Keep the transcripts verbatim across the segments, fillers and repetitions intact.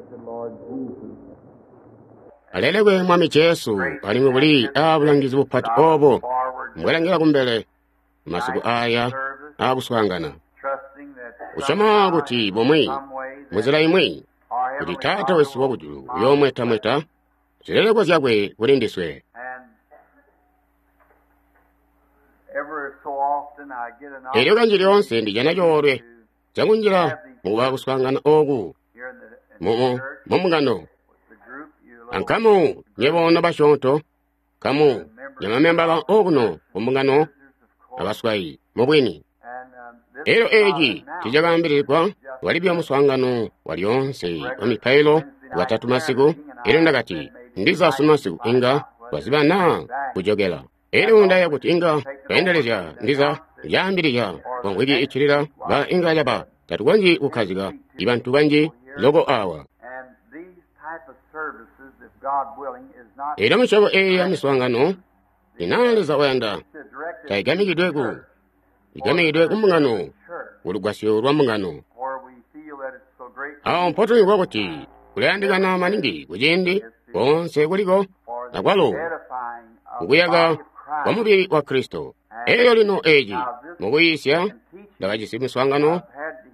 Blessed Lord Jesus. Alelekwe Mwami Jesu, alimwi buli aabulangizi bupati obo mbwelangila kumbele masiku aya aakuswaangana. Kusyoma kuti bumwi, munzila imwi, kuti Taata wesu wakujulu uyoomwetamweta zileleko zyakwe kuli ndiswe. Elyo kanji lyoonse ndijana coolwe cakunjila mukuba kuswaangana ooku mu mumbungano. Ankamu nyebo nobasyoonto, nkamu nyamamembala okuno kumbungano abaswayi mubwini. Elyo eeci tiicakaambilizigwa walibya muswaangano walyoonse wa mipailo Bwatatu masiku. Elyo ndakati ndiza sunu masiku inga twaziba naa kujokela. Elyo ndaya kuti inga twaendelezya ndiza lyaambilizya kwa mvwiki iccilila ba inga caba tatukonzyi kukkazika ibantu banji loko awa. Elyo misyobo eeyi ya miswaangano inaa Leza wayanda taigamikidwe ku igamikidwe ku mbungano kulugwasyo lwa mbungano. Awo mpotulimvwa kuti kulayandikana maningi kuciindi koonse kuliko akwalo kukuyaka kwa mubili wa Kristo. Elyo lino eeci mukuyiisya ndakajisi miswaangano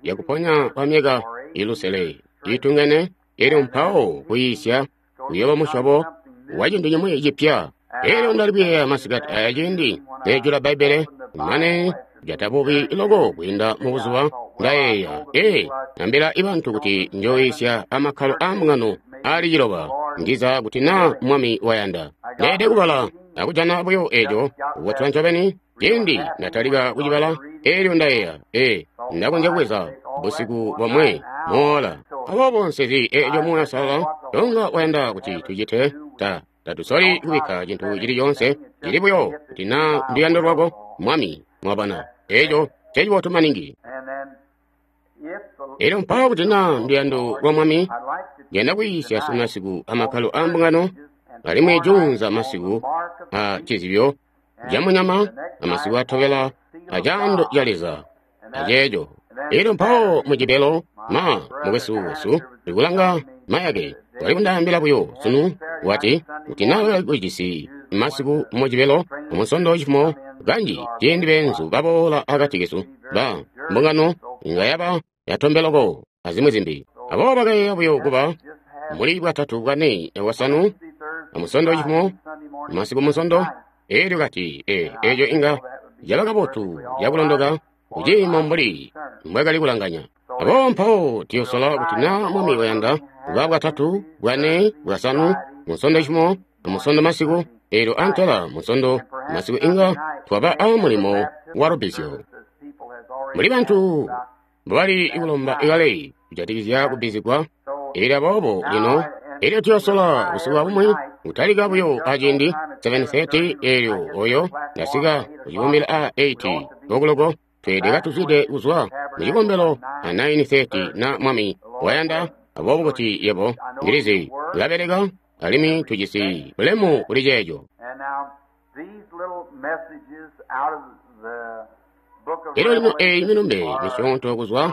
yakuponya kwa myaka ilusele iitungene. Elyo mpawo kuyiisya kuyooba musyobo wa cintu cimwi cipya. Elyo ndali kuyeeya masikati aya ciindi neejula Bbaibbele mane jata bubi loko kwiinda mubuzuba ndayeeya, ee, ambila ibantu kuti njooyiisya amakkalo aa mbungano aali ciloba ndiza kuti naa Mwami wayanda. Ndeelede kubala akujana buyo eeco kubotelwa ncobeni. Ciindi ndatalika kucibala, elyo ndayeeya, ee, ndakonzya kubweza busiku bomwe moola. Aboobo nsezi eeco Muuya Uusalala tonga wayanda kuti tucite. Ta tatusoli kubikka cintu cili coonse, cili buyo kuti naa nduyando lwako, Mwami, mwabona. Eeco ncecibotu maningi. Elyo mpawo kuti naa nduyando lwa Mwami, ndiyanda kuyiisya sunu masiku amakkalo aa mbungano, alimwi juunza masiku a cizibyo ca munyama, amasiku atobela a caando ca Leza, aceeco. Elyo mpawo Mujibelo, ma mukwesu wesu ndikulanga mayake wali kundaambila buyo sunu wati kuti naa kujisi masiku Mujibelo amunsondo cifumo kanji ciindi beenzu baboola akati kesu ba mbungano inga yaba yatombeloko azimwi zimbi. Aboobo bakayeeya buyo kuba muli bwatatu bwane bwasanu amusondo cifumo masiku munsondo. Elyo kati ee eeco inga caba kabotu cakulondoka kuciimo mbuli mbwakali kulanganya. Aboobo mpawo tuyosola kuti naa Mwami wayanda kuba bwatatu bwane bwasanu munsondo cifumo amusondo masiku. Elyo antela munsondo masiku inga twaba a mulimo wa lubbizyo. Muli bantu mbobali kulomba ikale kujatikizya kubbizigwa. Elyo aboobo lino elyo tuyosola busiku abumwi kutalika buyo aciindi seven thirty. Elyo oyo ndasika kucibumbila a eight okuloko tweede katuzwide kuzwa mucikombelo a nine thirty na Mwami wayanda. Aboobo kuti yebo ndilizi ulabeleka alimwi tujisi bulemu kuli ceeco. Elyo lino eeyi milumbe misyoonto kuzwa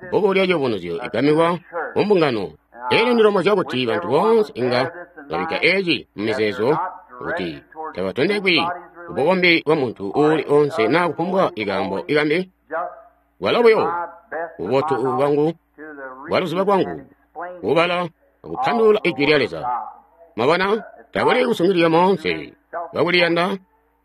bbuku lya Ciyubunuzyo igamikwa ku mbungano. Elyo ndilomozya kuti bantu boonse inga babikka eeci mumizeezo kuti tabatondekwi kubukombi bwa muntu uuli oonse naa kufumbwa ikaambo ikambi. Bwalo buyo bubotu bwangu bwaluziba kwangu kubala akupandulula Ijwi lya Leza. Mwabona, takuli kusungilizya moonse bakuliyanda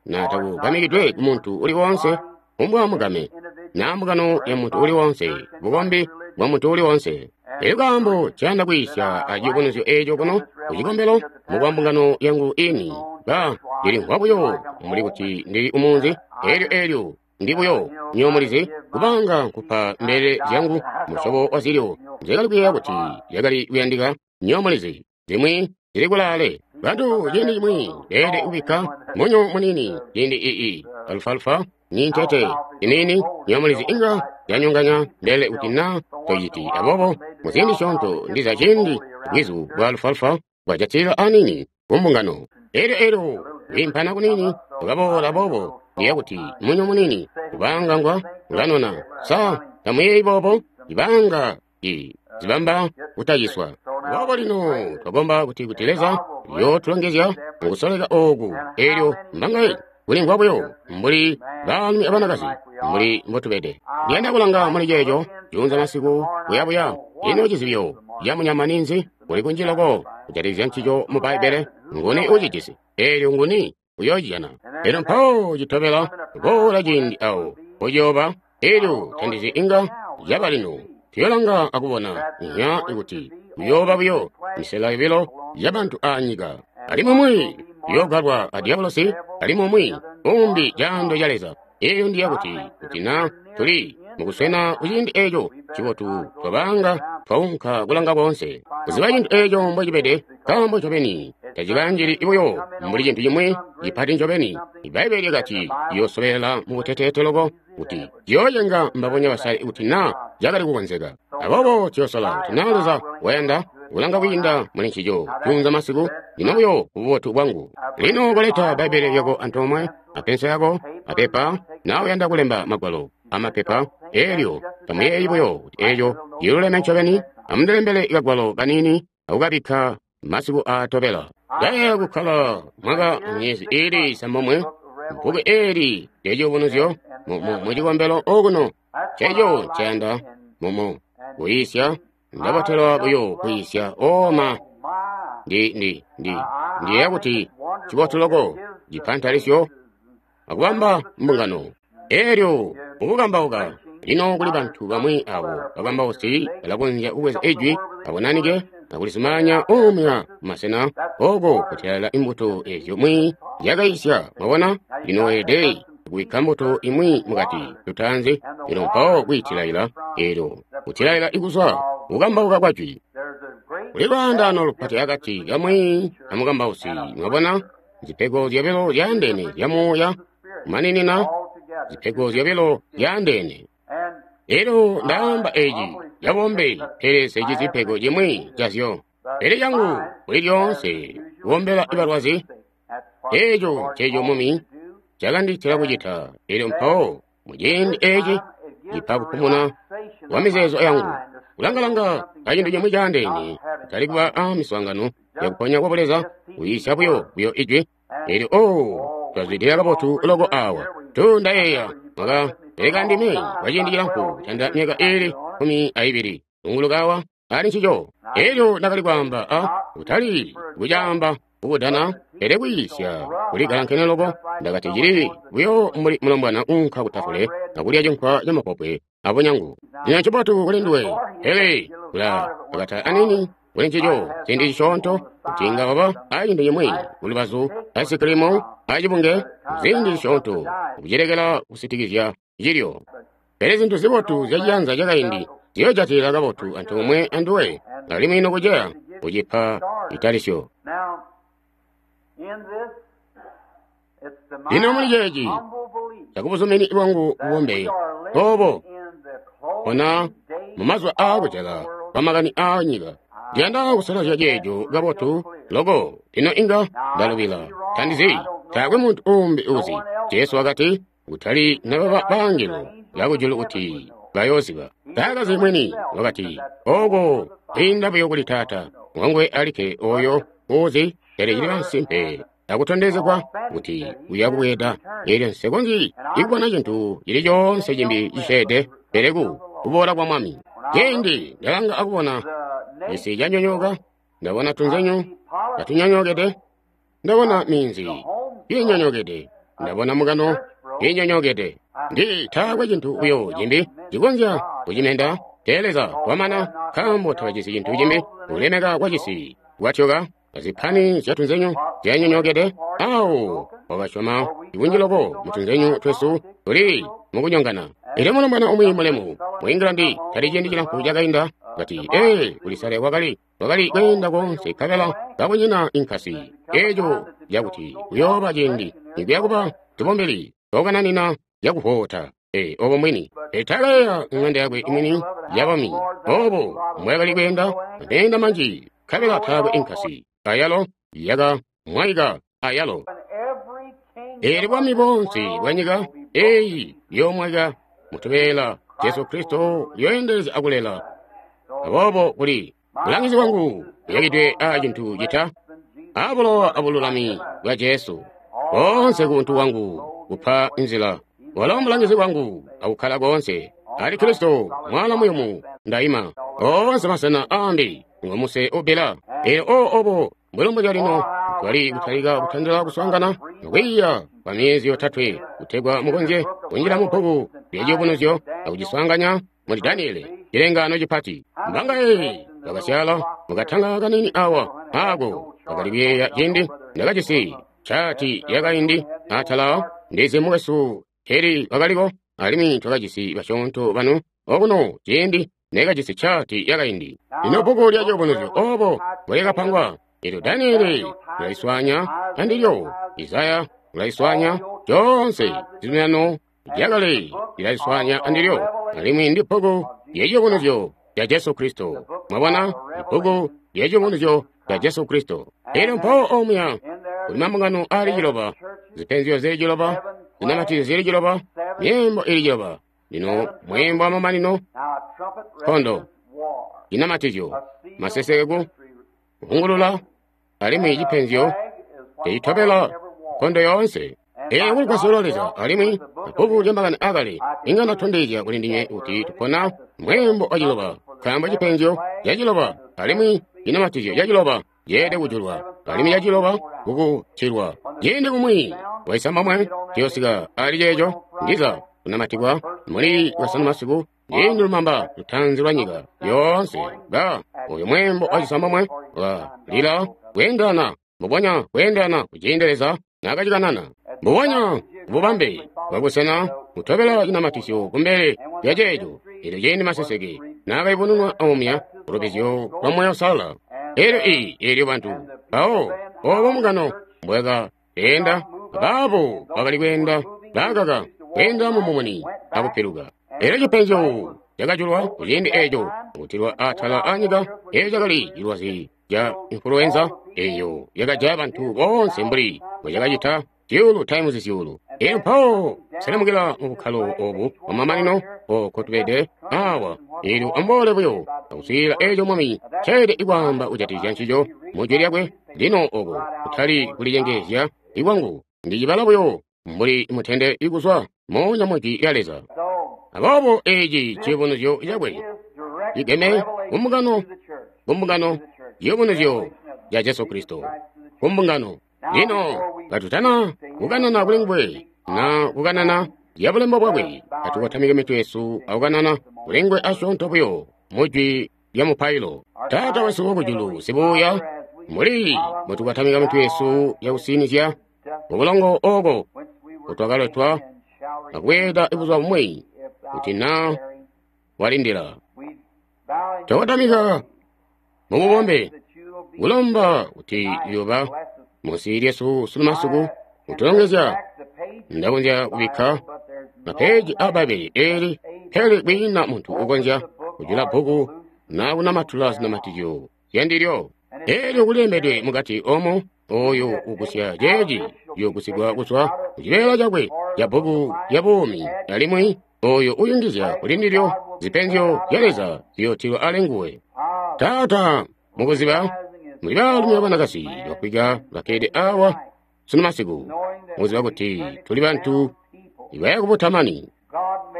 na takugamikidwe ku muntu uli woonse kufumbwa mugame naa mbungano ya muntu uli woonse, bukombi bwa muntu uli woonse. Elyo kaambo ncayanda kwiisya a ciyubunuzyo eeco kuno kucikombelo mukwa mbungano yangu ini ba ndilimvwa buyo mbuli kuti ndili umunzi. Elyo elyo ndi buyo nywebo mulizi kubanga nkupa mbelele zyangu musyobo wa zilyo nzyekali kuyeeya kuti zyakali kuyandika. Nywebo mulizi zimwi zili kulaale. Bantu ciindi cimwi beelede kubikka munyo muniini ciindi ii alufaalufa ni ntete iniini. Nywebo mulizi inga yanyonganya mbelele kuti naa tociti. Aboobo muziindi syoonto ndiza ciindi bwizu bwa alufaalufa bwajatilila aniini ku mbungano. Elyo elyo kwiimpana kuniini kwakaboola. Aboobo ndiyeeya kuti munyo muniini kubanga ngwa ulanona. Sa tamuyeeyi boobo? Ibanga i zibamba kutaciswa. Aboobo lino twakomba kuti kuti Leza uyootulongezya mukusoleka ooku. Eelyo mbangaye kulimvwa buyo mbuli baalumi abanakazi mbuli mbotubede. Ndiyanda kulanga muli ceeco juunza masiku kuyabuya. Ino cizibyo ca munyama ninzi? Kuli kunji loko kujatikizya ncico mu Bbaibbele. Nguni ucijisi? Eelyo nguni uyoocijana? Elyo mpawo citobela boola ciindi awo pociyooba. Eelyo tandizi inga yaba lino. Tuyolanga akubona nya kuti kuyooba buyo misela yobilo yabantu aanyika, alimwi umwi uyoogalwa a diabolosi, alimwi umwi umbi caando ca Leza. Eeyo ndiya kuti kuti na tuli mukuswena kuciindi eeco cibotu twabanga twaunka kulanga koonse kuziba cintu eeco mbocibede, nkaambo ncobeni tacikanjili buyo mbuli cintu cimwi cipati ncobeni. Ibbaibbele lyakati ciyoosobelela mubuteteete loko kuti ciyoocenga mbabonya basale kuti na cakali kukonzeka. Aboobo tuyoosola kuti na Leza wayanda kulanga kwiinda muli ncico juunza masiku. Lino buyo kububotu bwangu. Lino koleta Bbaibbele lyako antoomwe apenso yako apepa, na uyanda kulemba magwalo amapepa. Eelyo tamuyeeyi buyo kuti eeco ciluleme ncobeni. Amundilembele kagwalo kaniini akukabikka masiku aatobela. Ndayeeya kukkala mwaka myezi iili isambomwe bbuku eeli lyaciyubunuzyo mucikombelo okuno. Nceeco nceyanda mumu kuyiisya. Ndabotelwa buyo kuyiisya. Oma ndi ndi ndi ndiyeeya kuti cibotu loko cipa ntalisyo akubamba mbungano. Eelyo mukukambauka lino kuli bantu bamwi abo bakambausi balakonzya kubweza ijwi abonanike akulizumaanya uumya masena oko kutyalala imbuto ezyo mwi yakayisya. Mwabona, lino weelede kubikka mbuto imwi mukati lutaanzi, lino mpawo kwiitilaila. Eelyo kutilaila ikuzwa kukambauka kwa jwi. Kuli lwaandaano lupati akati kamwi amukambausi. Mwabona, zipego zyobilo zyaandeene zya muuya kumaninina, zipego zyobilo zyaandeene. Elyo ndaamba eci cabombe, pele seci zipego cimwi cazyo. Pele cangu kuli lyoonse kubombela balwazi, eeco nceco mumi cakanditila kucita. Elyo mpawo muciindi eci cipa kupumuna kwa mizeezo yangu kulangalanga kacintu cimwi caandeene, kutali kuba a miswaangano yakuponya kwa buleza, kuyiisya buyo buyo ijwi. Elyo oh, twazwidilila kabotu loko awa. Tu ndayeeya mwaka beleka ndime kwa ciindi cilamfu canda myaka iili kumi aibili unguluka awa ali ncico. Elyo ndakali kwaamba a kutali kucaamba kukudana, pele kwiisya kuli galankene loko. Ndakati cili buyo mbuli mulombwana unka kutafule akulya cinkwa camapopwe abunyangu. Lino ncibotu kuli nduwe, pele kula akata anini kuli ncico ciindi cisyoonto kuti inga waba acintu cimwi kulubazu aisikilimu acibunge ziindi zisyoonto kucilekela kusitikizya cilyo. Pele zintu zibotu zyaciyanza cakaindi ziyoojatilila kabotu antoomwe anduwe, alimwi nokuceya kucipa italisyo. Lino muli ceeci cakubuzumini bwangu bubombe obo ona mumazuba aakujala kwamakani aanyika, ndiyanda kusolozya ceeco kabotu loko. Lino inga ndalubila, tandizi, taakwe muntu uumbi uzi. Jesu wakati kutali nababa baangelo bakujulu kuti bayooziba. Taakazi mwini wakati oko kwiinda buyo kuli Taata wanguwe alikke oyo uuzi. Pele cili masimpe akutondezegwa kuti uya kubweeda. Eelyo nsekonzyi ikubona cintu cili coonse cimbi cisyeede pele ku kuboola kwa Mwami. Ciindi ndalanga akubona cisi canyonyooka, ndabona tunzenyu katunyonyookede, ndabona minzi iinyonyookede, ndabona mukano iinyonyookede. Ndi taakwe cintu buyo cimbi cikonzya kucimenda. Tee Leza wamana, nkaambo tabajisi cintu cimbi. Kulemeka kwa cisi kwatyoka, azipani zyatunzenyu zyanyonyookede. Awo wakasyoma ikunji loko mutunzenyu twesu tuli mukunyongana. Elyo mulombwana umwi mulemu mu England tali ciindi cilamfu cakainda kati, ee, kulisale kwakali kwakali kweenda koonse nkabela kakunyina inkasi. Eeco cakuti kuyooba ciindi nikuya kuba tubombeli twakukananina cakuvoota. Ee, obo mwini etakayeeya ŋanda yakwe imwini yabami, obo mbwakali kweenda ameenda manji nkabela taakwe inkasi, ayalo yaka mwaika ayalo. Eelyo bwami boonse bwanyika eeyi yoomwaika mutubeela Jesu Kristo uyooendelezya akulela Aboobo kuli bulangizi bwangu buyakidwe aa cintu cita a bulowa abululami bwa Jesu. Koonse ku buntu bwangu kupa nzila. Walo mulangizi wangu akukkala koonse. Ali Kristo, mwaala muyumu, ndaima. Oonse masena aambi ngomuse ubbila. Elyo o obo mbwelombozya lino twali kutalika kutandila kuswaangana kwiiya kwa myezi yotatwe kutegwa mukonzye kunjila mu bbuku lya Ciyubunuzyo akuciswaanganya muli Daniele, cilengaano cipati. Mbangaye bakasyala mukatanga kanini awa ako bakali kuyeeya ciindi ndakajisi cati yakaindi atala ndizi mukwesu Heli wakaliko alimwi twakajisi basyoonto banu okuno ciindi nekajisi cati yakaindi. Lino bbuku lya Ciyubunuzyo obo mbwelyakapangwa. Elyo Daniele ulaliswanya andilyo, Isaya ulaliswanya, conse cizuminano lyakale lilaliswanya andilyo, alimwi ndi bbuku lya Ciyubunuzyo lya Jesu Kristo. Mwabona, bbuku lya Ciyubunuzyo lya Jesu Kristo. Elyo mpawo omuya kuli mambungano ali ciloba, zipenzyo zili ciloba, zinamatizyo zili ciloba, myeembo ili ciloba. Lino mweembo wa mamanino, nkondo, cinamatizyo, maseseku, kuhungulula, alimwi cipenzyo cicitobela nkondo yoonse. Eyo kuli kwasola Leza, alimwi bbuku lya makani akale inga ndatondezya kuli ndinywe kuti tupona mweembo wa ciloba, nkaambo cipenzyo ca ciloba alimwi cinamatizyo ca ciloba ceelede kujulwa, alimwi ca ciloba kukutilwa. Ciindi kumwi waisambamwe ciyosika ali ceeco ndiza kunamatikwa muli Bwasanu masiku, ciindi lumamba lutaanzi lwa nyika yoonse ba oyo mweembo wa cisambamwe walila kweendelana mbubonya kweendelana kuciindi Leza naakacikanana, mbubonya bubambe bwabusena kutobela cinamatizyo kumbele lya ceeco. Elyo ciindi maseseke naakayubununwa omuya kulubizyo lwa Moya Uusalala. Elyo iyi elyo bantu mpawo obo mungano mbwakaenda, baabo bakali kweenda baakaka kweenda mu mumuni akupiluka. Elyo cipenzyo cakajulwa kuciindi eeco kutilwa atala anyika. Eeco cakali cilwazi ca influenza eyo yakajaya bantu boonse mbuli mbwecakacita zyuulu times zyuulu. Elyo mpawo selemukila mu bukkalo obu bwamamanino oko tubede awa. Elyo amboole buyo akuswiilila eeco Mwami nceelede kwaamba kujatikizya ncico mu Jwi lyakwe. Lino oko kutali kulicengeezya ikwangu, ndicibala buyo mbuli mutende ikuzwa moonya mu Jwi lya Leza. Aboobo eeci ciyubunuzyo cakwe cigeme kumbungano, kumbungano, ciyubunuzyo ca Jesu Kristo kumbungano. Lino katutana kukanana kuli nguwe na kukanana lya bulembo bwakwe, katukotamike mitwe yesu akukanana kuli nguwe asyoonto buyo mu jwi lya mupailo. Taata wesu wakujulu sibuuya, muli mbutukotamika mitwe yesu yakusinizya mubulongo oko kutwakaletwa akubweeda buzuba bumwi kuti na walindila. Twakotamika mububombe kulomba kuti yoba munsi lyesu sunu masiku kutulongezya. Ndakonzya kubikka mapeji a Bbaibbele eli, pele kwiina muntu ukonzya kujula bbuku na kunamatula zinamatizyo zyandilyo. Elyo kulilembedwe mukati omo, oyo ugusya ceeci uyogusigwa kuzwa kucibeela cakwe ca bbuku lya buumi, alimwi oyo uyungizya kuli ndilyo zipenzyo zya Leza ziyootilwa ali nguwe. Taata, mukuziba muli baalumi abanakazi bafwika bakkede awa sunu masiku, mukuziba kuti tuli bantu ibaya kubutamani.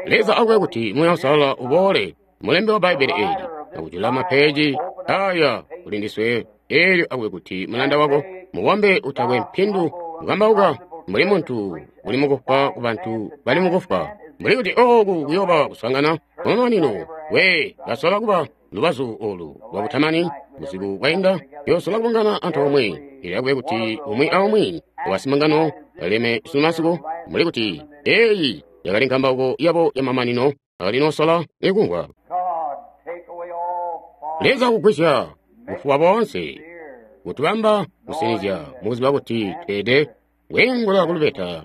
Leza akube kuti Moya Uusalala uboole mulembi wa Bbaibbele eli akujula mapeji aya kuli ndiswe. Elyo akube kuti mulanda wako mubombe utakwe mpindu kukambauka mbuli muntu uli mukufwa ku bantu bali mukufwa, mbuli kuti oku kuyoba kuswaangana kwamamanino. We kasola kuba lubazu olu lwa butamani busiku bwainda, yosola kubungana antoomwe. Elyo akube kuti umwi aumwi wasimangano baleme sunu masiku, mbuli kuti eyi yakali nkambauko yabo yamamanino akalinosola ikumvwa. Leza kugwisya bufuba boonse, kutubamba kusinizya mukuziba kuti tweede kwiingula kulubeta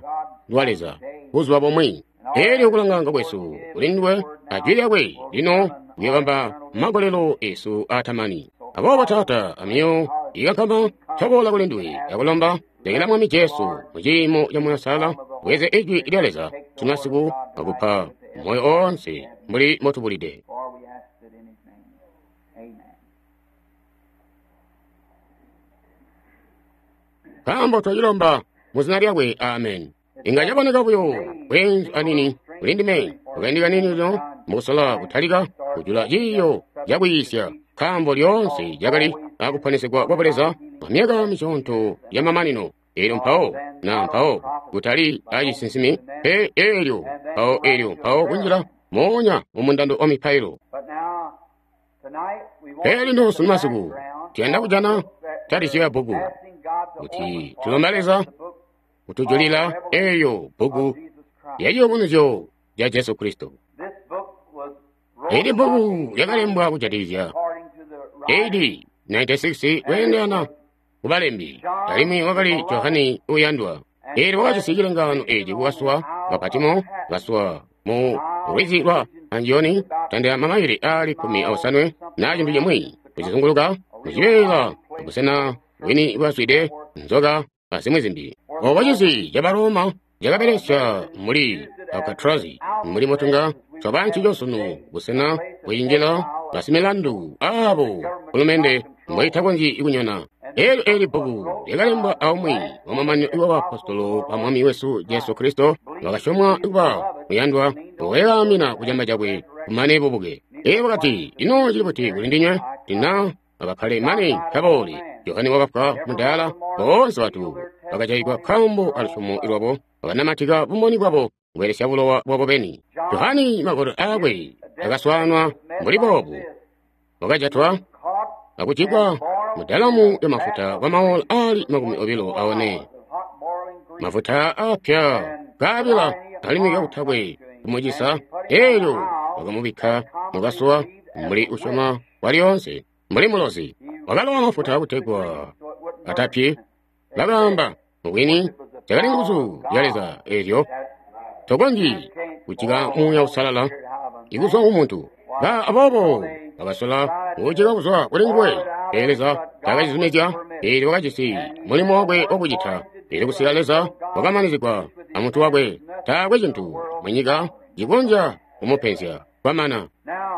lwa Leza buzuba bumwi. Elyo kulanganga kwesu kuli nduwe ajwi lyakwe lino kuyobamba magolelo esu atamani. Aboobo Taata, amyoyo ikankama twaboola kuli nduwe akulomba lekela Mwami Jesu muciimo ca Moya Uusalala bweze ijwi lya Leza sunu masiku akupa moyo oonse mbuli mbotubulide. Nkaambo twacilomba mu zina lyakwe, amen. Inga caboneka buyo bweenzu anini kuli ndime kukaindi kanini lino mukusola kutalika kujula ciiyo cakwiisya, nkaambo lyoonse cakali akuponesegwa kwa Buleza kwa myaka misyoonto yamamanino. Elyo mpawo na mpawo kutali acisinsimi pe, elyo mpawo elyo mpawo kunjila moonya mu mundando wa mipailo. Pele lino sunu masiku tuyanda kujana talisyo ya bbuku kuti tulomba Leza kutujulila eyo bbuku ya ciyubunuzyo ca Jesu Kristo. Eli bbuku lyakalembwa kujatikizya A D ninety-six kweendelana ku balembi, alimwi wakali Johane uyandwa. Eelyo wakajisi cilengaano eeci kukasuwa ka Patimo, kasuwa mu lwizi lwa Anjoni, tandila mamaile aali kkumi aosanwe na cintu cimwi kucizunguluka mucibeela busena bwini bwazwide nzoka azimwi zimbi. Obo cisi ca Baroma cakabelesya muli Alcatraz, muli mutunga twaba ncico sunu, busena bwiinjila basimilandu abo hulumende mboitakonzyi kunyona. Eelyo eli bbuku lyakalembwa aumwi wamamanino wa baapostolo ba Mwami wesu Jesu Kristo, wakasyomwa kuba muyandwa wakayaamina kucamba cakwe kumane bubuke. Eelyo wakati, ino cili buti kuli ndinywe? Tina akakkale mane kaboole. Johane wakafwa mudaala, boonse bantu bakajayigwa nkaambo alusyomo lwabo, bakanamatika bumboni bwabo kubelesya bulowa bwabo beni. Johane magolo aakwe akaswaanwa mbuli boobu, wakajatwa akujikwa mudalamu ya mafuta kwa maola ali makumi obilo aone, mafuta apya kaabila alimwi kakutakwe kumucisa. Eelyo wakamubikka mukasuwa mbuli usyoma walyoonse, mbuli mulozi wakalowa mafuta kutegwa atapyi. Bakaamba mubwini cakali nguzu ya Leza eelyo tokonzyi kujika Muuya Uusalala ikuzwa ku muntu. Ba aboobo bakasola kuujika kuzwa kuli nguwe, pele Leza taakacizumizya. Eelyo wakajisi mulimo wakwe wakucita. Eelyo kusika Leza wakamanizigwa amuntu wakwe, taakwe cintu munyika cikonzya kumupenzya kwamana.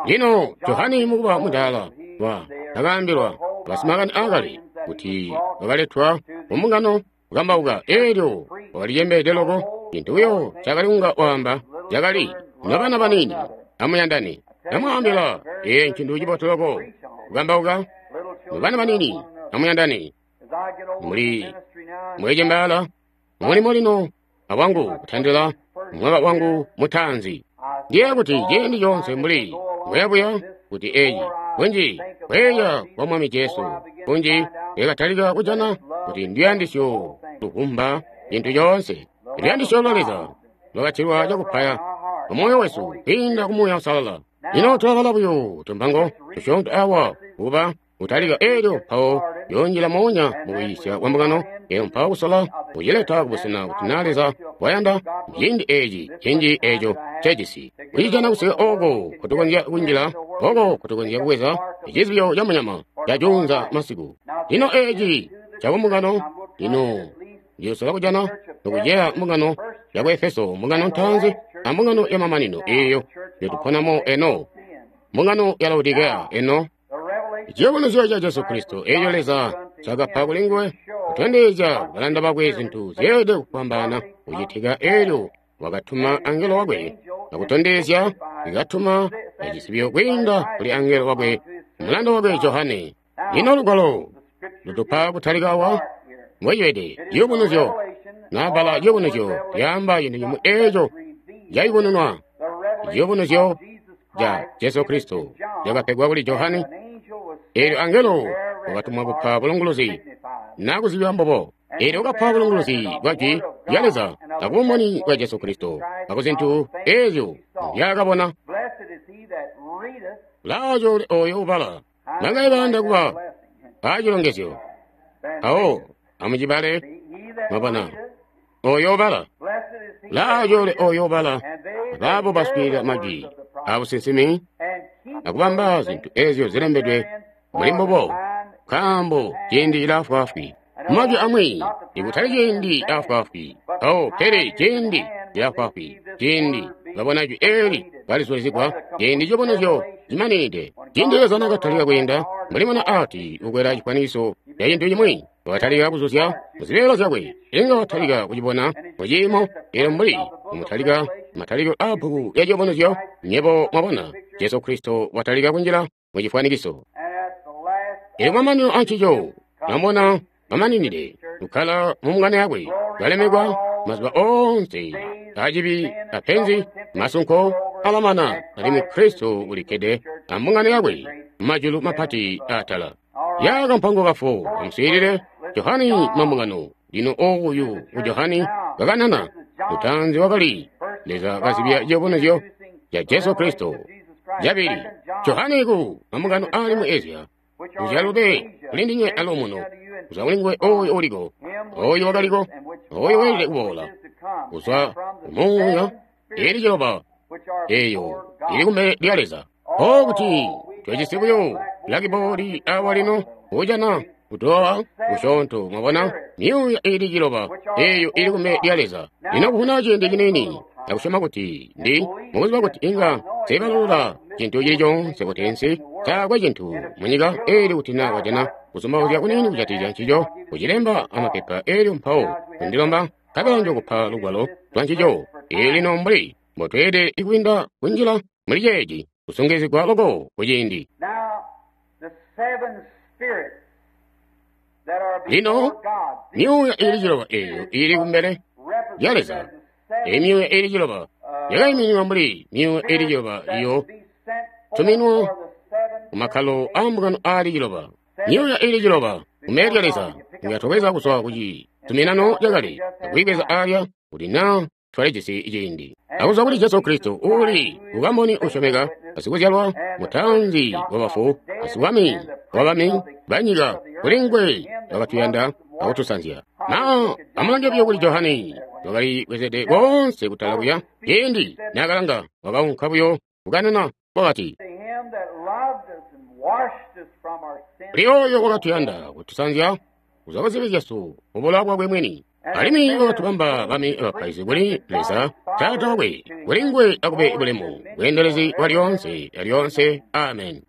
Lino Johane mukuba mudaala wa akaambilwa basimakani aakale kuti wakaletwa mumbungano kukambauka. Eelyo wakalicembeede loko, cintu buyo cakali kunga waamba cakali, nobana baniini amuyandane. Namwaambila, ee ncintu cibotu loko kukambauka, nobana baniini amuyandane. Muli mulicembaala mulimo lino awangu kutandila mwaka wangu mutaanzi. Ndiye kuti ciindi coonse mbuli mbuyabuya kuti eeci kunji kweeya kwa Mwami Jesu kunji ndikatalika kujana kuti nduyandisyo luvumba cintu coonse. Luyandisyo lwa Leza lwakatilwa cakupaya mumoyo wesu kwiinda ku Muuya Uusalala. Lino tulabala buyo tumpango tusyoonto awa kuba kutalika, eelyo mpawo yoonjila moonya mukuyiisya kwa mbungano, eelyo mpawo kusola kucileta kubusena kuti naa Leza wayanda ciindi eeci cinji eeco ncejisi kucijana kusika ooko kutukonzya kunjila, ooko kutukonzya kubweza icizibyo ca munyama ca juunza masiku. Lino eeci cakumbungano, lino ndiyosola kujana nokuceya mbungano yaku Efeso, mbungano ntaanzi ambungano yamamanino eeyo yotuponamo eno, mbungano ya Laodikea eno. Ciyubunuzyo ca Jesu Kristo eeco Leza cakapa kuli nguwe kutondezya balanda bakwe zintu zyeelede kufwambaana kucitika. Eelyo wakatuma angelo wakwe akutondezya, ikatuma cisibyo kwiinda kuli angelo wakwe mulanda wakwe Johane. Lino lugwalo lutupa kutalika awa mbwecibede ciyubunuzyo. Nabala ciyubunuzyo lyaamba cintu cimwi eeco cayubununwa. Ciyubunuzyo ca Jesu Kristo cakapegwa kuli Johane. Eelyo angelo wakatumwa kupa bulunguluzi nakuzibya mbobo. Eelyo wakapa bulunguluzi bwa jwi lya Leza akubumboni bwa Jesu Kristo akuzintu eezyo nzyaakabona. Laaco oyo ubala nangaye bayanda kuba aacilongezyo awo amucibale mwabona oyo ubala. Laaco oyo ubala abaabo baswiilila majwi abusinsimi akubamba zintu eezyo zilembedwe muli mbubo, nkaambo ciindi cilaafwaafwi. Majwi amwi ikutali ciindi afwaafwi awo, pele ciindi cilaafwaafwi. Ciindi babona jwi eeli kalizulizigwa, ciindi ciyubunuzyo cimaninide. Ciindi Leza nakatalika kwiinda mbuli muna ati ukwela cifwanikiso ca cintu cimwi, Watalika kuzuzya muzibeela zyakwe. Inga watalika kucibona muciimo elyo mbuli mutalika matalikilo aa bbuku lya Ciyubunuzyo, nyebo mwabona Jesu Kristo watalika kunjila mu cifwanikiso. Elyo mamanino ancico, mwabona mamaninide kukkala mu mbungano yakwe, kalemekwa mazuba oonse acibi apenzi masunko alamana, alimwi Kristo ulikkede ambungano yakwe majulu mapati atala. Ya kampango kafo amuswiilile Johani mambungano. Lino oyu ku Johani kakanana lutanzi wakali Leza kazibya ciyubunuzyo ca Jesu Kristo. Cabili, Johani ku mambungano ali mu Asia, uzyalube kuli ndinywe alomuno, kuzwa kuli nguwe oyo uliko, oyo wakaliko, oyo weelede kuboola, kuzwa kumuuya ili ciloba eyo ili kumbele lya Leza. O kuti twajisi buyo blackboard awa lino kujana kutoa kusyoonto, mwabona myuuya ili ciloba eyo ili kumbele lya Leza. Lino kufuna ciindi ciniini akusyoma kuti ndi mukuziba kuti inga sebalula cintu cili coonse kuti nsi taakwe cintu munyika eli kuti na wajana kuzumbauzya kuniini kujatikizya ncico, kucilemba amapepa elyo mpawo kundilomba nkabela njokupa lugwalo lwa ncico. Eli lino mbuli mbotweelede kwiinda kunjila muli ceeci kusungilizigwa loko kuciindi. Lino myuuya ili ciloba eyo ili kumbele lya Leza, eyi myuuya ili ciloba yakaimininwa mbuli myuuya ili ciloba iyo tuminwa kumakkalo aambungano aali ciloba. Myuuya ili ciloba kumbele lya Leza inga kuzwa kuci tuminano cakale akuyibweza alya kuti naa twalijisi ciindi. Akuzwa kuli Jesu Kristo uuli ukamboni usyomeka, asikuzyalwa mutanzi wabafu, asiwami wabami banyika, kuli nguwe wakatuyanda akutusanzya. Na amulange buyo kuli Johani wakali bwezede koonse kutala kuya ciindi naakalanga wakaunka buyo kukanana wakati, kuli oyo wakatuyanda kutusanzya kuzwa kuzibi zyesu mubulowa bwakwe mwini, alimwi wakatubamba bami abapaizi kuli Leza Taata wakwe, kuli nguwe akube bulemu bweendelezi bwa lyoonse alyoonse. Amen.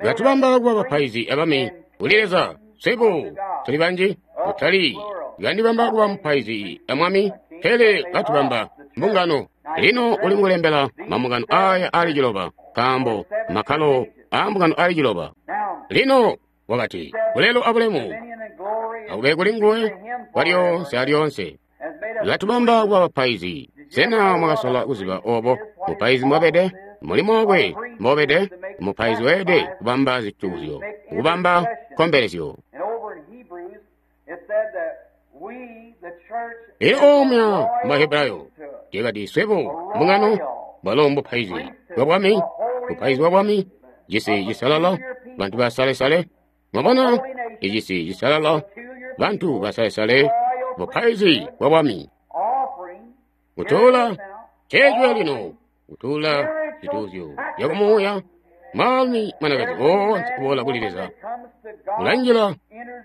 Katubamba kuba bapaizi abami kuli Leza. Swebo tuli banji, kutali kandibamba kuba mupaizi amwami, pele katubamba mbungano. Lino uli mukulembela mambungano aya ali ciloba, nkaambo makkalo aambungano ali ciloba. Lino wakati, bulelo abulemu akube kuli nguwe kwalyoonse alyoonse. Katubamba kuba bapaizi. Sena mwakasola kuziba obo mupaizi mbwabede? Mulimo wakwe mbobede? Mupaizi weelede kubamba zituuzyo, kubamba nkombelezyo. Elyo omya mu Bahebrayo lyakati swebo mbungano bwalo mbupaizi bwa bwami, bupaizi bwa bwami, cisi cisalala, bantu basalesale. Mwabona, icisi cisalala, bantu basalesale, bupaizi bwa bwami. Kutuula ceecwe lino, kutuula zituuzyo zyakumuuya, mwaalumi mwanakazi woonse kuboola kuli Leza ulanjila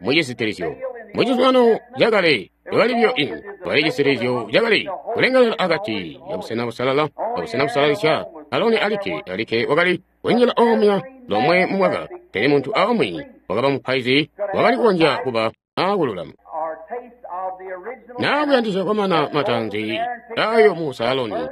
mucisitilizyo. Mucizuminano cakale lyakali buyo ino kwali cisitilizyo cakali kulengalela akati ya busena busalala abusena busalalisya. Aloni alikke alikke wakali kunjila omya lomwe mu mwaka, pele muntu aumwi wakaba mupaizi wakali kukonzya kuba aakululama naa kuyandisya kwamana matanzi ayo Musa Aloni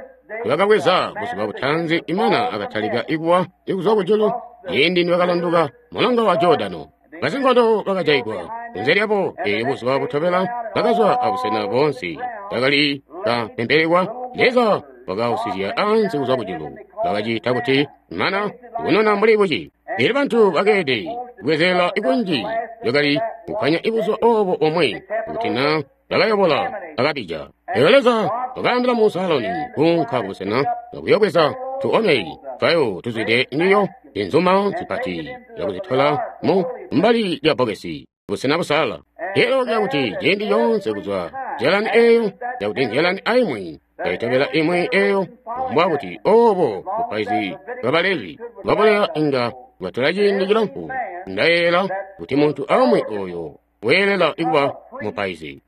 bakabweza buzuba butanzi imana akatalika ikuwa ikuzwa kujulu ciindi nibakalanduka mulonga wa Jordano. Basinkondo bakajaigwa kunze lyabo. Eelyo buzuba butobela bakazwa abusena boonse bakali kapempelekwa. Leza wakausizya ansi kuzwa kujulu, bakacita kuti mana kunona mbuli buci. Eelyo bantu bakeede kubwezela ikunji lyakali kukkanya ibuzuba obo omwe kuti na bakayobola akabija. Eelyo Leza wakaambila Musa Aloni kuunka kubusena akuyobweza tuomeri twayo tuzwide njiyo inzuma zipati yakuzitola mu mbali lya bbokesi busena busalala. Eelyo lyakuti ciindi coonse kuzwa nzyalani eyo yakuti nzyalani aimwi yaitobela imwi eyo, mbwa kuti obo bupaizi bwa Balevi bwabuleya inga bwatola ciindi cilamfu. Ndayeeyela kuti muntu aumwi oyo weelela kuba mupaizi.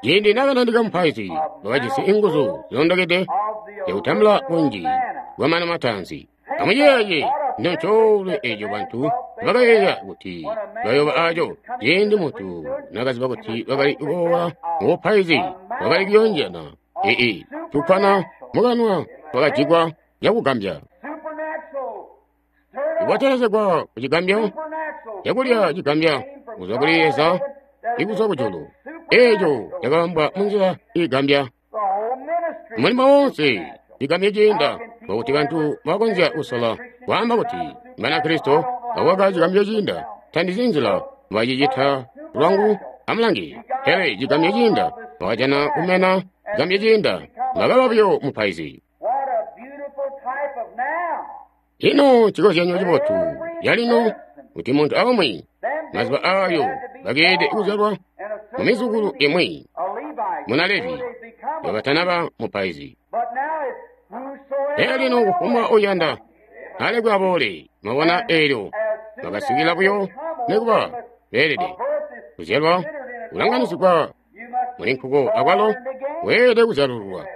Ciindi naakanandika mupaizi wakajisi inguzu zilondokede yakutambula bunji bwamana matanzi. Amuyeeye Ino ncoolwe eco bantu bakayeeya kuti bayooba aco ciindi muntu nakaziba kuti bakali kuboola mubupaizi bakali kuyoonjana ee tukwana mukanwa twakajikwa cakugambya ikwatelezegwa ku cigambyo cakulya cigambya kuzwa kuli Leza ikuzwa kujulu eeco cakabambwa munzila iigambya mulimo wonse cigambyo ciinda kwakuti bantu bakonzya kusola kwaamba kuti Banakristo bakaka cigambyo ciinda tandizi nzila bacicita lwangu amulangi pele cigambyo ciinda bakajana kumena cigambyo ciinda bakaba buyo mupaizi. Ino cikozyanyo cibotu calino kuti muntu aumwi mazuba ayo bakeelede kuzyalwa mu mizukulu imwi muna Levi babatanaba mupaizi. Pele lino kufumbwa uyanda alekwe aboole mwabona eelyo bakasikila buyo nikuba beelede kuzyalwa kulanganisigwa muli nkuko akwalo weelede kuzyalululwa.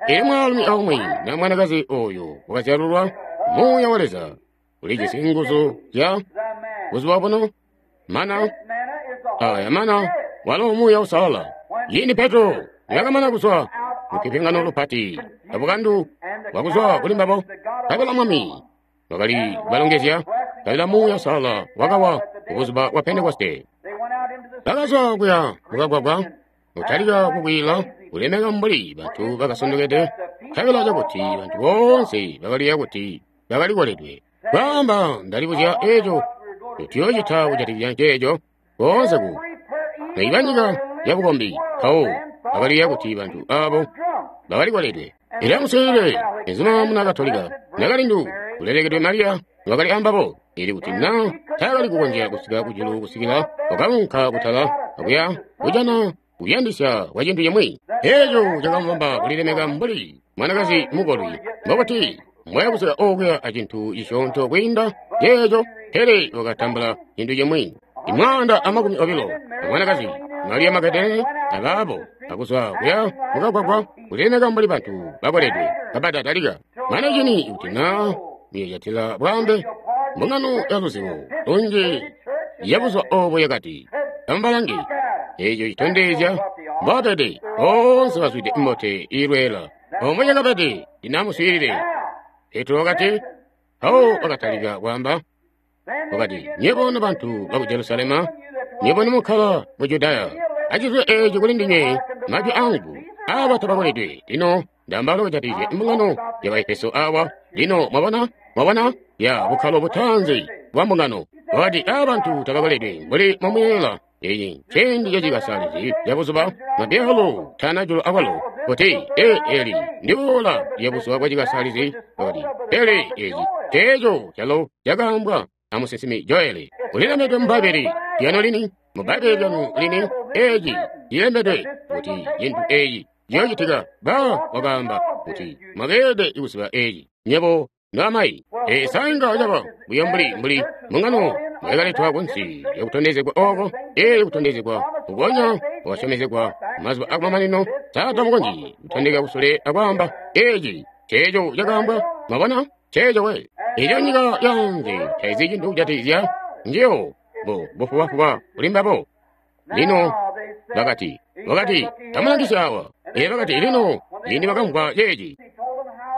Eelyo mwaalumi aumwi na mwanakazi oyo wakazyalulwa muuya wa Leza ulijisi nguzu zya buzuba buno mana aya mana walo muuya usalala. Ciindi Petro yakamana kuzwa mukipingano lupati abukandu bwakuzwa kuli mbabo kabila Mwami wakali kubalongezya kabila muuya usalala wakawa kubuzuba bwa Pentekoste. Bakazwa kuya mukagwagwa kutalika kukwiila kulemeka mbuli bantu bakasondokede kabila cakuti bantu boonse bakaliya kuti bakalikoledwe. Kwaamba ndalibuzya eeco tuyoocita kujatikizya ceeco koonse ku naiba nyika yabukombi mpawo bakaliya kuti bantu aabo bakalikoledwe. Era muswiilile ezuma muna Katolika nakalindu kulelekedwe Mariya wakali ambabo ili kuti na taakali kukonzya kusika kujulu kusikila wakaunka kutala akuya kujana kuyandisya kwa cintu cimwi eeco cakamubamba kulilemeka mbuli mwanakazi mukolwi mbokuti mwaya kusika okuya acintu cisyoonto kwiinda ceeco pele wakatambula cintu cimwi imwaanda amakumi obilo amwanakazi Mariya Magadalene abaabo akuzwa kuya mukagwagwa kulilemeka mbuli bantu bakoledwe kabatatalika mane cini kuti na muyocatila bwaambe mbungano ya luzibo lunji yabuzwa obo yakati amubalange eeco citondezya mbabede boonse bazwide mbote iilweela omwe cakabede linamuswiilile. Petro wakati mpawo wakatalika kwaamba wakati nyebo nobantu baku Jerusalema nyebo nomukkala mu Judaya acizwe eeci kuli ndinywe majwi angu aaba tabakoledwe. Lino ndaamba kujatikizya mbungano ya Baefeso awa. Lino mwabona mwabona ya bukkalo butaanzi bwa mbungano wakati aaba bantu tabakoledwe mbuli mwamuyeeyela. Eeci nciindi cacikasalizi cabuzuba mabyalo tanajulu akwalo kuti ee eli ndiboola lyabuzuba bwacikasalizi wakati pele eeci ceeco calo cakaambwa amusinsimi Joeli ulilembedwe mu Bbaibbele lyanu lini mu Bbaibbele lyanu lini eeci cilembedwe kuti cintu eeci ciyoocitika. Ba wakaamba kuti mwakeelede kuziba eeci nyebo noamayi. Ee sainga caba buyo mbuli mbuli mbungano mwayakaletwa kunsi lyakutondezegwa ooko ee kutondezegwa kukonya wakasyomezegwa mazuba akumamanino taata mukonzyi kutondeka kusule akwaamba eeci ceeco cakaambwa. Mwabona ceeco we eco nyika yanze taizi cintu kujatikizya njiyo bo bufubafuba kuli mbabo. Lino bakati wakati tamulangisya awa. Ee bakati lino ciindi bakamvwa ceeci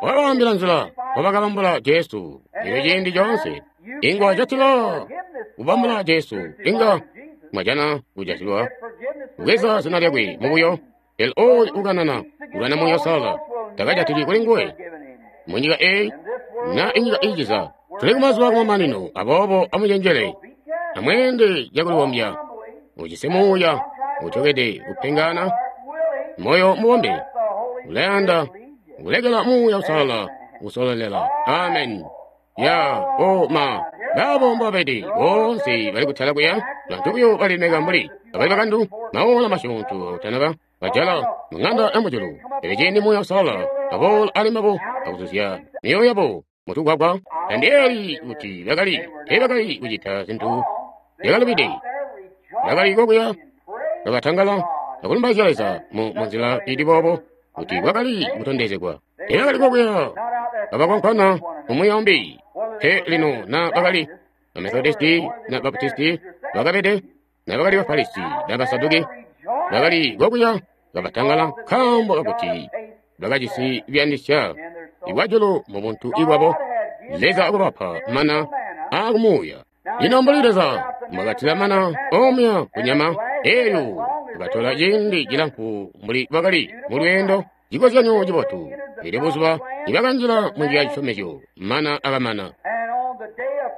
wakabaambila nzila wabakabambula Jesu. Elyo ciindi coonse inga catila kubambula Jesu inga mwajana kujatilwa kubweza zina lyakwe mubuyo. Pele oyu ukanana kulwana Muuya Uusalala takajatili kuli nguwe munyika eyi na inyika iiciza. Tuli kumazuba kumamanino, aboobo amucenjele amweende cakulibombya ujisi muuya utyokede kupengana moyo mubombe ulayanda kulekela Muuya Uusalala kusololela. Amen. Ya o ma baabo mbabedi boonse bali kutala kuya bantu buyo balimeka mbuli abali bakandu maola masyoonto akutanaba bajala mung'anda ya mujulu. Pele ciindi Muuya Uusalala aboola ali mbabo akuzuzya myoyo yabo mutugwagwa tandiyeeyi kuti bakali teebakali kucita zintu zyakalubide. Bakali kokuya bakatangala akulumbaizya Leza mu munzila ili boobo kuti kwakali kutondezegwa. Elyo bakali kokuya kabakonkona umwi aumbi. Pe lino na bakali ba Methodisti na Baptisti bakabede, na bakali ba Farisi na Basaduki, bakali kokuya kabatangala nkaambo kakuti bakajisi biyandisya ibwajulu mu buntu ibwabo. Leza akubapa mana aakumuuya. Lino mbuli Leza mbwakatila mana omuya kunyama eyo, bakatola ciindi cilamfu mbuli bakali mu lweendo, cikozyanyo cibotu. Elyo buzuba nibakanjila mu nyika ya cisyomezyo, mana akamana.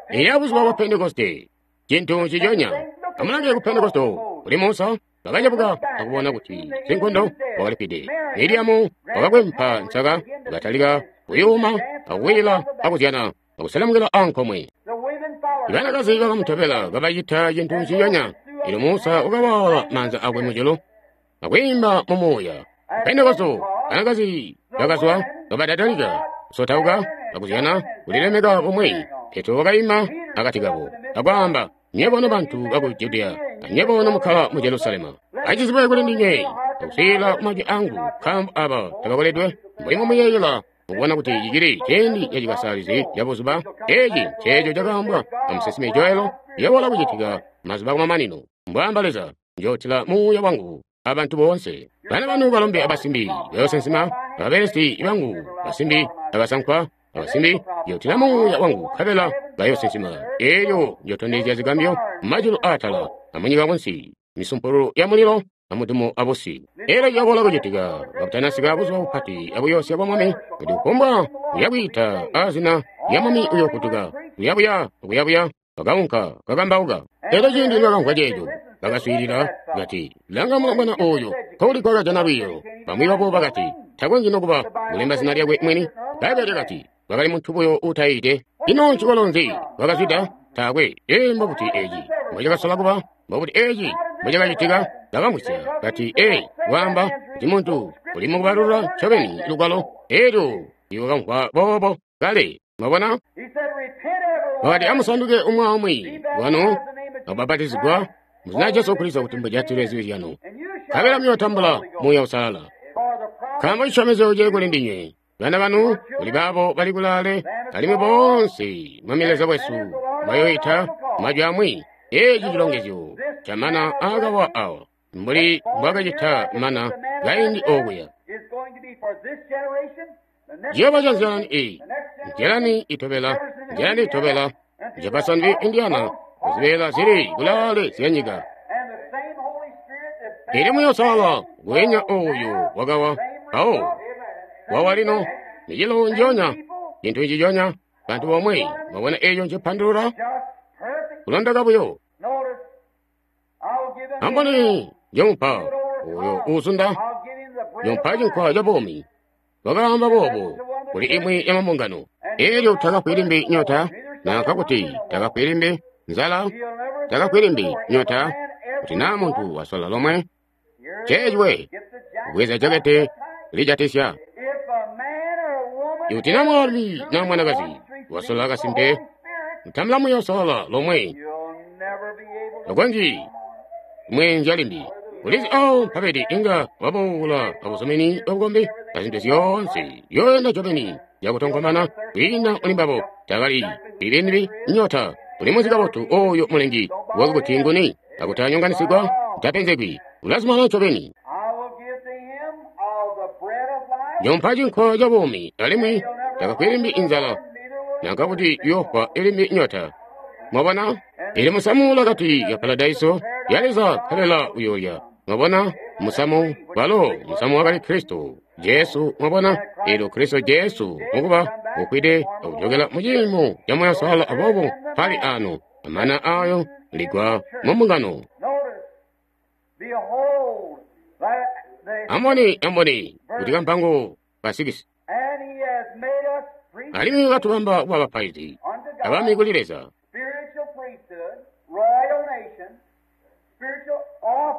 Elyo buzuba bwa Pentekoste, cintu nciconya. Amulange ku Pentekoste kuli Musa, bakacebuka akubona kuti sinkondo wakalipide. Miriamu wakakwempa nsaka, wakatalika kuyuma akuwila akuzyana akuselemukila ankomwe. Banakazi bakamutobela kabacita cintu nciconya. Elyo Musa wakawaala maanza akwe mujulu akwiimba mu muuya. Pentekoste, banakazi bakazwa kabadatalika kusotauka akuzyana kulilemeka bumwi. Petro wakaima akati kabo akwaamba, nywebo nobantu baku Judiya, anywebo nomukkala mu Jerusalemu, acizibwe kuli ndinywe akuswiilila majwi angu, nkaambo aba tabakoledwe mbuli mumuyeeyela mukubona kuti cicili ciindi cacikasalizi cabuzuba. Eeci nceeco cakaambwa amusinsimi Joelo, ciyaboola kucitika mazuba kumamanino. Mbwaamba Leza, njootila muuya wangu abantu boonse. Bana banu balombe abasimbi bayoosinsima, ababelesi bangu basimbi abasankwa abasimbi njootila muuya wangu, nkabela bayoosinsima. Eelyo njootondezya zigambyo mumajulu aatala amunyika kunsi, misumpulu ya mulilo amudumu abusi. Eelyo ciyaboola kucitika kabutanasika buzuba bupati abuyoosya bwa Mwami, kuti kufumbwa uyakwiita azina lya Mwami uyoofutuka. Kuyabuya kuyabuya bakaunka kakambauka. Eelyo ciindi nibakamvwa ceeco, bakaswiilila bati, langa mulombwana ooyo nkokuli kwakajana lwiiyo. Bamwi babo bakati, takonzyi nokuba kulemba zina lyakwe mwini. Bbaibbele lyakati wakali muntu buyo uutayiide. Ino ncikolo nzi wakazwida? Taakwe. Ee, mbobuti eeci mbocakasola kuba? Mbobuti eeci mbocakacitika? Bakamvwisya kati, ee, waamba kuti muntu uli mukubalulula ncobeni lugwalo. Eelyo iwakamvwa boobo kale. Mwabona? Wakati, amusanduke umwi aumwi wanu akubapatizigwa mu zina lya Jesu Kristo kuti mujatilwe zibi zyanu, nkabela muyootambula Muuya Uusalala. Nkaambo cisyomezyo cili kuli ndinywe, bana banu, kuli baabo bali kulaale, alimwi boonse Mwami Leza wesu mbayoyita majwi amwi. Eeci cilongezyo camana aakawa awa, mbuli mbwakacita mana kaindi okuya. Ciyooba ca nzyalani eyi, nzyalani itobela, nzyalani itobela, Jeffersonville, Indiana, kuzibeela zili kulaale zyanyika. Elyo Muuya Uusalala ngweenya ooyo wakawa mpawo wawa lino, micelo njionya, cintu nciconya, bantu bomwe. Mwabona eeco ncipandulula? Kulondoka buyo. Amboni njomupa oyo uuzunda, njomupa cinkwa ca buumi. Wakaamba boobo kuli imwi ya mambungano. Eelyo takafwi limbi nyota, nanka kuti takafwi limbi nzala, takafwi limbi nyota, kuti naa muntu wasola lomwe ceecwe kubweza jakete lijatisya. Ikuti naa mwaalumi naa mwanakazi wasola kasimpe, kutambula Muuya Uusalala lomwe, takonzyi kumweenzya limbi. Ulizi awo mpabedi inga waboola abuzumini bwabukombi azintu zyoonse yoyenda ncobeni yakutonkomana kwiinda muli mbabo. Takali ilimbi nyota. Ulimuzi kabotu oyo mulengi wako kuti nguni, akuti anyonganisigwa tapenzegwi. Ulazumana ncobeni. Njomupa cinkwa ca buumi, alimwi takafwi limbi inzala, nanka kuti yoofwa ilimbi nyota. Mwabona? Ili musamu lakati ya paradaiso ya Leza, nkabela uyoolya. Mwabona? Musamu walo musamu wakali Kristo Jesu. Mwabona? Eelyo Kristo Jesu mukuba ukwide akujokela mu ciimo ca Muuya Uusalala, aboobo mpali ano amana ayo ligwa mu mbungano. Amboni, amboni kuti kampango kasikisi. Alimwi katubamba kuba bapaizi abami kuli Leza.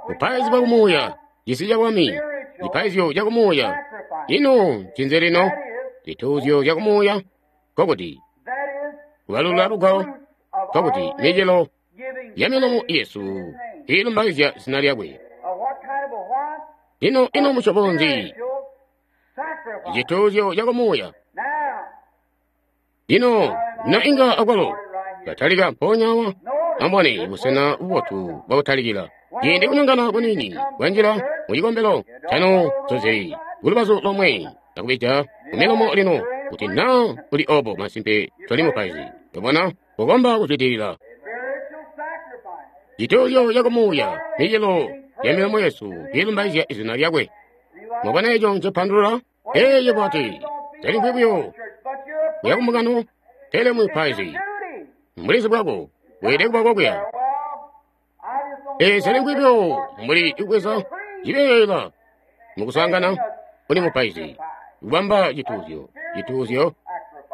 Bupaizi bwa kumuuya, cisi ca bwami, cipaizyo ca kumuuya. Ino ncinzi lino? Zituuzyo zya kumuuya, nkokuti kubalula lugwalo, nkokuti micelo ya milomo yesu iilumbaizya zina lyakwe. Ino ino musyobo nzi Cituuzyo cakumuuya. Lino na inga akwalo katalika mpoonya awa, ambone busena bubotu bwakutalikila. Ciindi kunyongana kuniini kwanjila mu cikombelo canu zozeli kulubazu lomwe akubija kumilomo lino kuti naa kuli obo masimpe toli mupaizi. Tobona kukomba kuzwidilila. Cituuzyo cakumuuya micelo ya milomo yesu ilumbaizya izina lyakwe. Mwabona eco ncepandulula? Eeyo bwati talimvwi buyo yakumbungano, pele mupaizi mbulizi bwako bweelede kuba kokuya. Ee, talimvwi buyo mbuli kubweza cibeela mukusangana kuli mupaizi kubamba cituuzyo, cituuzyo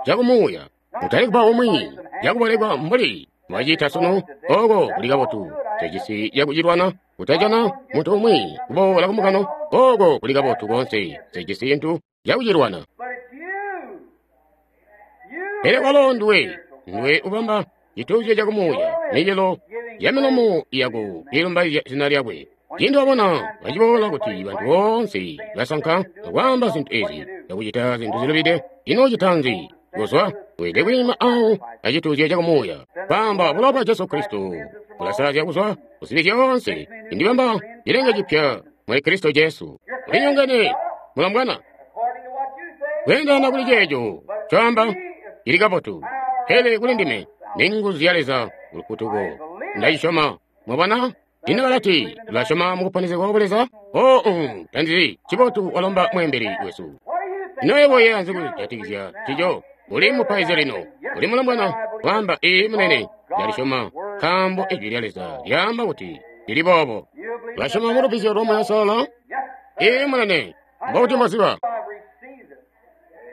cakumuuya. Kutali kuba umwi cakubolekwa mbuli mwacita sunu, oko kuli kabotu. Tejisi yakucilwana kutajana muntu umwi kuboola kumbungano, oko kuli kabotu koonse. Tejisi cintu cakucilwana. Pele kwalo nduwe, nduwe ubamba cituuzyo cakumuuya, micelo ya milomo yako ilumbaizya zina lyakwe. Ciindi wabona baciboola kuti bantu boonse basanka akwaamba zintu ezi, akucita zintu zilubide, ino cita nzi? Kuzwa weelede kwiima awo acituuzyo cakumuuya. Kwaamba bulowa bwa Jesu Kristo bulasalazya kuzwa kuzibi zyoonse, indibamba cilenge cipya muli Kristo Jesu. Ulinyongene mulombwana kweendana kuli ceeco coamba cili kabotu, pele kuli ndime ni nguzu ya Leza kulufutuko. Ndacisyoma. Mwabona? Ino balati tulasyoma mukuponesegwa kwa Leza? Oh, um, tandizi cibotu walomba mweembeli wesu. Ino yebo yeeya nzi kujatikizya cico? Uli mupaizi lino, uli mulombwana kwaamba ii munene, ndalisyoma nkaambo ijwi lya Leza lyaamba kuti lili boobo. Ulasyoma mu lubbizyo lwa Muuya Uusalala? Ii munene, mbokuti mboziba?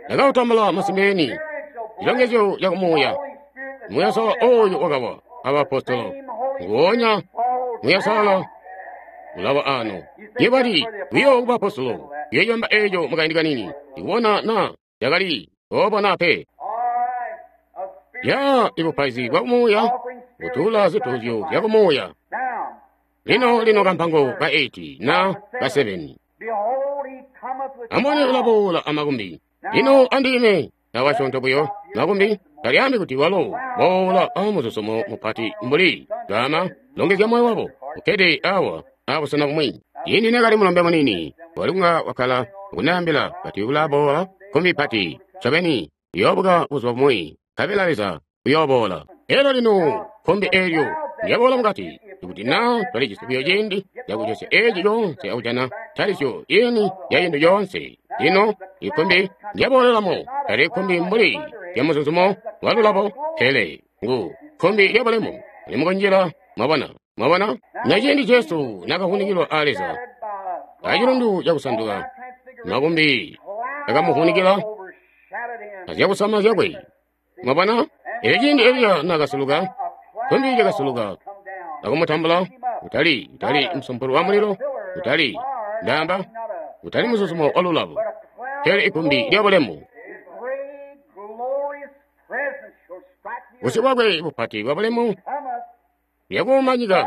Ndakautambula masimpe cilongezyo cakumuuya. Muuya Uusalala oyo wakawa abaapostolo, nguonya Muuya Uusalala ulawa ano. Yebali buyo ku baapostolo, yoyamba eco mukaindi kanini, ikubona na yakali obo na pe. Ya ibupaizi bwa kumuuya kutuula zituuzyo zya kumuuya. Lino lino kampango ka eight na ka seven. Ambone ulaboola amakumbi. Lino andime nawasyoonto buyo makumbi talyaambi kuti walo boola amuzuzumo mupati mbuli gama longezya moyo wabo ukkede awa abusena bumwi. Ciindi nekali mulombe munini wali kunga wakkala kundaambila kati ulaboola kumbi pati ncobeni uyoobuka buzuba bumwi nkabela Leza uyooboola. Elyo lino kumbi eelyo lyaboola mukati ikuti naa twalijisi buyo ciindi cakucesya eeci coonse akujana ntalisyo ini ya cintu coonse. Lino ikumbi lyaboolelamo tali kumbi mbuli lyamuzuzumo walulabo, pele ngu kumbi lyabulemu limukunjila. Mwabona, mwabona? Na ciindi Jesu nakavunikilwa a Leza acilundu cakusanduka, makumbi akamuvunikila azyakusama zyakwe. Mwabona? Elyo ciindi Eliya nakasuluka, kumbi lyakasuluka akumutambula, kutali kutali musumpulu wa mulilo, kutali ndaamba, kutali muzuzumo walulabo, pele ikumbi lyabulemu. Busyu bwakwe bupati bwa bulemu lyakuuma nyika,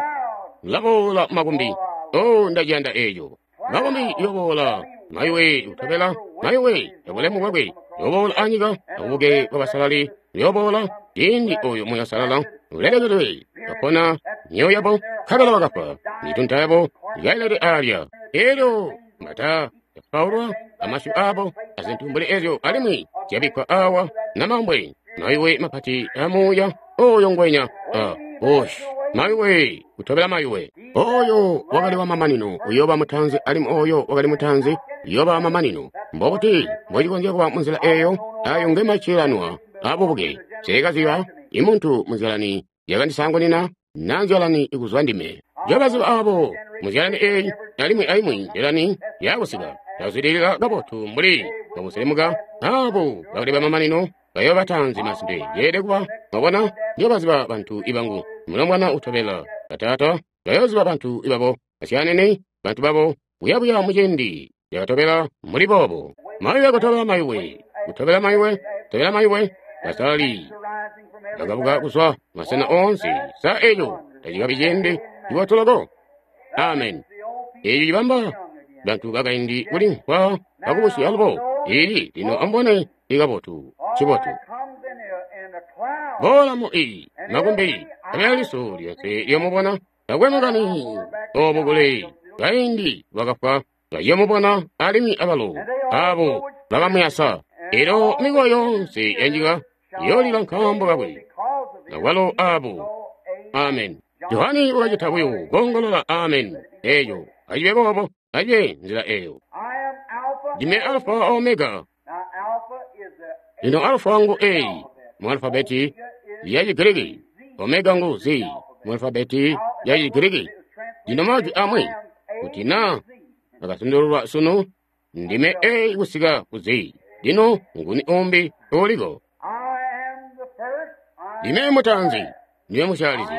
laboola makumbi. Oh, ndaciyanda eeco. Makumbi yoboola mayuwe kutobela mayuwe yabulemu bwakwe yoboola anyika abubuke bwabasalali yoboola ciindi oyo Muuya Uusalala ulelekedwe bapona myoyo yabo nkabela bakafwa mitunta yabo ikailede alya. Elyo mata yapaulwa amasyu abo azintu mbuli ezyo alimwi zyabikkwa awa namambwe mayuwe mapati amuuya oyo ngwenya a osh mayuwe kutobela mayuwe. Oyo wakali wa mamanino uyooba mutanzi alimwi oyo wakali mutanzi uyooba wa mamanino. Mbobuti mbocikonzya kuba munzila eyo? Ayo ngemacilanwa abubuke. Seekaziba imuntu munzyalani yakandisaangunina na nzyalani ikuzwa ndime. Njobaziba abo munzyalani eyi alimwi aimwi nzyalani yakusika yazwidilila kabotu mbuli bamuselemuka abo bakali bamamanino bayooba batanzi masimpe yeelede kuba. Mwabona, njobaziba bantu ibangu mulombwana utobela bataata bayooziba bantu ibabo basyaanene bantu babo buyabuya muciindi yakatobela muli boobo. Mayuwe kutobela mayuwe kutobela mayuwe kutobela mayuwe basalali bakabuka kuzwa masena oonse. Sa eco tacikabi ciindi cibotu loko? Amen. Eco cibamba bantu bakaindi kuli nkwa bakubusi alubo. Ili lino amubone ikabotu, ncibotu. Boola mu i makumbi, nkabela liso lyonse liyomubona, takwe makani obo kule kaindi bakafwa bayomubona alimwi abalo abo bakamuyasa. Elyo mikowa yoonse yanyika iyoolila nkaambo kakwe, akwalo abo. Amen. Johani wakacita buyo koongolola amen eyo. Acibe boobo, acibe nzila eyo. Ndime Alfa Omega. Lino Alfa ngu A mu alfabeti ya Chigiriki, Omega ngu Z mu alfabeti ya Chigiriki. Lino majwi amwi kuti na akasandululwa sunu, ndime A kusika ku Z. Lino nguni umbi uliko? Ndime mutaanzi, ndime musyaalizi,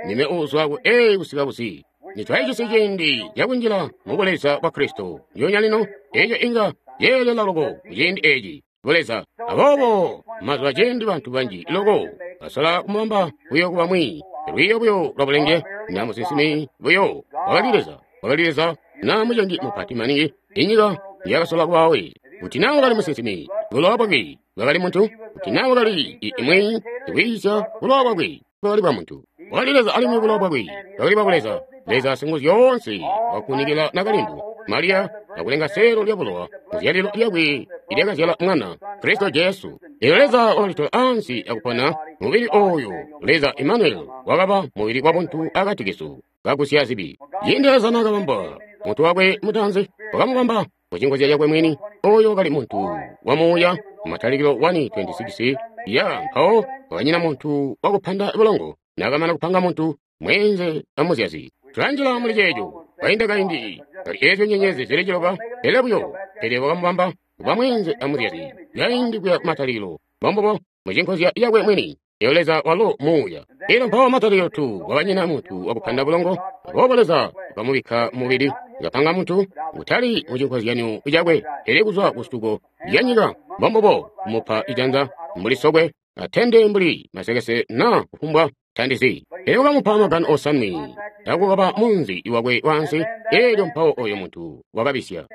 ndime uuzwa ku A kusika ku Z. Nitwajisi ciindi cakunjila mu buleza bwa Kristo ndyoonya lino, eco inga yeelela loko kuciindi eci buleza. Aboobo mazuba ciindi bantu banji loko basola kumubamba buyo kuba mwi lwiiyo buyo lwa bulenge na musinsimi buyo wakali Leza, wakali Leza na mucengi mupati maningi inyika yakasola kubawe. Kuti na wakali musinsimi, bulowa bwakwe bwakali muntu. Kuti na wakali imwi sikwiisya, bulowa bwakwe bwakali bwa muntu. Wakali Leza alimwi bulowa bwakwe bwakali bwa Leza. Leza Singuzyoonse wakunikila nakalindu Mariya akulenga seelo lya bulowa muzyalilo lyakwe ilyakazyala mwana Kristo Jesu. Elyo Leza wakalitola ansi akupona mubili oyo. Leza Emmanuel wakaba mubili wa buntu akati kesu kagusya zibi. Ciindi Leza naakabamba muntu wakwe mutaanzi, wakamubamba mucinkozya cakwe mwini. Oyo wakali muntu wa muuya. Matalikilo one twenty-six ya mpawo wakanyina muntu wakupanda bulongo. Nakamana kupanga muntu mweenze amuzyazi. Tulanjila muli ceeco kainda kaindi kali eezyo nyenyezi zili ciloba, pele buyo pele wakamubamba kuba mweenze amuzyazi kaindi kuya kumatalikilo, mbombubo mucinkozya yakwe mwini. Elyo Leza walo muuya. Elyo mpawo matalikilo tu wakanyina muntu wakupanda bulongo. Aboobo Leza wakamubikka mubili, wakapanga muntu kutali mucinkozyanyo cakwe, pele kuzwa kusuko lya nyika, mbombubo kumupa ijanza mbuli sokwe, atende mbuli masekese na kufumbwa tandizi. Elyo wakamupa magano osanwe akukaba munzi wakwe wansi. Elyo mpawo oyo muntu wakabisya.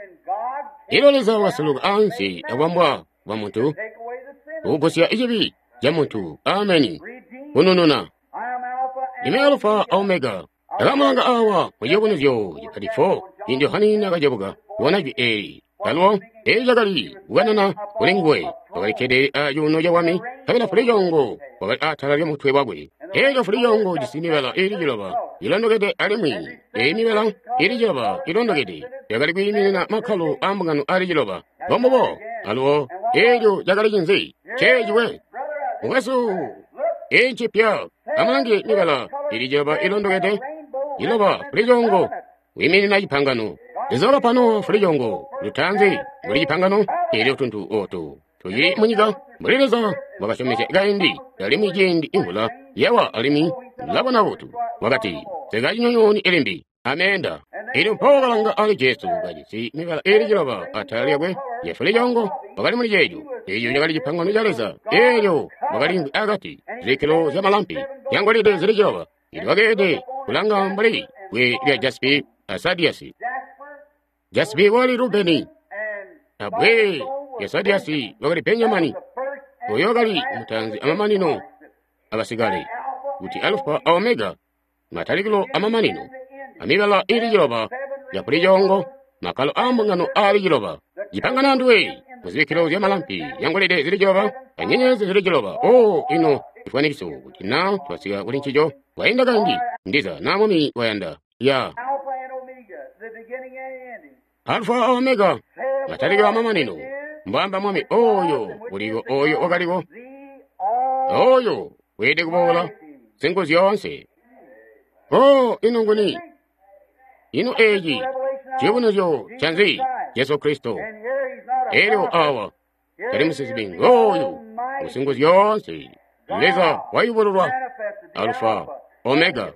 Elyo Leza wakasuluka ansi akubambwa kwa muntu, kugusya cibi ca muntu. Ameni. Kunununa. Ndime Alfa Omega. Akamulanga awa mu ciyubunuzyo cipati four. Ciindi Yohane nakacebuka kubona jwi eeli, alubo eeli cakali kukanana kuli nguwe. Wakali kkede acuuno cabwami, nkabela fulicoongo wakali atala lyamutwe wakwe. Elyo fulicoongo ujisi mibala iili ciloba ilondokede, alimwi eyi mibala iili ciloba ilondokede yakali kwiiminina makkalo aambungano aali ciloba. Mbombubo. Alubo eelyo cakali cinzi? Ceeciwe mukwesu, eyi ncipya. Amulange mibala iili ciloba ilondokede, ciloba fulicoongo wiiminina cipangano. Leza wakapa Nowa fulicoongo lutaanzi mbuli cipangano. Elyo tuntu ootu tucili munyika mbuli Leza wakasyomezya kaindi, alimwi ciindi imvula yawa alimwi labona butu. Wakati, sikacinyonyooni ilimbi ameenda. Elyo mpawo wakalanga ali Jesu kajisi mibala iili ciloba atala lyakwe ya fulicoongo wakali muli ceeco. Eeco cakali cipangano ca Leza. Elyo wakaliimvwi akati zibikkilo zyamalampi zyangolide zili ciloba. Elyo wakeelede kulanga mbuli bwe lya jaspi a sadiasi. Jaspi wakali Rubeni, abwe lya sadiasi wakali Benjamini. Oyo wakali mutaanzi amamanino abasikale, kuti Alfa a Omega, matalikilo amamanino, amibala iili ciloba ya fulicoongo, makkalo aambungano aali ciloba. Cipangano anduwe muzibikkilo zyamalampi yangolide zili ciloba anyenyezi zili ciloba. O ino cifwanikiso kuti na twasika kuli ncico kwainda kaindi, ndiza na Mwami wayanda. Ya Alfa Omega, matalikilo amamanino, mbwamba Mwami oyo uliko, oyo wakaliko, oyo weelede kuboola, Singuzyoonse. O ino nguni? Ino eeci ciyubunuzyo canzi? Jesu Kristo. Elyo awa tali musinsimi ngooyu Singuzyoonse, Leza wayubululwa, Alfa Omega.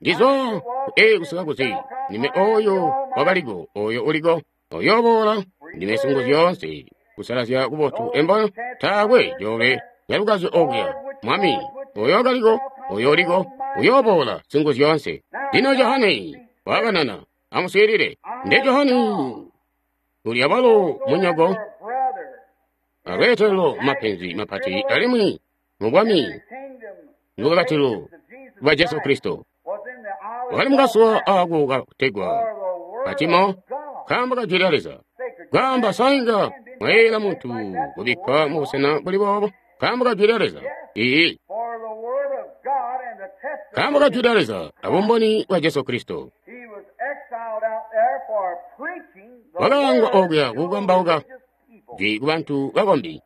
Ndizwa ku A kusika ku Z. Ndime oyo wakaliko, oyo uliko, oyoboola. Ndime Singuzyoonse, kusalazya kubotu embo taakwe jove yalukazi okuya. Mwami oyo wakaliko, oyo uliko, uyoboola, Singuzyoonse. Lino Johane wakanana, amuswiilile. Nde Johane Uli abalo munyoko alweetelelo mapenzi mapati alimwi mu bwami lukakatilo lwa Jesu Kristo. Wakali mukasuwa ako kategwa Patimo, nkaambo ka jwi lya Leza. Kwaamba sainga mwayeeyela muntu kubikkwa mu busena buli boobo nkaambo ka jwi lya Leza. Iiyi, nkaambo ka jwi lya Leza abumboni bwa Jesu Kristo. Wakaangwa okuya kukambauka jwi kubantu bakombi.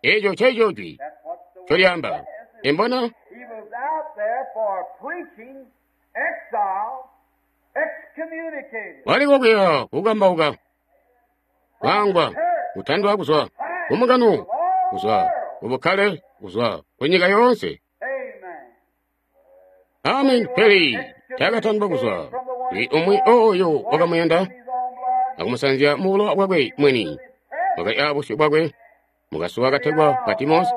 Eeco nceeco jwi ncolyaamba. Embona? Wali kokuya kukambauka, kwaangwa, kutandwa kuzwa kumukano, kuzwa kubukkale, kuzwa kunyika yoonse. Amen. Pele taakatandwa kuzwa kuli umwi oyo wakamuyanda akumusanzya mu bulowa bwakwe mwini. Wakali abusyu bwakwe mukasuwa kategwa Patimosi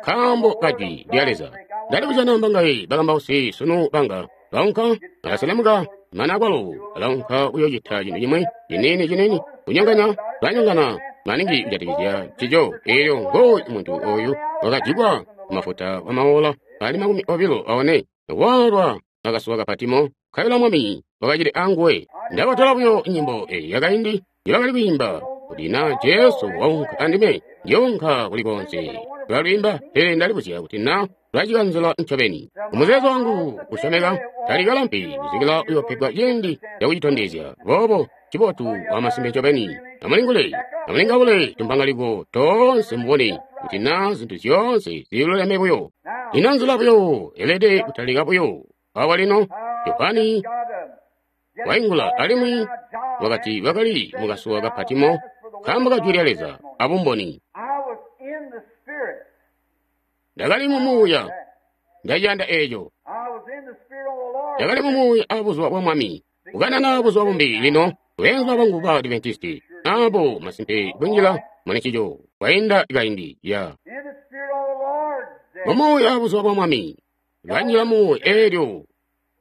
nkaambo ka jwi lya Leza. Ndali kujana mbangaye bakambausi sunu banga baunka balaselemuka mana akwalo balaunka kuyoocita cintu cimwi ciniini ciniini kunyonganya banyongana maningi kujatikizya ncico. Eelyo ngooyu muntu oyu wakajikwa mafuta wamaola ali makumi obilo aone walwa akasuwa ka Patimo nkabela Mwami wakacili anguwe. Ndabatola buyo nyimbo eyi yakaindi njibakali kwiimba kuti na Jesu waunka andime ndiyounka kuli konse. Tulalwiimba, pele ndalibuzya kuti na lwacikanzila ncobeni. Umuzeezo wangu usyomeka talikalampi kusikila uyoopegwa ciindi cakucitondezya. Boobo cibotu wamasimpe ncobeni. Amulingule, amulingaule tumpangaliko toonse mubone kuti na zintu zyoonse ziluleme buyo. Ino nzila buyo elede kutalika buyo. Awa lino Yohane waingula alimwi wakati bakali mukasuwa ka Patimo nkaambo ka jwi lya Leza abumboni. Ndakali mu Muuya, ndaciyanda eeco. Ndakali mu Muuya abuzuba bwa Mwami, kukanana buzuba bumbi lino beenzu bangu ba Adventisti abo masimpe kunjila munencico kwainda kaindi ya mu Muuya abuzuba bwa Mwami kanjila mu eelyo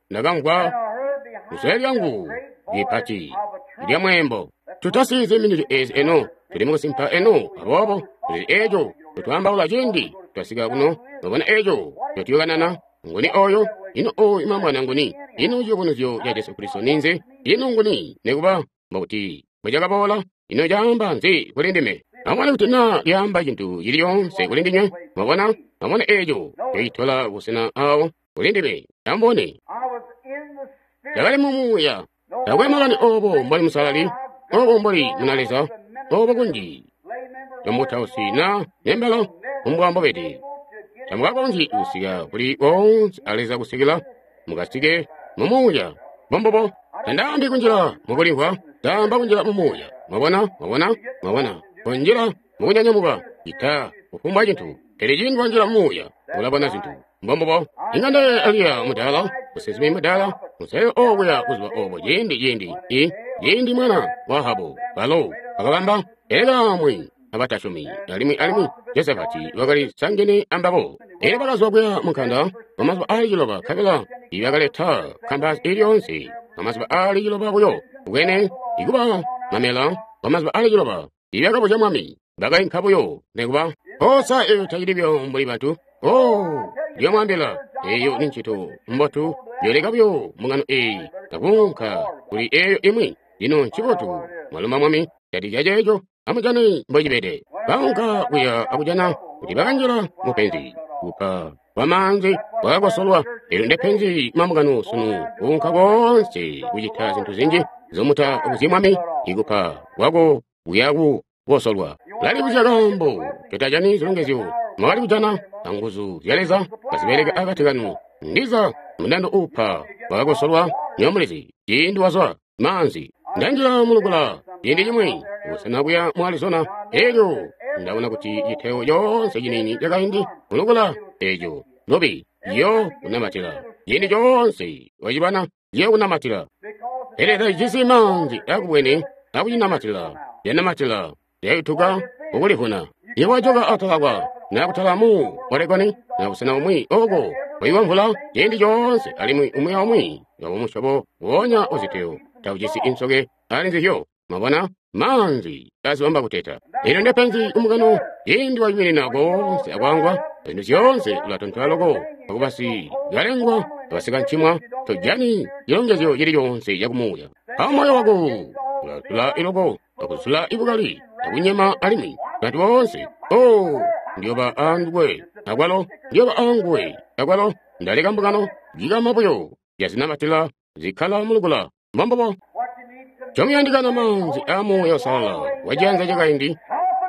ndakamvwa kusule lyangu lipati lya mweembo. Tutasize miniti ezi eno, tuli mukusimpa eno, aboobo tuli eeco tutwaambaula ciindi twasika kuno mubona eeco totuyokanana nguni oyo ino oyu imamwana nguni ino ciyubunuzyo ca Jesu Kristo ninzi ino nguni nikuba mbokuti mbwecakaboola ino caamba nzi kuli ndime. Amubone kuti naa lyaamba cintu cili coonse kuli ndinywe. Mwabona, amubone eeco cocitola busena awo kuli ndime. Amubone, ndakali mu Muuya. Taakwe makani oobo mboli musalali, oobo mboli muna Leza, oobo kunji tomutausi na nembelo umbwa mbobede. Tamukakonzyi kusika kuli koonse a Leza kusikila mukasike mu Muuya. Mbombubo, tandaambi kunjila mukulimvwa, ndaamba kunjila mu Muuya. Mwabona, mwabona, mwabona, kunjila mukunyanyamuka cita kufumbwa cintu. Pele ciindi wanjila mu Muuya, ulabona zintu. Mbombubo, inga ndaye Eliya mudaala, musinsimi mudaala, museyo okuya buzuba obo ciindi ciindi i ciindi mwana wa Ahabu balo bakabamba elekaamwi abatasyomi alimwi alimwi Josafati wakali sangene ambabo. Elyo bakazwa kuya munkanda kwamazuba aali ciloba nkabela ibakaleta kambasi ili yoonse kwamazuba aali ciloba buyo bwene ikuba mamela kwamazuba aali ciloba ibakabuzya mwami bakainka buyo nikuba osa eyo tacili buyo mbuli bantu. Oh, ndiyomwaambila eyo ni ncito mbotu yoleka buyo mbungano eyi takuunka kuli eyo imwi. Lino ncibotu mwalomba Mwami catica ceeco amujane mbocibede. Baunka kuya akujana kuti bakanjila mupenzi kupa kwamaanzi kwakakosolwa. Elyo ndepenzi mambungano sunu kuunka koonse kucita zintu zinji zomuta kuzyi Mwami ikupa kwako kuya kukosolwa. Lalibuzya kaambo totajani zilongezyo mwakali kujana anguzu zya Leza kazibeleka akati kanu. Ndiza mundando uupa wakakosolwa nyomulizi ciindi wazwa maanzi. Ndanjila mulukula ciindi cimwi kusena kuya mu Arizona, elyo ndabona kuti citeo coonse ciniini cakaindi mulukula eco lubi yo kunamatila ciindi coonse wacibana yo kunamatila. Pele tacijisi maanzi akubwene akucinamatila lyanamatila lyayutuka kukulivuna. Iwajoka atalakwa nakutala mu Oregoni na busena bumwi oko kuyiwa mvula ciindi coonse alimwi umwi aumwi wabumusyobo wonya uziteo taujisi insoke ali nzizyo. Mwabona? Maanzi azibamba kuteta. Elyo ndepenzi kumukano ciindi wayuminina koonse akwangwa zintu zyoonse ulatontola loko akubasi kalengwa abasikancimwa tojani cilongezyo cili coonse cakumuuya. Mpawo moyo wako ulatula iloko akuzula ibukali akunyema alimwi bantu boonse o ndiyoba anguwe akwalo ndiyoba anguwe akwalo ndaleka mbungano jikama buyo yazinamatila zikkala mulukula mbombobo. Comuyandikana maanzi a Muuya Uusalala waciyanza cakaindi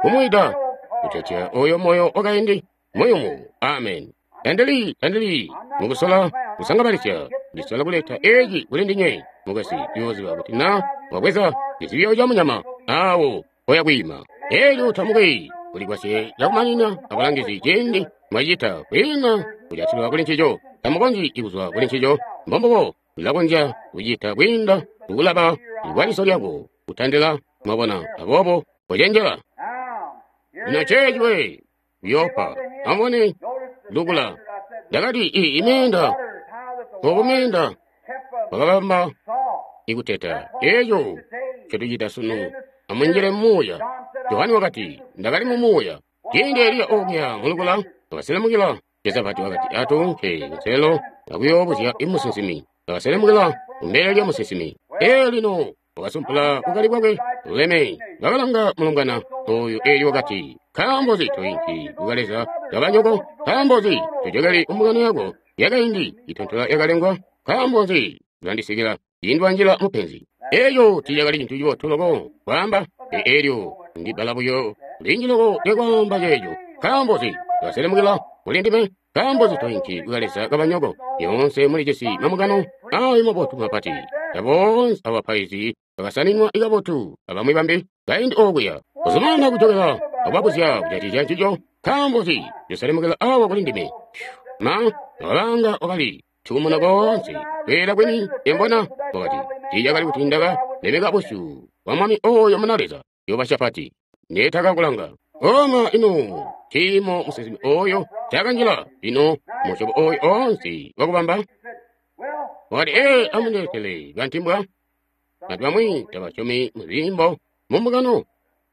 kumwida kutetya oyo moyo wakaindi muyumu. Amen. Tandili tandili mukusola kusangabalisya ndisola kuleta eci kuli ndinywe mukasi yoziba kuti na wabweza cizibyo ca munyama awo oya kwiima elyo tamuki kulikwasye cakumanina abalangizi ciindi mwacita kwiina kujatilwa kuli ncico tamukonzyi kuzwa kuli ncico mbombobo mulakonzya kucita kwiinda kukulaba kwa liso lyako kutandila mwabona aboobo kocenjela. Lino ceeci we uyopa amubone lukula ndakati iyi imyenda okumyenda wakabamba ikuteta eco ncotucita sunu amunjile mumuuya. Johani wakati ndakali mumuuya ciindi Eliya okuya mulukula wakaselemukila. Josafati wakati atuunke kunselo akuyoobuzya imusinsimi. Wakaselemukila kumbele lya musinsimi. Ee lino wakasumpula bukali bwakwe luleme. Bakalanga mulongwana oyu Eli wakati nkaambo nzi toinki kukaleza kabanyoko? Nkaambo nzi tojokeli kumbungano yako yakaindi itontola yakalengwa? Nkaambo nzi ulandisikila ciindi wanjila mupenzi? Eeco tiicakali cintu cibotu loko kwaamba. Eelyo ndibbala buyo linji loko lyakwaamba ceeco. Nkaambo nzi waselemukila kuli ndime? Nkaambo nzi toinki kukaleza kabanyoko? Yoonse mulijisi mamukano ayo mabotu mapati aboonse abapaizi bakasaninwa ikabotu abamwi bambi kaindi okuya kuzumana kujokela akubabuzya kujatikizya ncico. Nkaambo nzi yoselemukila awa kuli ndime? Ma wakalanga wakali tuumuna koonse kweela kwini embona wakati tiicakali kuti ndaka lemeka busyu bwa mwami oyo muna Leza Yehoshafati neetakakulanga. Oma ino ciimo musinsimi oyo cakanjila lino musyobo oyo oonse wakubamba. Wakati ee amundeetele kantimbwa. Bantu bamwi tabasyomi muziimbo mumbungano.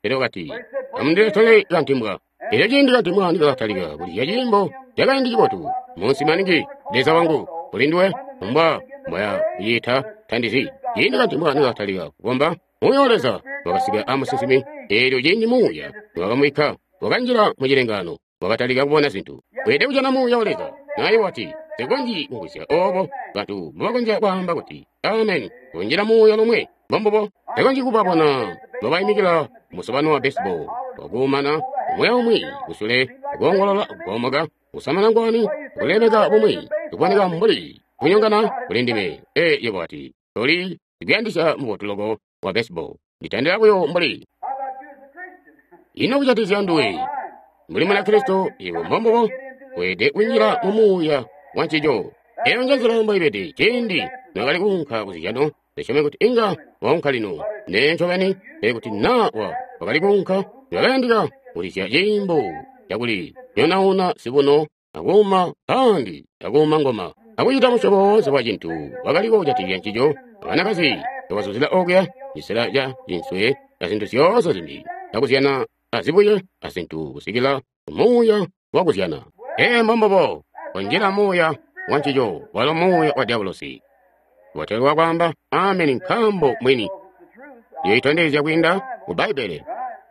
Pele wakati amundeetele kantimbwa. Elyo ciindi kantimbwa nikakatalika kulizya ciimbo cakaindi cibotu munsi maningi Leza wangu kuli nduwe mbwa mbwaya kuciita tandizi. Ciindi kantimbwa nikakatalika kukomba Muuya wa Leza wakasika amusinsimi. Eelyo ciindi Muuya wakamwika wakanjila mucilengano wakatalika kubona zintu. Weelede kujana Muuya wa Leza. Naye wati nsikonzyi kumvwisya obo bantu mbobakonzya kwaamba kuti amen kunjila muuya lomwe mbombubo. Nsikonzyi kubabona mbobaimikila musobano wa baseball wakuumana umwi aumwi kusule kuongolola kugomoka kusamana ngwani kulemeka bumwi kuboneka mbuli kunyongana kuli ndime. Ee yebo wati toli ndikuyandisya mubotu loko wa baseball nditandila buyo mbuli ino kujatikizya nduwe mbuli Munakristo iwe mbombubo weelede kunjila mu muuya wa ncico. Eyo njenzila mboibede ciindi nokali kuunka kuzizyano ndisyome kuti inga waunka lino nee ncobeni. Pele kuti naa wa wakali kuunka wakayandika kulizya ciimbo cakuli nyonauna sibuno akuuma pandi akuuma ngoma akucita musyobo woonse wa cintu wakaliko kujatikizya ncico. Abanakazi bakazuzila okuya cisela ca cinswe azintu zyoonse zimbi akuzyana azibuye azintu kusikila muuya wakuzyana. Ee mbombobo kunjila muuya wa ncico walo muuya wa diabolosi. Botelwa kwaamba ameni nkaambo mwini yoitondezya kwiinda mu Bbaibbele.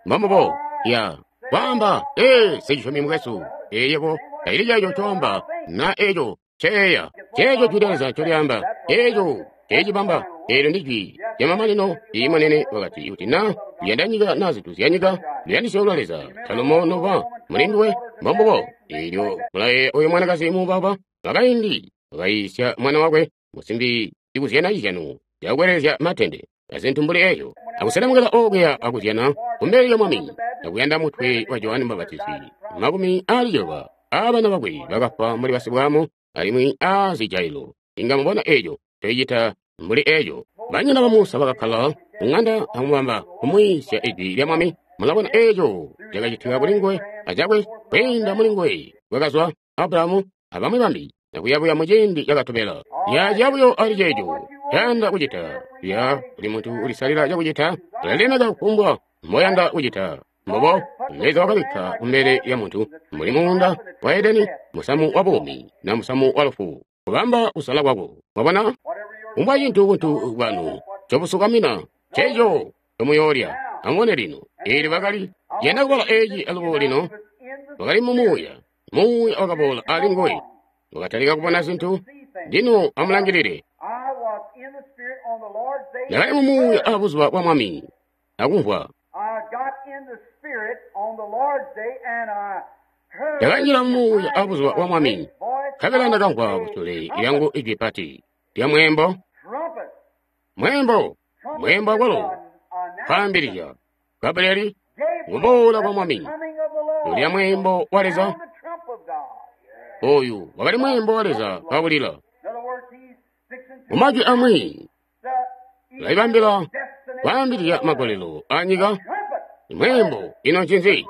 Mbombobo ya kwaamba ee sicisyomi mukwesu eyebo taili ceeco ncoamba na eco ceeya ceeco jwi lya Leza ncolyaamba eeco ceecibamba. Eelyo ndi jwi lyamamanino. Iimonene wakati kuti na luyanda nyika na zintu zya nyika luyandisyo lwa Leza talumo noba muli nduwe. Mbombobo eelyo mulaye oyo mwanakazi muubauba wakaindi wakayiisya mwana wakwe musimbi ikuzyana cizyano cakukwelelezya matende azintu mbuli eeyo akuselemukila okuya akuzyana kumbele lya mwami akuyanda mutwe wa Johani Mbapatizi. Makumi aali ciloba aabana bakwe bakafwa mbuli basibwamu alimwi aazijailo. Inga mubona eeco ncoicita mbuli eeco. Banyina ba Musa bakakkala kuŋanda akumubamba kumwiisya ijwi lya mwami. Mulabona eeco cakacitika kuli nguwe acakwe kwiinda muli nguwe kwakazwa Abrahamu abamwi bambi akuyabuya muciindi cakatobela. Yaciya buyo ali ceeco ncayanda kucita. Ya buli muntu ulisalila cakucita, ulalemeka kufumbwa mboyanda kucita. Mbobo Leza wakabikka kumbele lya muntu mbuli muunda wa Edeni, musamu wa buumi na musamu wa lufu, kubamba kusala kwako. Mwabona? Kumbwa cintu buntu bwanu ncobusukamina, nceeco ncomuyoolya. Amubone lino, eelyo bakali yanda kubala eeci alubo lino, wakali mu Muuya. Muuya wakaboola ali nguwe, wakatalika kubona zintu. Lino amulangilile. Ndakali mu Muuya a buzuba bwa Mwami, akumvwa. Ndakanjila mu Muuya a buzuba bwa Mwami, nkabela ndakamvwa kusule lyangu ijwi pati lya mweembo. Mweembo, mweembo akwalo kwaambilizya Gabrieli kuboola kwa Mwami. Lulya mweembo wa Leza. Oyu wakali mweembo wa Leza kaulila. Mumajwi amwi ulaibambila kwaambilizya magolelo a nyika. Mweembo ino ncinzi?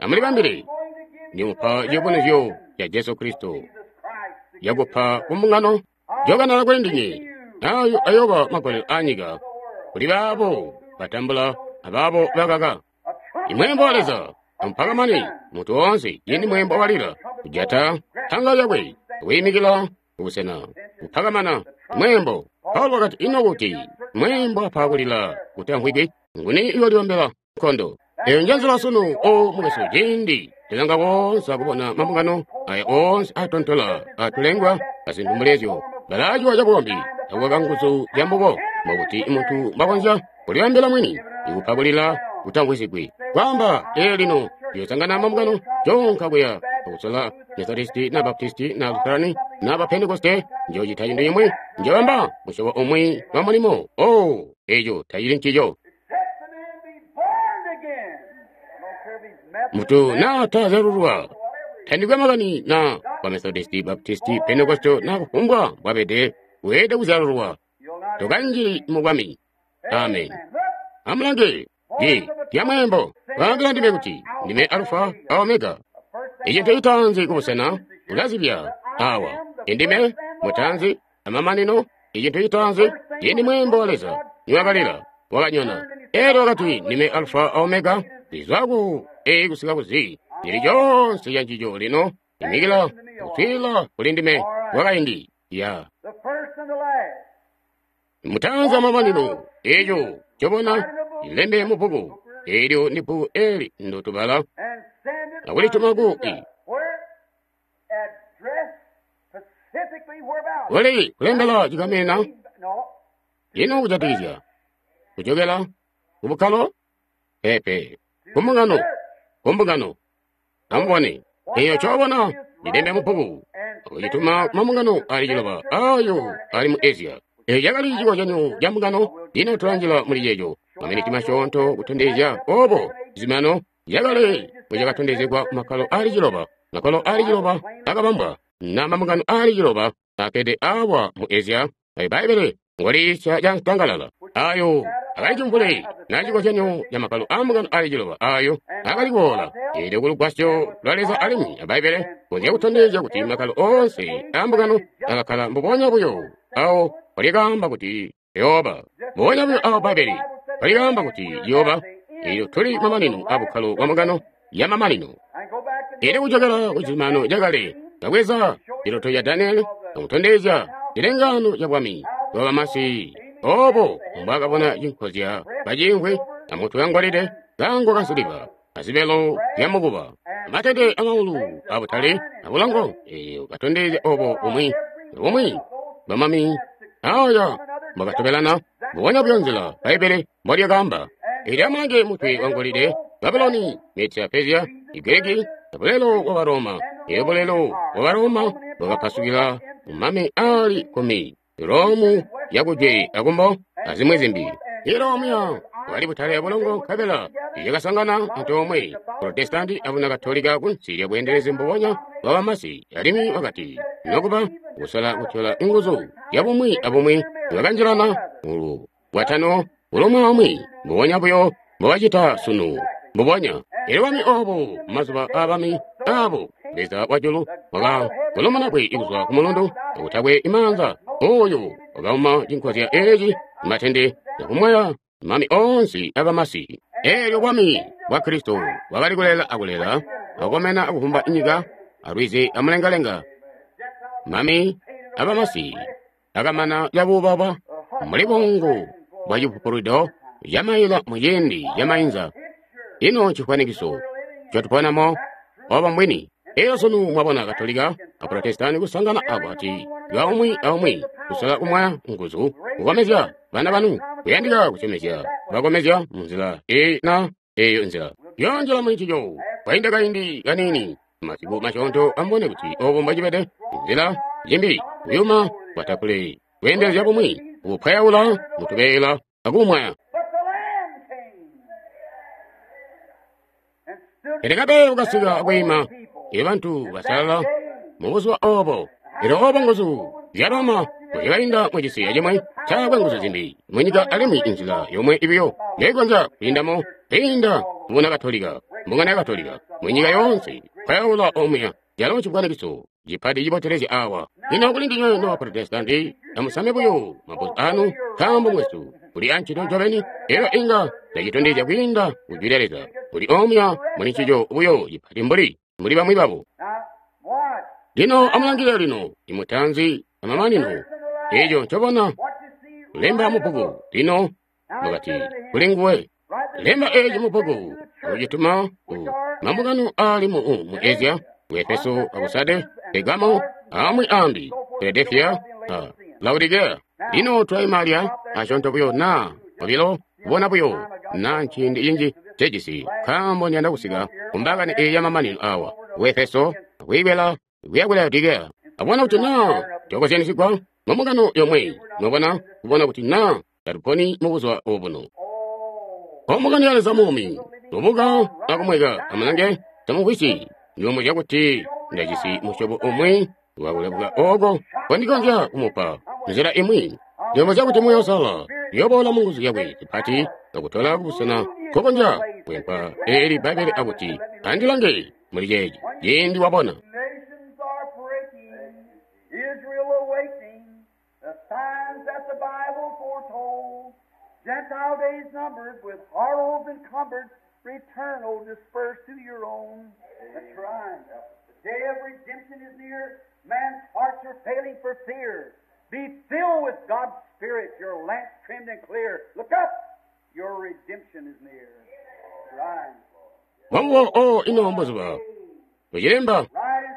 Amulibambile, ndimupa ciyubunuzyo ca Jesu Kristo yakupa kumbungano jokanala kuli ndinywe. Ayo ayoba magolelo a nyika kuli baabo batambula abaabo bakaka. Imweembo wa Leza amupakamane muntu woonse cindi mweembo walila kujata panga lyakwe kwiimikila kubusena kupakamana mweembo. Paulo wakati, ino kuti mweembo apa kulila kutamvwiki, nguni iyoliombela nkondo? Eyo njenzila sunu, o mukwesu, cindi tilanga woonse akubona mambungano aya oonse atontola atulengwa azintu mbulezyo balaaciwa cabukombi akukaka nguzu zya mbubo, mbokuti muntu mbakonzya kulibambila mwini ikupa kulila kutamvwisigwi. Kwaamba ee lino ndiyosangana mambungano conka kuya akusola Methodisti na Baptisti na Lutherani na Bapentekoste, njocita cintu cimwi, njobamba musyobo umwi wa mulimo. Oh, eco tacili ncico. Mutu na tazyalulwa tandikwe makani na wa Methodisti, Baptisti, Pentekoste na kufumbwa mbwabede, weelede kuzyalulwa tokanjili mu bwami. Amen. Amulange ji lya mweembo waambila ndime kuti ndime Alufa a Omega, icintu citaanzi kubusena ulazibya awa indime mutaanzi amamanino. Icintu citaanzi cindi mweembo wa Leza niwakalila wakanyona, elyo wakati ndime Alufa a Omega, lizwa ku A kusika ku Z, lili conse ca ncico lino imikila kuswila kuli ndime wakaindi ya mutaanzi amamanino. Eco cobona ilembe mu bbuku eelyo ndi bbuku eli ndotubala akulituma ku i kuli kulembela cikamena ino kujatikizya kujokela kubukkalo pepe kumbungano kumbungano. Amubone eyo cobona lilembe mu bbuku akucituma kumambungano ali ciloba ayo ali mu Asia. Eyo cakali cikozyanyo ca mbungano. Lino tulanjila muli ceeco maminiti masyoonto kutondezya obo zimano yakale bwecakatondezegwa kumakkalo ali ciloba. Makkalo ali ciloba akabambwa na mambungano ali ciloba akede awa mu Asia. Ayo Bbaibbele ngoliisya ca ntangalala ayo akali cimvule na cikozyanyo ca makkalo a mbungano ali ciloba ayo akali kuboola. Eelyo kulugwasyo lwa Leza alimwi a Bbaibbele konzya kutondezya kuti makkalo oonse a mbungano akakkala mbubonya buyo awo walikaamba kuti yooba, mbubonya buyo awo Bbaibbele walikaamba kuti yooba. Eelyo tuli mamanino a bukkalo bwa mbungano ya mamanino. Eelyo kujokela ku cizumano cakale kabweza ciloto ca Daniele akutondezya cilengano ca bwami bwa bamasi, obo mbwakabona cinkozya bacimvwi amutwe wangolide, kango kansiliva, azibelo zya mukuba, amatende amaulu abutale abulongo. Eyo katondezya obo bumwi bumwi bamami aya mbwakatobelana mbubonya buyo nzila Bbaibbele mbolyakaamba. Eelyo amulange mutwe wangolide, Babuloni, Media, Persia, Igiriki, bulelo bwa Baroma. Eelyo bulelo bwa Baroma bwakapasukila mumami ali kkumi, Romu yakujwe akumbo azimwi zimbi. Iromu bwali butale abulongo nkabela yakasangana antoomwe Protestanti abuna Katolika kunsi lya bweendelezi mbubonya bwa bamasi. Alimwi wakati nokuba kusola kutyola nguzu ya bumwi abumwi bakanjilana mulu bwatano ulumwe mbubonya buyo mbobacita sunu mbubonya. Elyo bami obo mazuba aabami abo Leza wajulu wakakolomona kwe kuzwa ku mulundu akutakwe imaanza Oyo wakauma cinkozya eci matende akumwaya mami onse abamasi. Eelyo bwami bwa Kristo bwakali kulela akulela, akomena akuvumba nyika, alwizi amulengalenga. Mami abamasi akamana cabubaba mbuli buungu bwa cipupulwido camaila muciindi camainza. Ino ncifwanikiso ncotuponamo obo mbwini. Eyo sunu mwabona Katolika a Protestani kusangana akwati lwa umwi aumwi kusola kumwaya nguzu kukomezya bana banu kuyandika kusyomezya bakomezya munzila eyi na eyo nzila yonjela muli ncico. Kwainda kaindi kanini masiku masyoonto amubone kuti obo mbwacibede nzila zimbi kuyuma kwatapule kweendelezya bumwi kupwayaula mutubeela akumwaya. Pele kabeela kasika akwiima bantu basalala mubuzuba obo. Elyo obo nguzu zya Roma bwekainda mucisi acimwi taakwe nguzu zimbi munyika alimwi inzila yomwe ibiyo yaikonzya kwiindamo kwiinda mubuna Katolika, mbungano ya Katolika munyika yoonse pwayaula omuya calo cifwanikiso cipati cibotelezya awa. Lino kuli ndinywe noba Protestanti amusame buyo mabuzu anu nkaambo mwesu kuli ancito ncobeni elyo inga ndacitondezya kwiinda ku Jwi lya Leza kuli omuya muli ncico buyo cipati mbuli mbuli bamwi babo. Lino amulangilile lino imutanzi amamanino eco ncobona lemba mubbuku. Lino mukati kuli nguwe lemba eci mubbuku akucituma ku mambungano ali mu mu Asia, ku Efeso, aku Sade, Pergamo, amwi ambi, Filadelfia, a Laodicea. Lino twaimalya asyoonto buyo na obilo kubona buyo na nciindi cinji cejisi nkaambo ndiyanda kusika kumbakani eyi yamamanino awa ku Efeso akwiibwela kuya ku Laodicea. Abona kuti na twakozyanisigwa mumbungano yomwe, mwabona kubona kuti na tatuponi mubuzuba obuno. Ombungano ya Leza muumi lubuka akumweka amulange tamumvwisyi ndilomuzya kuti ndajisi musyobo umwi wakulebuka oko kondikonzya kumupa nzila imwi. Ndilomuzya kuti Muuya Uusalala uyoboola munguzu yakwe zipati akutola kubusena nkokonzya kwempa eeli Bbaibbele akuti andilange muli ceeci ciindi wabona. Gentile days numbered, with horrors encumbered, return, O dispersed to your own. That's right. The day of redemption is near. Man's hearts are failing for fear. Be filled with God's Spirit, your lamps trimmed and clear. Look up, your redemption is near. That's right. Mwamuwo o ino mbuzuba ucilemba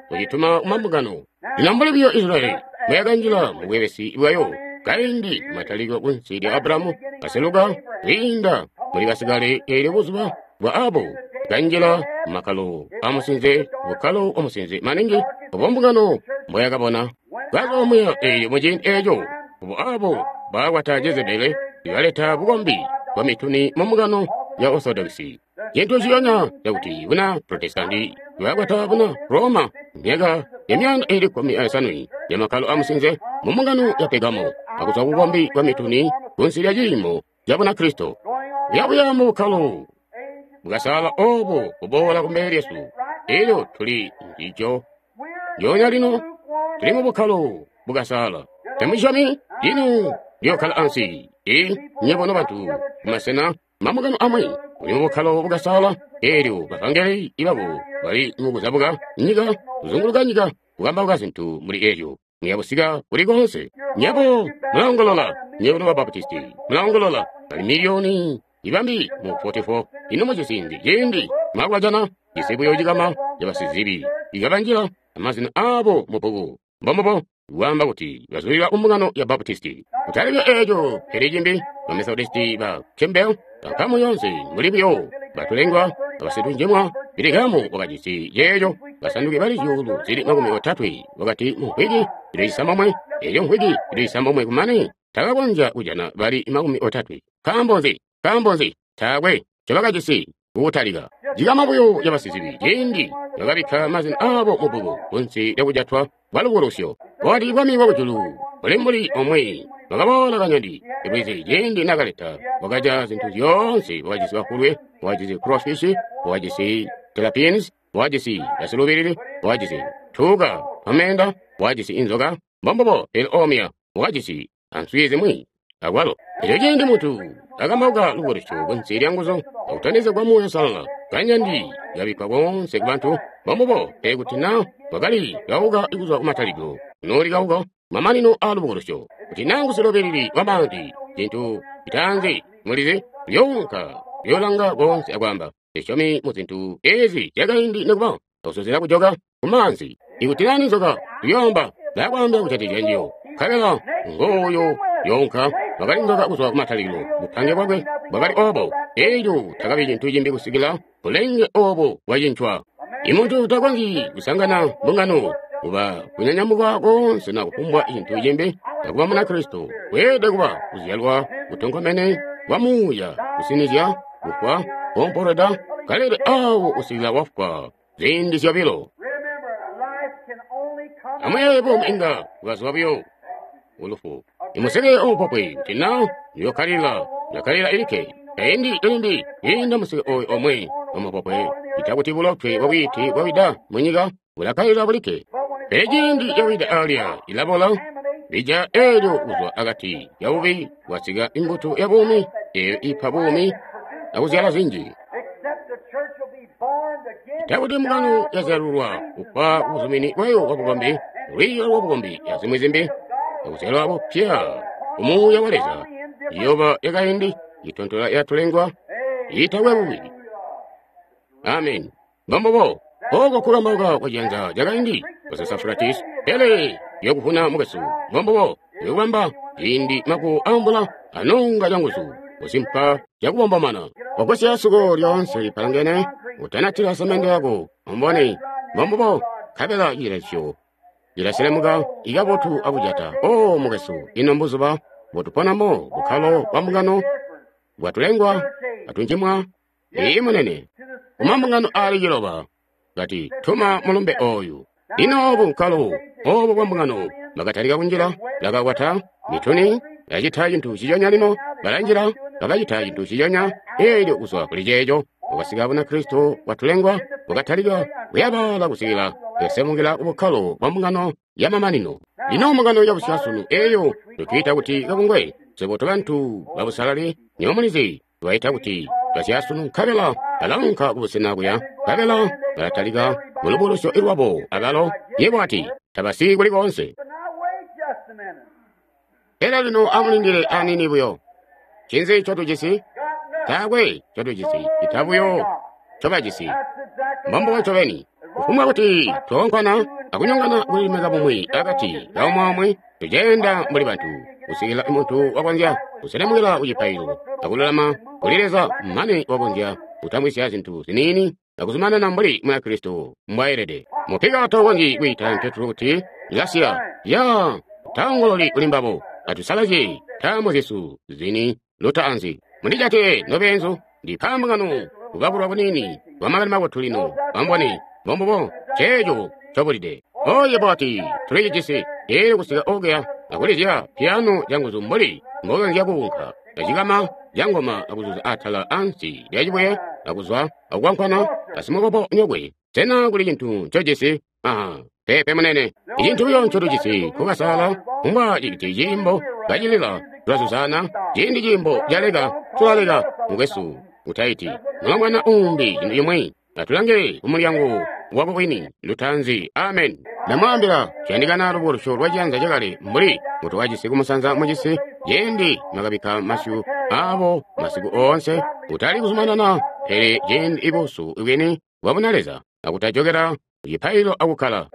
ucituma kumambungano. Lino mbuli buyo Israyeli bwayakanjila mu bwebesi bwayo kaindi mataliko kunsi lya Abrahamu kaseluka kwiinda muli basikale eelyo buzuba bwa abo kanjila makalo amusinze bukkalo omusinze maningi obo mbungano mbwayakabona kaza omuya eelyo muciindi eeco obo abo baakwata Jezebele ibaleta bukombi bwa mituni mu mbungano ya Orthodoxy. Cintu ciyonya cakuti buna Protestanti bwakwata buna Roma myaka ya myanda ili kkumi aisanu ya makalo amusinze mu mbungano ya Pergamo akuzwa kubukombi bwa mituni kunsi lya ciimo ca Bunakristo. Yabuya mu bukkalo bwasala obo kuboola kumbele lyesu elyo tuli njijo njonya lino tuli mu bukkalo bukasala. Tamusyomi lino liyokkala ansi i nyebo nobantu kumasena mambungano amwi muli mu bukkalo bukasala elyo bavangeli ibabo bali mukuzabuka nyika kuzunguluka nyika kukambauka zintu muli elyo muyabusika kuli konse. Nyebo mulaongolola, nyebo noba Baptisti mulaongolola, bali miliyoni ibambi mu forty-four ino mucisindi ciindi mwakulajana cisi buyo cikama cabasizibi ikabanjila amazina abo mubbuku mbombubo kwaamba kuti bazulila kumbungano ya Baptisti. Kutalika eeco pele cimbi ba Methodisti ba Campbell bankamu yonse muli buyo batulengwa abasitunjemwa Bilikamu wakajisi ceeco basanduki bali zyuulu zili makumi otatwe wakati mu mvwiki zili cisambomwe elyo mvwiki zili cisambomwe kumane takakonzya kujana bali makumi otatwe. Nkaambo nzi? Nkaambo nzi? Taakwe ncobakajisi kukutalika. Cikama buyo cabasizibi ciindi bakabikka mazina aabo mubbuku kunsi lyakujatwa kwalubukulusyo. Wakati bwami bwakujulu buli mbuli omwe wakaboola kanyandi lwizi ciindi nakaleta wakaja zintu zyoonse wakajisi bafulwe wakajisi crawfish wakajisi tilapines wakajisi basilubilili wakajisi tuuka twamenda wakajisi inzoka mbombubo pele omya wakajisi answi zimwi akwalo. Eco ciindi muntu akambauka lubukulusyo kunsi lya nguzu akutondezegwa Muuya Uusalala, kanyandi kabikkwa koonse ku bantu mbombubo. Pele kuti na wakali kauka kuzwa kumatalikilo, kunooli kauka mamanino a lubukulusyo. Kuti na ngusilobilili wa maanzi, cintu citaanzi mulizi, uyounka uyoolanga koonse akwaamba, Ndisyomi mu zintu ezi zyakaindi nikuba akusozela kujoka ku maanzi. Ikuti na ninzoka, uyoomba ndakwaambila kujatikizya njiyo. Nkabela ngooyo yoonka wakali nzoka kuzwa kumatalikilo, bupange bwakwe bwakali obo. Elyo takabi cintu cimbi kusikila bulenge obo bwacincwa. Imuntu takonzyi kusangana mbungano kuba kunyanyamuka koonse na kufumbwa cintu cimbi akuba Munakristo. Weelede kuba kuzyalwa kutonkomene kwa muuya, kusinizya, kufwa, kuompolweda, kalele awo kusikila wafwa ziindi zyobilo. Amuyeeye buumi inga bwazwa buyo kulufu. Imuseke omupopwe kuti na ndiyokkalila, ndakkalila ilikke. Kaindi ilimbi yiinda museke oyu omwe omupopwe, ita kuti bulotwe bwabwiiti bwawida munyika bulakkalila bulikke. Pele ciindi yawida alya ilabola, bija eelyo kuzwa akati kabubi bwasika imbuto ya buumi eeyo ipa buumi akuzyala zinji. Ita kuti mbungano yazyalulwa kufwa kubuzumini bwayo bwabukombi, lwiiyo lwabukombi azimwi zimbi, akuzyalwa bupya kumuuya wa Leza, iyoba yakaindi itontola yatulengwa iitakwe bubi. Amen. Mbombubo oko kukambauka kwa ciyanza cakaindi kwa Sasafuratis, pele yokuvuna mukwesu. Mbombubo yokubamba ciindi makuwo ambula anonga canguzu kusimpa cakubombomana. Wagwasya suko lyoonse lipalangene, utanatila samende yako umbone. Mbombubo nkabela cilesyo cilaselemuka ikabotu akujata. O mukwesu, ino mbuzuba bwatuponamo bukkalo bwa mbungano bwatulengwa atunjimwa. Iyi munene kumambungano aali ciloba kati tuma mulumbe oyu. Lino obu bukkalo obu bwa mbungano bakatalika kunjila, bakakwata mituni, bacita cintu ciconya. Lino balanjila, bakacita cintu ciconya. Eelyo kuzwa kuli ceeco bwakasika Bunakristo bwatulengwa bwakatalika kuyabala kusikila yasemukila kubukkalo bwa mbungano ya mamanino. Lino mbungano ya busyasunu eeyo tutwiita kuti kabungwe, swebo tobantu babusalali nyowe mulizi tubaita kuti basyasunu, nkabela balaunka kubusena kuya, nkabela balatalika mulubulusyo lwabo abalo. Yebo ati tabasiki kuli koonse. Pele lino amulindile aniini buyo. Ncinzi ncotujisi? Taakwe ncotujisi, ita buyo ncobajisi. Mbombubo ncobeni. Kufumbwa kuti twoonkwana akunyongana kulilemeka bumwi akati kaumwi, tuceenda mbuli bantu kusikila muntu wakonzya kuselemukila kucipaililo akululama kuli Leza mane wakonzya kutamwisya zintu ziniini akuzumanana mbuli Munakristo mbwaelede. Mupika taukonzyi kwiita Petro kuti ilasiya ya taongololi kuli mbabo. Atusalazye ntaamo zyesu zini lutaanzi. Mundijate nobeenzu, ndipa mbungano kubakulwa kuniini kwa makani mabotu lino. Ambone mbombubo ceeco cobulide. Oye bwati tulicijisi eelyo kusika okuya akulizya piyano canguzu mbuli mbokonzya kuunka acikama cangoma akuzuza atala ansi lya cibuye akuzwa akukwankwana asimukobo nyokwe. Sena kuli cintu ncojisi? Aha, peepe munene. Icintu buyo ncotujisi kukasala kumbwa citi ciimbo kacilila tulazuzana. Ciindi ciimbo caleka tulaleka mukwesu utaiti mulombwana umbi cintu cimwi. Atulange kumulyango wako wini lutaanzi. Amen. Ndamwaambila ciyandikana lubukulusyo lwa ciyanza cakale mbuli mbutukajisi kumusanza mucisi ciindi mwakabikka masyu aabo masiku oonse kutali kuzumanana, pele ciindi ibusu bwini bwabuna Leza akutajokela kucipaililo akukkala.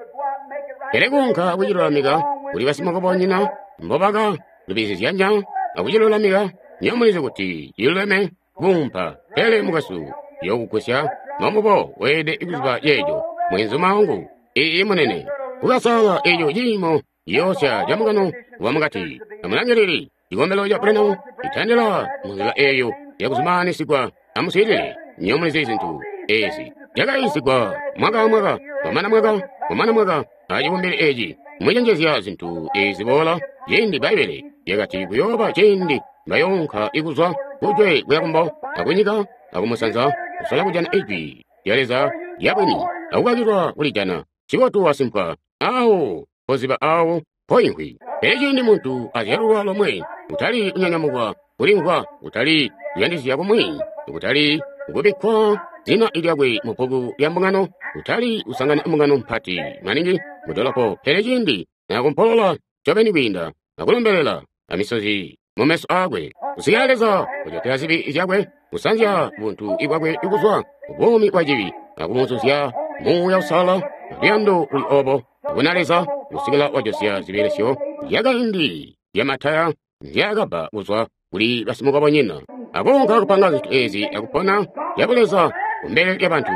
Pele kuunka kucilulamika kuli basimukobonyina mbobaka lubizizyanya akucilulamika, nyowe mulizi kuti ciluleme kuumpa. Pele mukwesu yokugusya mbombubo weelede kuziba ceeco mwenzuma wangu. Iyi munene kukasala eco ciimo ciyoosya camukano wamukati. Amulangilili cikombelo ca Branham citandila munzila eeyo yakuzumanyisigwa. Amuswiilile, nyowe mulizi zintu ezi zyakaisigwa mwaka amwaka, kwamana mwaka, kwamana mwaka acibumbili eci mwicenjezya zintu ezi ziboola. Ciindi Bbaibbele lyakati kuyooba ciindi bayoonka ikuzwa kujwe kuya kumbo akunyika akumusanza kusola kujana ijwi lya Leza lyabwini akukakilwa kulijana. Cibotu wasimpwa awo mpoziba awo mpoimvwi. Pele ciindi muntu azyalulwa lomwe, kutali kunyanyamukwa, kulimvwa, kutali kuyandisya kumwi, kutali kubikkwa zina lyakwe mu bbuku lya mbungano, kutali kusangana mbungano mpati maningi mu dolopo. Pele ciindi nakumpolola ncobeni kwiinda akulombelela amisozi mumeso aakwe, kusikila Leza kujatila zibi zyakwe, kusanzya buntu bwakwe kuzwa buumi bwa cibi, akumuzuzya Muuya Uusalala, luyando luli obo kubona Leza, kusikila wajosya zibelesyo zyakaindi zyamataya nzyaakabba kuzwa kuli basimukobonyina, akunka kupanga zintu ezi akupona zyabuleza kumbele lyabantu.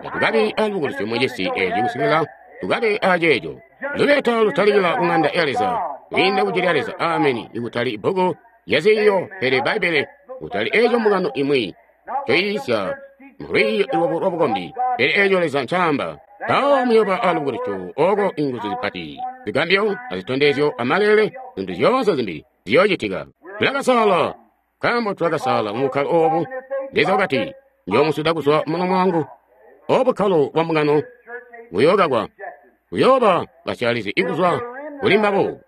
Tatukabi alubukulusyo mucisi eci kusikila tukabe aceeco. Lubeta lutalikila ku ng'anda ya Leza, kwiinda ku jwi lya Leza, ameni, ikutali bbuku lyaziiyo, pele Bbaibbele, kutali eco mbungano imwi ncoyiisya mulwiiyo lwabo lwabukombi, pele eco Leza ncaamba. Mpawo muyooba alubukulusyo oko inguzu zipati, zigambyo azitondezyo amalele, zintu zyoonse zimbi ziyoocitika. Tulakasala, nkaambo tulakasala mu bukkalo obu. Leza wakati, njoomusuda kuzwa mulomo wangu. Obu bukkalo bwa mbungano buyookakwa, buyooba basyaalizi ikuzwa kuli mbabo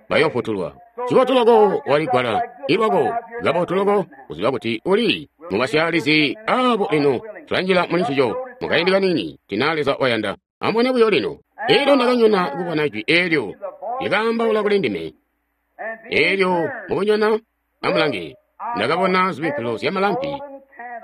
bayoofutulwa. Cibotu loko waligwala ilwako, kabotu loko kuziba kuti uli mubasyaalizi abo. Lino tulanjila muli ncico mukaindi kanini, tina Leza wayanda. Amubone buyo lino. Elyo ndakanyona kubona jwi eelyo lyakaambaula kuli ndime. Elyo mukunyona, amulange, ndakabona zibikkilo zyamalampi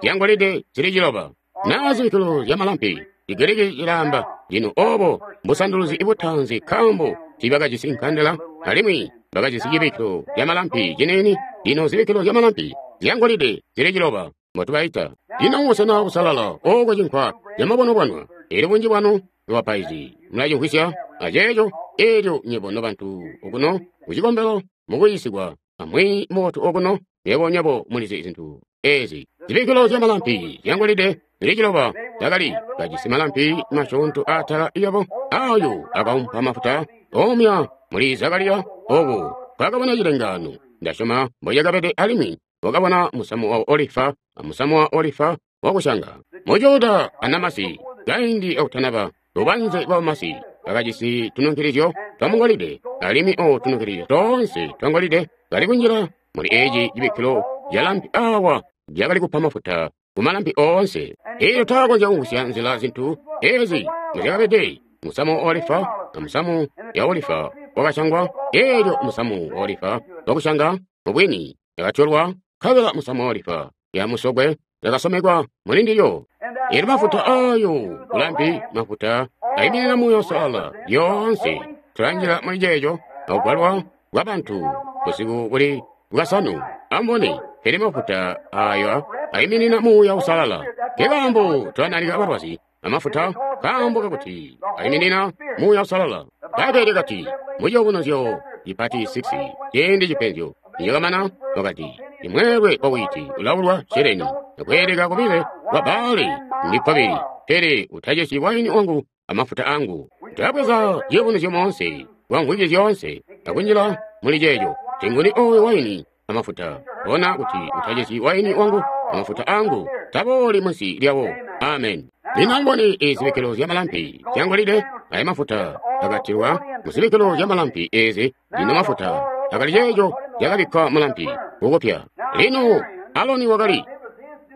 zyangolide zili ciloba. Naa zibikkilo zyamalampi, Chigiriki cilaamba lino obo mbusanduluzi butaanzi, nkaambo tiibakajisi nkandela alimwi bakajisi cibikkilo zyamalampi ciniini. Lino zibikkilo zyamalampi zyangolide zili ciloba mbotubaita. Lino mubusena busalala oko cinkwa camabonwabonwa. Elyo bunji bwanu lwabapaizi mulacimvwisya aceeco. Elyo nywebo nobantu okuno kucikombelo mukuyiisigwa amwi mubotu okuno, nywebo nywebo mulizi zintu ezi. Zibikkilo zyamalampi zyangolide zili ciloba zyakali kajisi malampi masyoonto atala lyabo, ayo akaumpa mafuta omya muli Zakariya oku kwakabona cilengaano. Ndasyoma mbocakabede, alimwi wakabona musamu wa olifa amusamu wa olifa wakusyanga. Mujuda anamasi kaindi akutanaba lubanze lwa masi bakajisi tununkilizyo twamungolide, alimwi o tununkilizyo toonse twangolide kali kunjila muli eci cibikkilo calampi awa lyakali kupa mafuta kumalampi oonse. Elyo taakonzya kumvwisya nzila zintu ezi muzyakabede. Musamu wa olifa amusamu ya olifa wakasyangwa. Elyo musamu wa olifa wakusyanga mubwini yakatyolwa, nkabela musamu wa olifa ya musokwe yakasomekwa muli ndilyo. Elyo mafuta ayo kulampi, mafuta ayiminina Muuya Uusalala. Lyoonse tulanjila muli ceeco akugwalwa kwa bantu busiku buli bwasanu. Amubone, pele mafuta ayo ayiminina Muuya Uusalala. Nkekaambo tulanalika balwazi amafuta, nkaambo kakuti ayiminina Muuya Uusalala. Bbaibbele lyakati muciyubunuzyo cipati six, ciindi cipenzyo nicakamana, wakati imweelwe wa wiiti ulaulwa sheleni akweeleka kubile kwa baali ndi kkobili, pele utacesyi waini wangu amafuta angu. Tulabweza ciyubunuzyo moonse kwa mvwiki zyoonse akunjila muli ceeco. Tinguni oyo waini amafuta, bona kuti utacesyi waini wangu amafuta angu, tabooli munsi lyawo. Amen. Lino amubone ezibikkilo zyamalampi zyangolide, aya mafuta akatilwa muzibikkilo zyamalampi ezi. Lino mafuta akali ceeco cakabikkwa mulampi kukupya. Lino Aloni wakali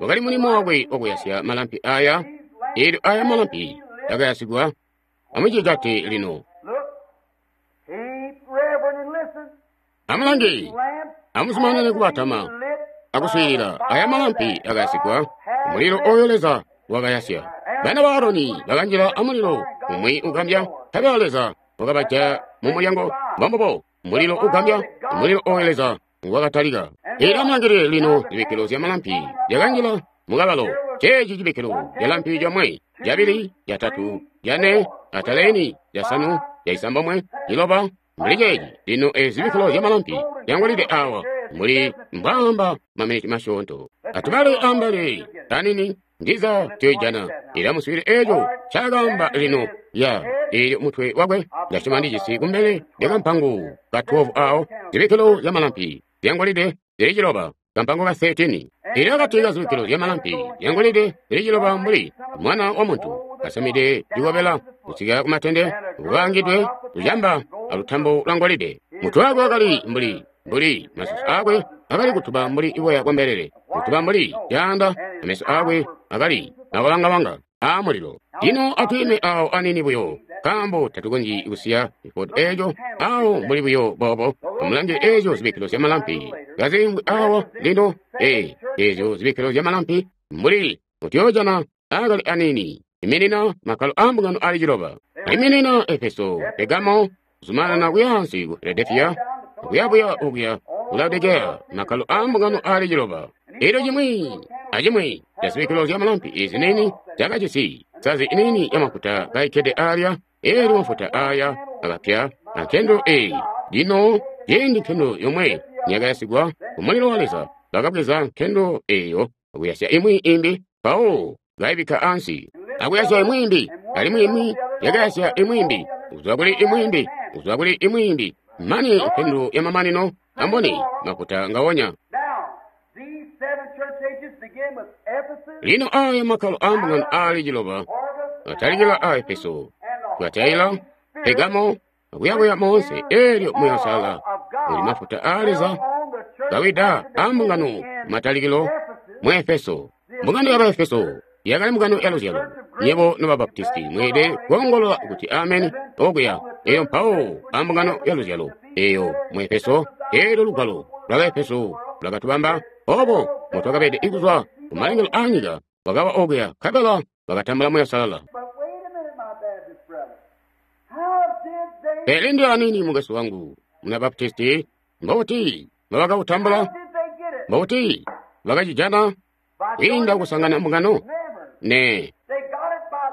wakali mulimo wakwe wakuyasya malampi aya. Elyo aya malampi akayasigwa. Amucijate lino. Amulange, amuzumanane kubatama akuswiilila. Aya malampi akayasigwa umulilo oyo Leza wakayasya. Bana ba Aroni bakanjila amulilo umwi ugambya, nkabela Leza wakabaja mu mulyango. Mbombubo mulilo ugambya, umulilo oyo Leza wakatalika. Elyo amulangilile lino zibikkilo zyamalampi zyakanjila mukabalo. Ceeci cibikkilo calampi comwe, cabili, catatu, cane, ataleni, casanu, caisambomwe, ciloba, mbuli ceeci. Lino ezi zibikkilo zyamalampi zyangolide awa muli mbwaamba maminiti masyoonto. Atubale ambali kanini ndiza tuyoijana. Elyo amuswiilile eeco ncaakaamba lino ya eelyo mutwe wakwe. Ndasyoma ndijisi kumbele lya kampango ka twelve awo, zibikkilo zyamalampi zyangolide zili ciloba, kampango ka thirteen. Elyo akati ka zibikkilo zyamalampi zyangolide zili ciloba mbuli mwana wa muntu kasamide cikobela kusika kumatende, kukaangidwe kucamba alutambo lwa ngolide. Mutwe wakwe wakali mbuli mbuli masusu akwe akali kutuba mbuli boya bwa mbelele, kutuba mbuli caanda, ameso akwe akali nakulangawanga a mulilo. Lino atwiime awo anini buyo, nkaambo tatukonzyi kusiya cifoto eeco awo mbuli buyo boobo. Amulange eezyo zibikkilo zyamalampi kaziimvwi awo lino, ee, eezyo zibikkilo zyamalampi mbuli mutyoojana akali anini iminina makkalo a mbungano ali ciloba. Iminina Efeso, Pegamo, kuzumanana kuyaansi ku Filadelfiya, kuyabuya okuya ku Laodikeya, makkalo a mbungano ali ciloba. Elyo cimwi acimwi ca zibikkilo zyamalampi ezi nini zyakajisi nsazi nini yamafuta kaikkede alya. Elyo mafuta aya akapya ankendelo eyi. Lino ciindi nkendelo yomwe niyakayasigwa ku mulilo wa Leza, bakabweza nkendelo eyo akuyasya imwi imbi, mpawo kaibikka ansi, akuyasya imwi imbi, alimwi imwi yakayasya imwi imbi, kuzwa kuli imwi imbi, kuzwa kuli imwi imbi, mane nkendelo yamamanino amboni mafuta ngawonya. Lino aya makkalo a mbungano ali ciloba atalikila a Efeso, Tuatila, Pegamo, akuyakuya moonse. Elyo Muuya Uusalala uli mafuta a Leza kawida a mbungano matalikilo mu Efeso. Mbungano ya Baefeso yakali mbungano ya luzyalo. Nyebo noba Baptisti mweelede koongolola kuti ameni okuya. Eyo mpawo a mbungano ya luzyalo eyo mu Efeso. Elyo lugwalo lwa Baefeso lwakatubamba obo mutwakabede ikuzwa ku malengelo a nyika, wakawa okuya nkabela bakatambula Muuya Uusalala. Pele ndi anini mukwesu wangu muna Baptisti, mbuti mbabakautambula? Mbuti bakacijana kwiinda kusangana mbungano? Ne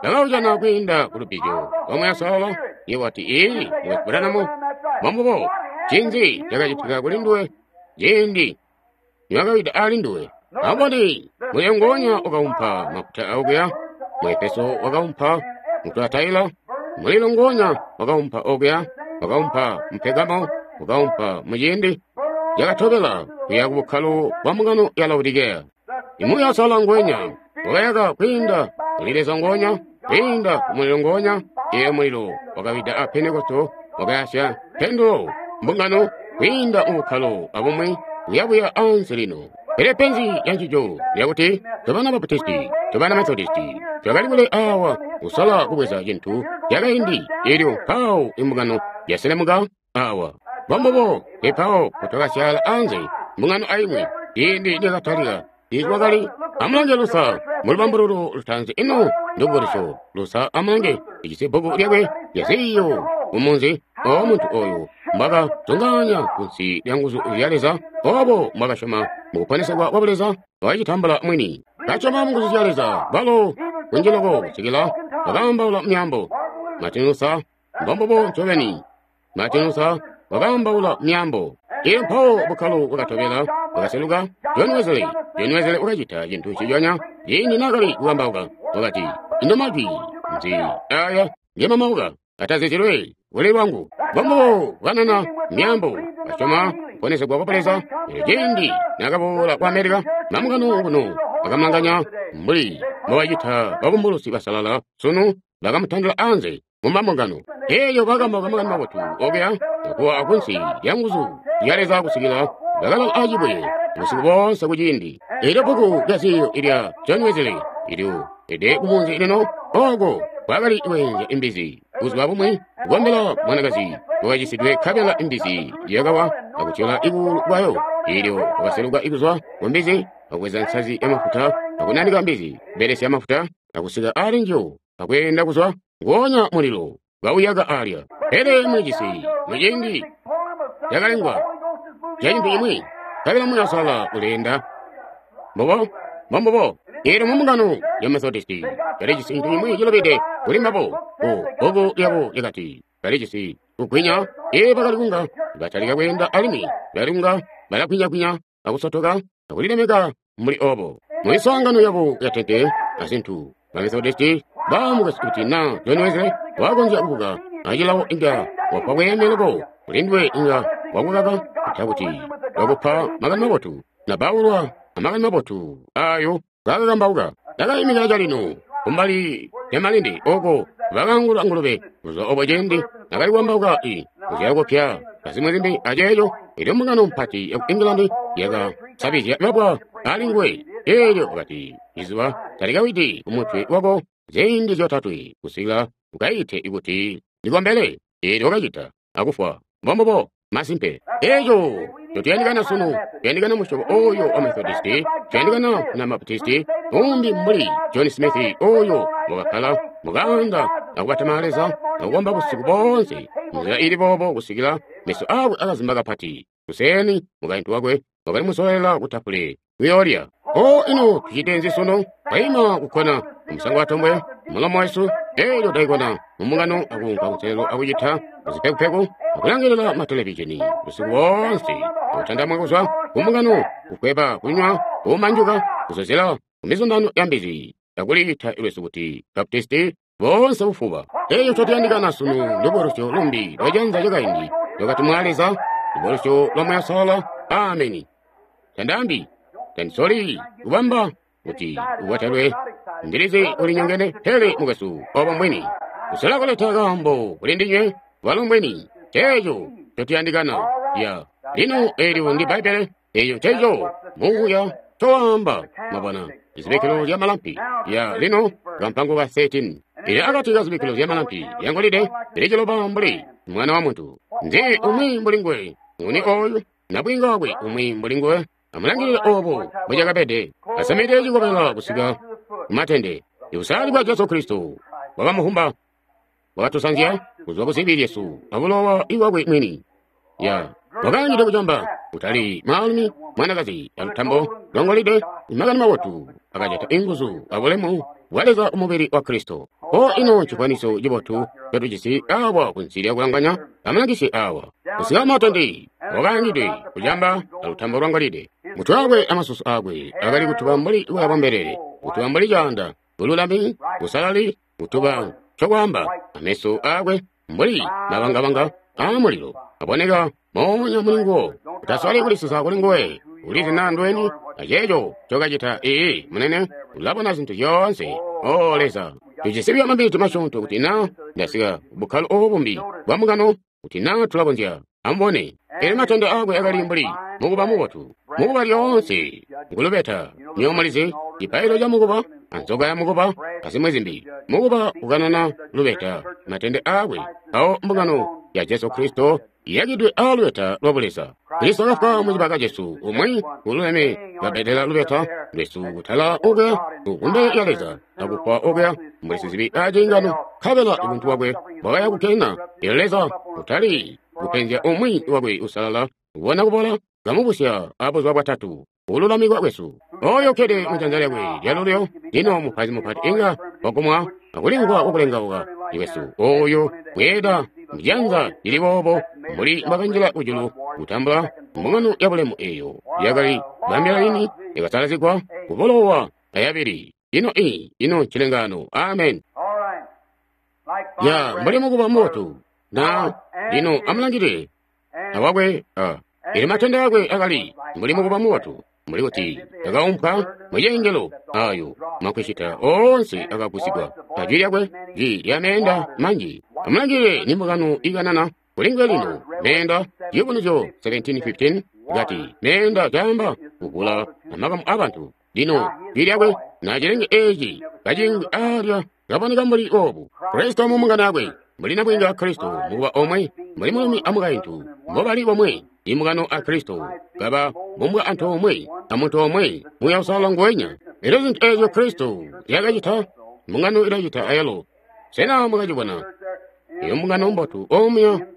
bakaujana kwiinda ku lubbizyo lwa Muuya Uusalala. Iye wati, ii mukwesu Branham, mbombubo. Ncinzi cakacitika kuli nduwe ciindi niwakawida ali nduwe? Amboni mulilo ngonya wakaumpa mafuta okuya mu Efeso, wakaumpa mu Tuatila, mulilo ngonya wakaumpa okuya, wakaumpa mu Pegamo, wakaumpa mu ciindi cakatobela kuya ku bukkalo bwa mbungano ya Laodikeya. Muuya Uusalala ngwenya wakayaka kwiinda kuli Leza ngonya, kwiinda ku mulilo ngonya. Eyo mulilo wakawida a Pentekosto, wakayasya nkendulo mbungano kwiinda mu bukkalo abumwi kuyabuya ansi lino. Pele penzi lyancico lyakuti tobana Baptisti, tobana Methodisti twakali kule awa kusola kubweza cintu cakaindi. Elyo mpawo imbungano yaselemuka awa. Mbombubo epawo kutwakasyaala anze mbungano aimwi ciindi niyakatalika tiikwakali. Amulange Lusa mu lubambululo lutaanzi ino ndubukulusyo. Lusa amulange ijisi bbuku lyakwe lya ziiyo kumunzi o muntu oyu mbwakazungaanya kunsi lya nguzu zya Leza, obo mbwakasyoma mu kuponesegwa kwa Buleza, wakacitambula mwini. Kasyoma mu nguzu zya Leza balo kunji loko kusikila wakaambaula myaambo. Martin Luther mbombubo ncobeni. Martin Luther wakaambaula myaambo. Elyo mpawo bukkalo bwakatobela bwakaseluka John Wesley. John Wesley wakacita cintu nciconya ciindi naakali kukambauka. Wakati, ino majwi nzi aya ngemamauka atazizilwe kuli lwangu? Mbombubo kanana myaambo, kasyoma kuponesegwa kwa Buleza. Elyo ciindi naakaboola ku Amerika, mambungano kuno bakamulanganya mbuli mbobacita babumbulusi basalala sunu, bakamutandila anze mu mambungano. Elyo bakambauka makani mabotu okuya kuwa akunsi lya nguzu zya Leza kusikila bakalala acibwe busiku boonse kuciindi. Elyo bbuku lya ziiyo ilya John Wesley ilyo ede kumunzi lino oko kwakali kweenzya imbizi. Buzuba bumwi kukombela mwanakazi wakacisidwe nkabela imbizi yakawa akutyola ikuulu kwayo. Elyo wakaseluka ikuzwa ku mbizi akubweza nsazi yamafuta akunanika mbizi, kubelesya mafuta akusika ali njiyo akweenda kuzwa ngoonya mulilo kauyaka alya. Pele mulijisi muciindi cakalengwa ca cintu cimwi, nkabela Muuya Uusalala uleenda. Mbubo mbombubo. Elyo mu mbungano ya Methodisti balijisi cintu cimwi cilubide kuli mbabo. Ku bbuku lyabo lyakati balijisi kugwinya. Ee, bakali kunga batalika kweenda alimwi bakali kunga balagwinyagwinya akusotoka akulilemeka mbuli obo. Mu miswaangano yabo ya tente azintu, ba Methodisti bamukasi kuti na John Wesley wakonzya kubuka acilawo inga wapa bweeme loko kuli nduwe, inga wakukaka kutakuti wakupa makani mabotu na baulwa amakani mabotu ayo kakakambauka. Ndakaimikila calino kumbali lya malindi oko bakangula ngulube. Kuzwa obo ciindi nakali kuambauka i kuzyala kupya azimwi zimbi aceeco. Elyo mbungano mpati yaku England yaka sabizya babwa ali nguwe. Elyo wakati, izuba talikawidi ku mutwe wako ziindi zyotatwe kusikila ukaite kuti ndikombele. Elyo wakacita akufwa. Mbombubo, masimpe. Eco totuyandikana sunu, tuyandikana musyobo oyo wa Methodisti, tuyandikana na Baptisti, umbi mbuli John Smith oyo wakakkala mukanda akubatama Leza akukomba busiku boonse nzila ili boobo kusikila meso akwe akazimba kapati. Kuseni mukaintu wakwe wakali musolela kutapule kuyoolya. O ino tucite nzi sunu? Twaima kukkona umusango wa tombwe mulomo wesu, elyo twaikona mumbungano akuunka kunselelo akucita kuzipekupeku akulangilila matelevizheni busiku boonse, akutandamwa kuzwa kumbungano, kukweba, kunywa, kumanjuka, kuzozela kumizundano ya mbizi, akuliita lwesu kuti Baptisti boonse bufuba. Eyo cotuyandikana sunu lubulusyo lumbi lwajanza lyakaindi lwakatumwa Leza, lubulusyo lwa Muuya Uusalala. Ameni. Tandambi tandisoli kubamba kuti uwatalwe ndilizi ulinyongene, pele mukwesu obo mbwini kusola kuleta kaambo kuli ndinywe bwalo mbwini. Ceeco cotuyandikana ya lino. Eelyo ndi Bbaibbele, eyo ceeco muuya cowaamba. Mwabona izibikilo zya malampi ya lino, kampango ka thirteen ili akati ka zibikilo zya malampi lyangolide lili ciloba mbuli mwana wa muntu. Nzi umwi mbuli nguwe? Nguni oyu nabwinga wakwe umwi mbuli nguwe? Amulangilile obo mbwecakabede. Asamide cikobela kusika kumatende. Ibusali bwa Jesu Kristo bwakamuhumba, bwakatusanzya kuzwa kuzibi lyesu abulowa iwakwe mwini. Ya wakaangide kucamba kutali mwaalumi mwanakazi alutambo lwangolide. Makani mabotu akajata inguzu abulemu bwa Leza umubili wa Kristo. O ino cikwaniso cibotu cotujisi awa kunsi lya kulanganya amalangisi awa kusika matende wakaangidwe kucamba alutambo lwangolide. Mutwe wakwe amasusu akwe akali kutuba mbuli bwa bwambelele, kutuba mbuli caanda, bululami, busalali, kutuba cokwaamba. Ameso akwe mbuli mabangabanga aamulilo aboneka moonya muli nguwo. Utasoli kulisusa kuli nguwe, ulizi naa ndweni aceeco cokacita. Ee munene, ulabona zintu zyoonse. O Leza, tujisi buyo mabiti masyoonto kuti naa ndasika bukkalo obu bumbi bwa mbungano kuti naa tulakonzya. Amubone, elyo matende akwe akali mbuli mukuba mubotu. Mukuba lyoonse ngulubeta. Nywebo mulizi cipailo ca mukuba anzoka ya mukuba azimwi zimbi. Mukuba ukanana lubeta, matende akwe. Awo mbungano ya Jesu Kristo iyakidwe aalubeta lwa Buleza. Kristo akafwa mucibaka cesu, umwi ululeme kabedela lubeta lwesu kutala okuya kumbele ya Leza, akufwa okuya mbuli sizibi aciingano, nkabela ubuntu bwakwe bwakaya kukena. Elyo Leza kutali kupenzya umwi wakwe usalala, ubona kubola kamubusya abuzuba bwatatu ululamikwa kwesu. Oyo ukkede mujanza lyakwe lyalulyo lino mupaizi mupati inga wagumwa akulimvwa wakulengauka lwesu. Oyo bweeda mujanza lili boobo mbuli mbwakanjila kujulu kutambula mbungano ya bulemu eyo yakali bambila lini yakasalazigwa kubulowa ayabili. Ino i ino ncilengano. Amen. Ya mbuli mukuba mubotu na lino amulangilile awakwe a ili matende akwe akali mbuli mukuba mubotu, mbuli kuti akaumpwa mucengelo ayo makwishita oonse akagusigwa ajwi lyakwe jwi lya meenda manji. Amulangilile ni mbungano ikanana kulinguwe lino meenda. Ciyubunuzyo seventeen fifteen kati meenda caamba kuvula amakamu abantu. Lino jwi lyakwe na cilenge eci kacingwi alya kaboneka mbuli obu. Kristo mu mbungano yakwe mbuli nabwinga Kristo mukuba omwe, mbuli mulumi amukaintu mbobali bomwe. Imbungano a Kristo kaba bumbwa antoomwe amuntu omwe Muuya Uusalala nguwenya. Elyo zintu eezyo Kristo zyakacita mbungano ilacita ayalo. Sena mwakacibona? Iyo mbungano mbotu omuya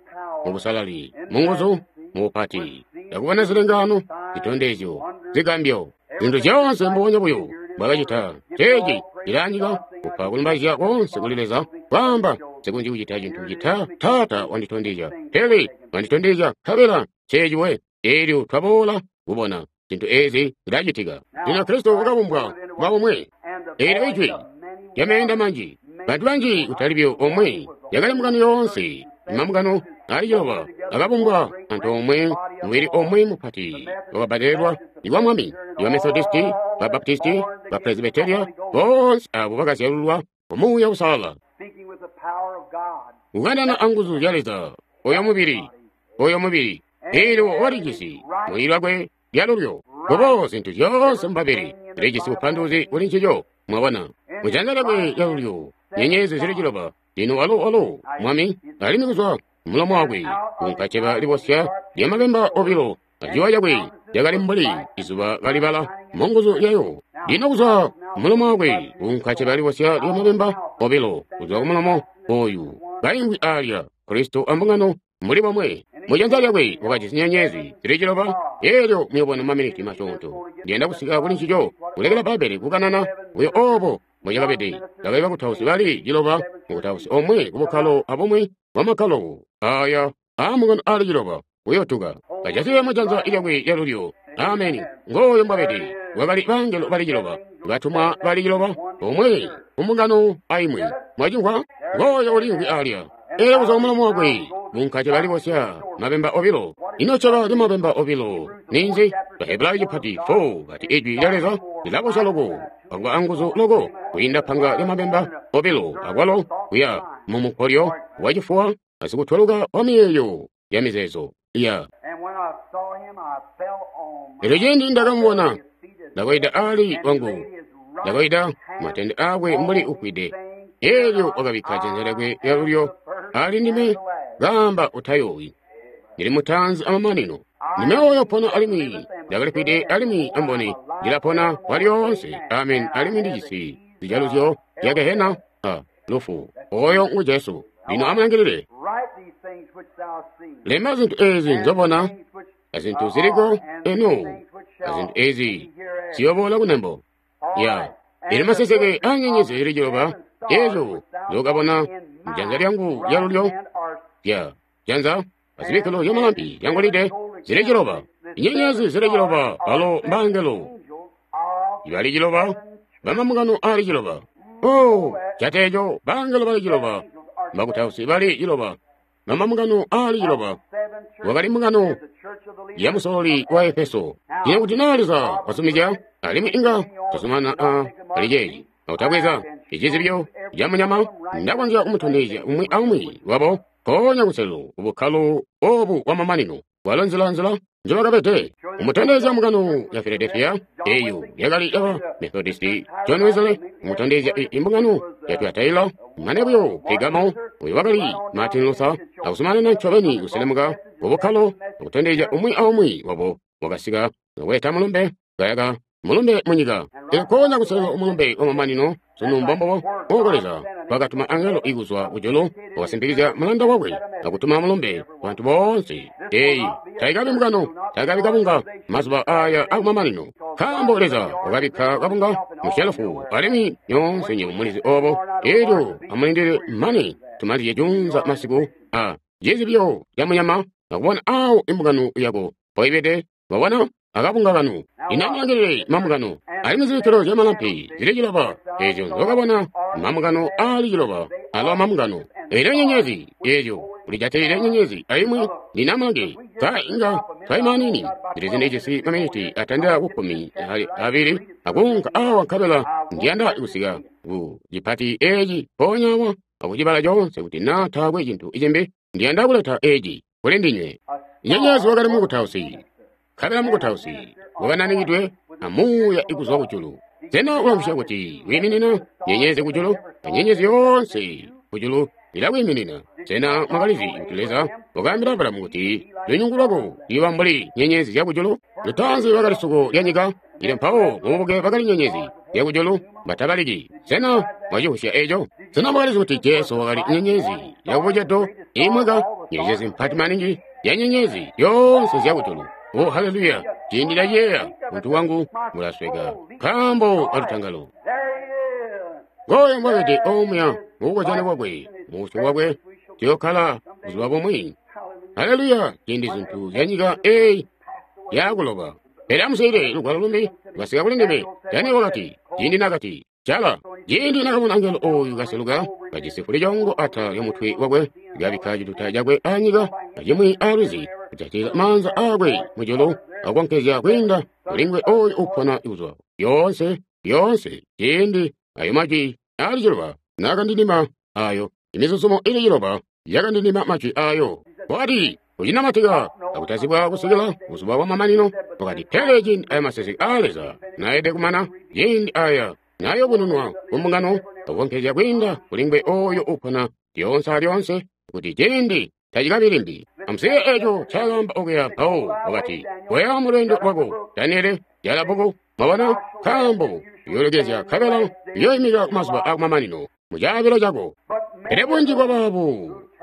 mubusalali, munguzu, mubupati, yakubona zilengano, zitondezyo, zigambyo, zintu zyoonse mbubonya buyo bwakacita. Ceeci cilanyika kupa kulumbaizya koonse kuli Leza, kwaamba nsikonzyi kucita cintu cita Taata wanditondezya, pele wanditondezya nkabela ceeci we. Eelyo twaboola kubona zintu eezi zilacitika. Lino Kristo wakabumbwa kuba bomwe. Eelyo ijwi lyameenda manji, bantu banji kutali buyo omwe, yakali mbungano yoonse. Mambungano ali ciloba akabumbwa antoomwe mubili omwe mupati wakabbadelelwa iwa Mwami, iwa Methodisti, ba Baptisti, ba Presbyteria, boonse abo bakazyalulwa ku Muuya Uusalala. Kukanana anguzu zya Leza Oyo mubili, oyo mubili. Elyo walijisi muli lwakwe lyalulyo. Kubo zintu zyoonse mubabili zilijisi bupanduluzi kuli ncico, mwabona. Mujanza lyakwe lyalulyo, nyenyezi zili ciloba. Lino walo walo mwami, alimwi kuzwa mulomo wakwe kunka ceba libosya lyamabemba obilo, aciwa cakwe lyakali mbuli izuba kalibala munguzu lyayo. Lino kuzwa mulomo wakwe kunka ceba libosya lyamabemba obilo, kuzwa kumulomo oyu kaimvwi alya Kristo ambungano mbuli bomwe. Mujanza lyakwe wakajisi nyenyezi zili ciloba. Elyo muyobona maminiti masyoonto ndiyanda kusika kuli ncico, kulekela Bbaibbele kukanana buyo obo mbocakabede. Bakali bakutausi bali ciloba, mukutausi omwe kubukkalo abumwi bwamakkalo aya aamungano ali ciloba kuyotuka kajatile mujanza lyakwe lyalulyo. Ameni. Ngooyo mbwabede. Wakali bangelo bali ciloba, batumwa bali ciloba, omwe kumbungano aimwi. Mwacimvwa? Ngooyo uliimvwi alya. Elyo kuzwa kumulomo wakwe munka ceba libosya mabemba obilo. Ino ceba lyamabemba obilo ninzi? Bahebrayo cipati four bati ijwi lya Leza lilabosya loko akuba anguzu loko kwiinda panga lyamabemba obilo, akwalo kuya mumukolyo wacifuwa asikutweluka wa miyeeyo ya mizeezo ya. Elyo ciindi ndakamubona, ndakaida ali wangu, ndakaida matende akwe mbuli ufwide. Elyo wakabikka janza lyakwe lyalulyo ali ndime, kaamba, utayoowi, ndili mutaanzi amamanino. Ndime oyo pona alimwi ndakalifwide, alimwi amboni ndilapona kwalyoonse. Amen. Alimwi ndijisi zijaluzyo zya gehena a lufu. Oyo ngu Jesu. Lino amulangilile. Lemba zintu ezi nzobona, azintu ziliko eno, azintu ezi ziyoboola kunembo. Ya ili maseseke a nyenyezi zili ciloba ezo nzokabona mujanza lyangu lyalulyo, lya janza azibikkilo zyamalampi zyangolide zili ciloba. Inyenyezi zili ciloba balo mbangelo ibali ciloba bamamungano ali ciloba. Oh, cateeco bangelo bali ciloba, bakutausi bali ciloba, bamamungano ali ciloba. Wakali mbungano ya musololi wa Efeso. Ine kuti naa Leza wasumizya, alimwi inga tuzumana a ali ceeci akutabweza icizibyo ca munyama, ndakonzya kumutondezya umwi aumwi wabo mpoonya kuselelo kubukkalo obu bwamamanino bwalo nzila-nzila njobakabede. Kumutondezya mbungano ya Philadelphia, eyo yakali yaba Methodist John Wesley. Kumutondezya imbungano ya Thyatira, mane buyo Pergamo, uyo wakali Martin Luther, akuzumanana ncobeni kuselemuka kubukkalo akutondezya umwi aumwi wabo wakasika akuleta mulumbe kayaka mulumbe munyika. Mpoonya kuselelo umulumbe wamamanino sunu mbombobo oko Leza wakatuma angelo ikuzwa kujulu wakasimpikizya mulanda wakwe akutuma mulumbe bantu boonse. Eyi taikabi mbungano, taikabi kabunga mazuba aya akumamanino, nkaambo Leza wakabikka kabunga mushelufu, alimwi nyoonse nywebo mulizi obo. Elyo amulindile mane tumalizye junza masiku a cizibyo ca munyama akubona awo imbungano yako mpoibede. Wabona akabunga kanu. Lino amulangilile mambungano. Alimwi zibikkilo zyamalampi zili ciloba ezyo nzokabona mambungano ali ciloba alo mambungano. Elyo nyenyezi ezyo ulijatilile nyenyezi aimwi. Lino amulange ka inga twaimaanini zili ndijisi maminiti atandila ku kkumi abili akuunka awa, nkabela ndiyanda kusika ku cipati eci mpoonya awa akucibala coonse kuti naa taakwe cintu cimbi ndiyanda kuleta eci kuli ndinywe. Nyenyezi wakali mukutausi, nkabela mukutausi wakananikidwe amuuya ikuzwa kujulu. Sena ulamvwisya kuti wiiminina nyenyezi kujulu? Nyenyezi yoonse kujulu ilakwiiminina. Sena mwakalizi kuti Leza wakaambila Abulamu kuti lunyungu lwako luyooba mbuli nyenyezi zyakujulu? Lutaanzi bakali suko lya nyika, ilyo mpawo mububuke bakali nyenyezi zyakujulu batabaliki. Sena mwacivwisya eco? Sena mwakalizi kuti Jesu wakali nyenyezi yakubucedo imweka, nyenyezi mpati maningi ya nyenyezi zyoonse zyakujulu? Oh, haleluya! Ciindi ndaciyeeya, muntu wangu mulasweka nkaambo kalutangalo. Ngooyo mbwabede omuya mubukozyano bwakwe, mubusyu bwakwe tuyookkala buzuba bumwi. Haleluya! Ciindi zintu zya nyika eyi yakuloba. Pele amuswiilile lugwalo lumbi lwasika kuli ndime. Daniel wakati, ciindi nakati jala, ciindi nakabona angelo oyu kaseluka kajisi fulicoongo atala lyomutwe wakwe, kabikka cituta cakwe anyika acimwi alwizi, kujatilila maanza akwe mujulu akukonkezya kwiinda kulingwe oyu upona kuzwa yoonse yoonse. Ciindi ayo majwi ali ciloba nakandindima ayo, imizuzumo ili ciloba yakandindima majwi ayo. Wakati, kucinamatika akutazibwa kusikila buzuba bwa mamanino. Wakati, pele ciindi aya maseseke aa Leza naede kumana, ciindi aya nayobununwa ku mbungano, akukonkezya kwiinda kuli ngwe oyo upona lyoonse alyoonse, kuti ciindi tacikabi limbi. Amusiye eco ncaakaamba okuya mpawo wakati, koya mu lweendo lwako, Daniele, jala bbuku, mwabona, nkaambo uyoolekeza nkabela uyoimika ku mazuba akumamanino mu caabilo cako. Pele bunji bwa baabo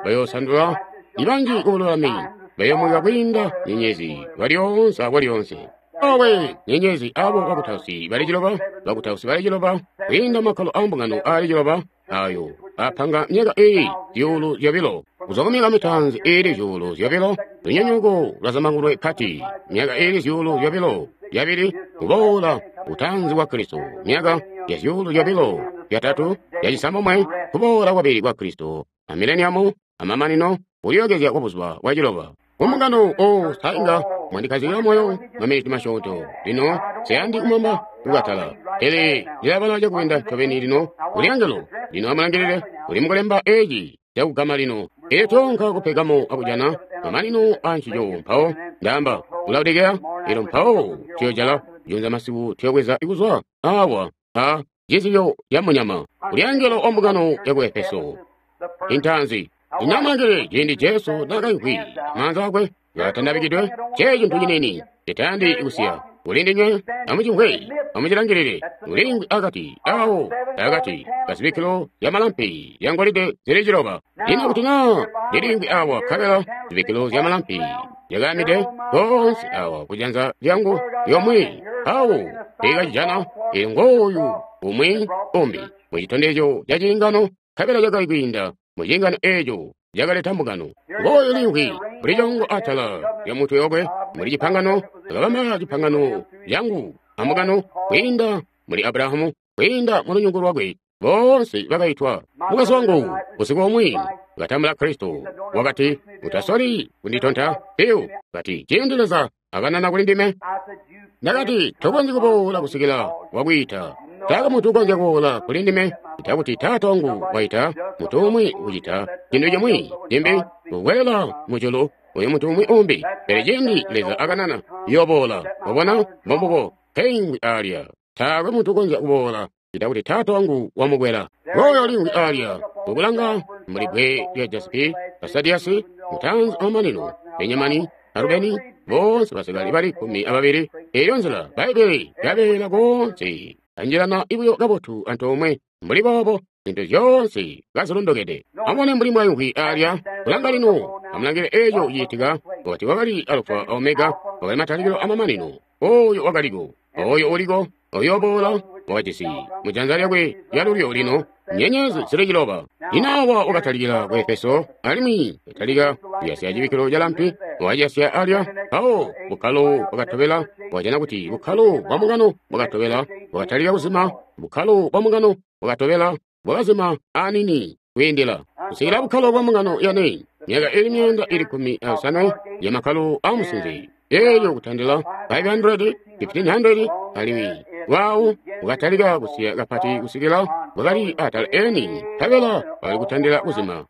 bayoosandula, ibanji ku bululami bayoomweka kwiinda nyenyezi kwalyoonse akwalyoonse. Awe nyenyezi abo bakutausi bali ciloba, bakutausi bali ciloba, kwiinda makkalo ambungano aali ciloba, ayo apanga myaka eyi zyuulu zyobilo. Kuzwa ku myaka mitaanzi iili zyuulu zyobilo, lunyonyooko lwazambangulwe pati, myaka iili zyuulu zyobilo yabili, kuboola utaanzi kwa Kristo, myaka ya zyuulu zyobilo yatatu yacisambomwe, kuboola kwabili kwa Kristo, a mileniamu, amamanino, kulyookezya kwa buzuba bwa ciloba. Kumbungano, o sainga mwandikazikila moyo maminiti masyoonto. Lino siyandi kumwamba kukatala, pele ndilabala cakubinda ncobeni lino kuli angelo. Lino amulangilile, uli mukulemba eci cakugama lino. Elyo toonka ku Pergamo akujana mamanino a ncico. Mpawo ndaamba ku Laodikeya, elyo mpawo tuyojala junza masiku tuyobweza kuzwa awa a cizibyo ca munyama. Kuli angelo wa mbungano ya ku Efeso intaanzi. Lino amulangilile ciindi Jesu naakaimvwi, maanza akwe kaatandabikidwe, cee cintu ciniini citayandi kusiya. Kuli ndinywe, amucimvwe, amucilangilile. Uliingwi akati awo akati kazibikkilo zya malampi zya ngolide zili ciloba. Lino kuti naa ndiliingwi awa nkabela zibikkilo zya malampi zyakaamide koonse awa kujanza lyangu lyomwe, awo ndikacijana. Elyo ngooyu umwi umbi mu citondezyo ca ciingano, nkabela cakali kwiinda mu ciingano eeco cakaleta mbungano. Ngooyu liingwi mbuli congo atala lya mutwe wakwe, muli cipangano, akabamba cipangano cangu ambungano kwiinda muli Abrahamu, kwiinda mu lunyungu lwakwe, boonse bakaitwa. Mukazi wangu usiku umwi wakatambula Kristo, wakati, utasoli kunditonta piu. Kati, ciindi Leza akanana kuli ndime, ndakati, tokonzyi kuboola kusikila wakwiita. Taakwe muntu ukonzya kuboola kuli ndime ccita Taata wangu waita muntu umwi kucita cintu cimwi cimbi, kukwela mujulu uyu muntu umwi umbi. Pele ciindi Leza akanana, yooboola. Wabona, mbombubo nkeingwi alya. Taakwe muntu ukonzya kuboola ccita kuti Taata wangu wamukwela. Ngooyo lingwi alya, ukulanga mbuli bbwe lya jasipi, Asadiyasi, mutaanzi amamanino, Benyamani, Arubeni, boonse basikali bali kkumi ababili. Eyo nzila Bbaibbele yabeela koonse, anjilana buyo kabotu antoomwe mbuli boobo, zintu zyoonse kazilondokede. Amubone mbuli mwayungwi alya, kulanga lino, amulangile eco ciitika. Wakati wakali Alufa a Omega, wakali matalikilo amamanino, oyo wakaliko, oyo uliko, oyooboola, wakajisi mujanza lyakwe lyalulyo lino nyenyezi zili ciloba. Lino awa wakatalikila ku Efeso, alimwi katalika kuyasya cibikkilo ca lampi, wakaciyasya alya. Mpawo bukkalo bwakatobela, wakajana kuti bukkalo bwa mbungano bwakatobela bwakatalika kuzima, bukkalo bwa mbungano bwakatobela bwakazima aniini kwiindila kusikila bukkalo bwa mbungano yane, myaka ili myaanda ili kkumi ayosanwe ya makkalo aamusinze, elyo kutandila five hundred, fifteen hundred, alimwi lwawo bwakatalika kusiya kapati kusikila bwakali atala eni, nkabela bwakali kutandila kuzima.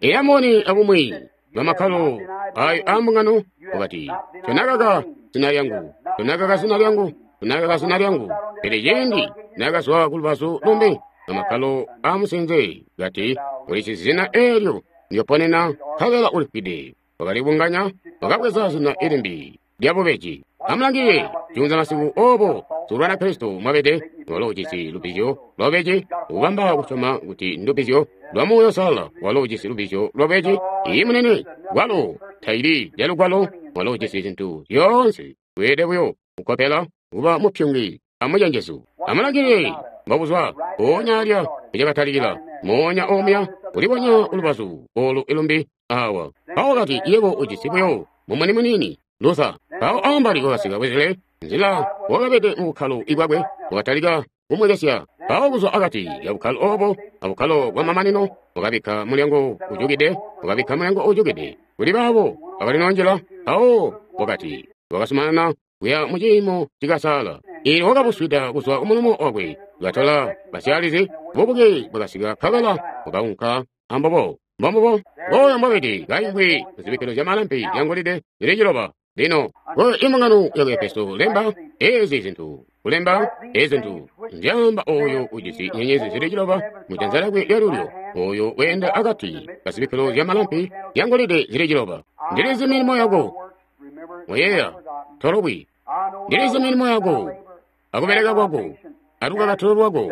Eyamoni abumwi bwamakkalo ayo aambungano wakati, tonakaka zina lyangu, tonakaka zina lyangu, tonakaka zina lyangu. Pele ciindi nakazwa kulubazu lumbi bwamakkalo aamusinze, kati, ulijisi zina eelyo ndyoponena, nkabela ulifwide. Wakalibunganya, wakabweza zina ilimbi lyabubeji. Amulangilile juunza masiku obo sikulwana Kristo mwabede, walo ujisi lubbizyo lwabubeji, ukubamba kusyoma kuti ndubbizyo lwa Muuya Uusalala. Walo ujisi lubbizyo lwabubeji. Iyi munene, walo taili lyalugwalo, walo ujisi zintu zyoonse. Weelede buyo kukopela kuba mupyungi amucenjezu. Amulangilile mbobuzwa mpoonya alya ecakatalikila, moonya omuya kulibonya ulubazu olu ilumbi awa. Mpawo kati, yebo ujisi buyo mumuni muniini, Luther. Mpawo ambali wakasika Wesley, nzila wakabede mu bukkalo bwakwe, wakatalika kumwekesya. Mpawo kuzwa akati ya bukkalo obo abukkalo bwa mamanino, wakabikka mulyango ujukide, wakabikka mulyango ujukide kuli baabo bakalinonjela. Mpawo wakati wakasumanana kuya mu ciimo cikasaala. Eelyo wakabuswida kuzwa kumulomo wakwe, katola basyaalizi, bubuke bwakasika nkabela bwakaunka ambobo. Mbombubo. Oyo mbwabede kaimvwi muzibikkilo zya malampi zyangolide zili ciloba. Lino ku imbungano yaku Efeso lemba ezi zintu, kulemba ezi zintu nzyaamba oyo ujisi nyenyezi zili ciloba mu janza lyakwe lyalulyo, oyo weenda akati kazibikkilo zya malampi zyangolide zili ciloba. Ndilizi milimo yako, oyeeya tolobwi. Ndilizi milimo yako akubeleka kwako alukakatilo lwako,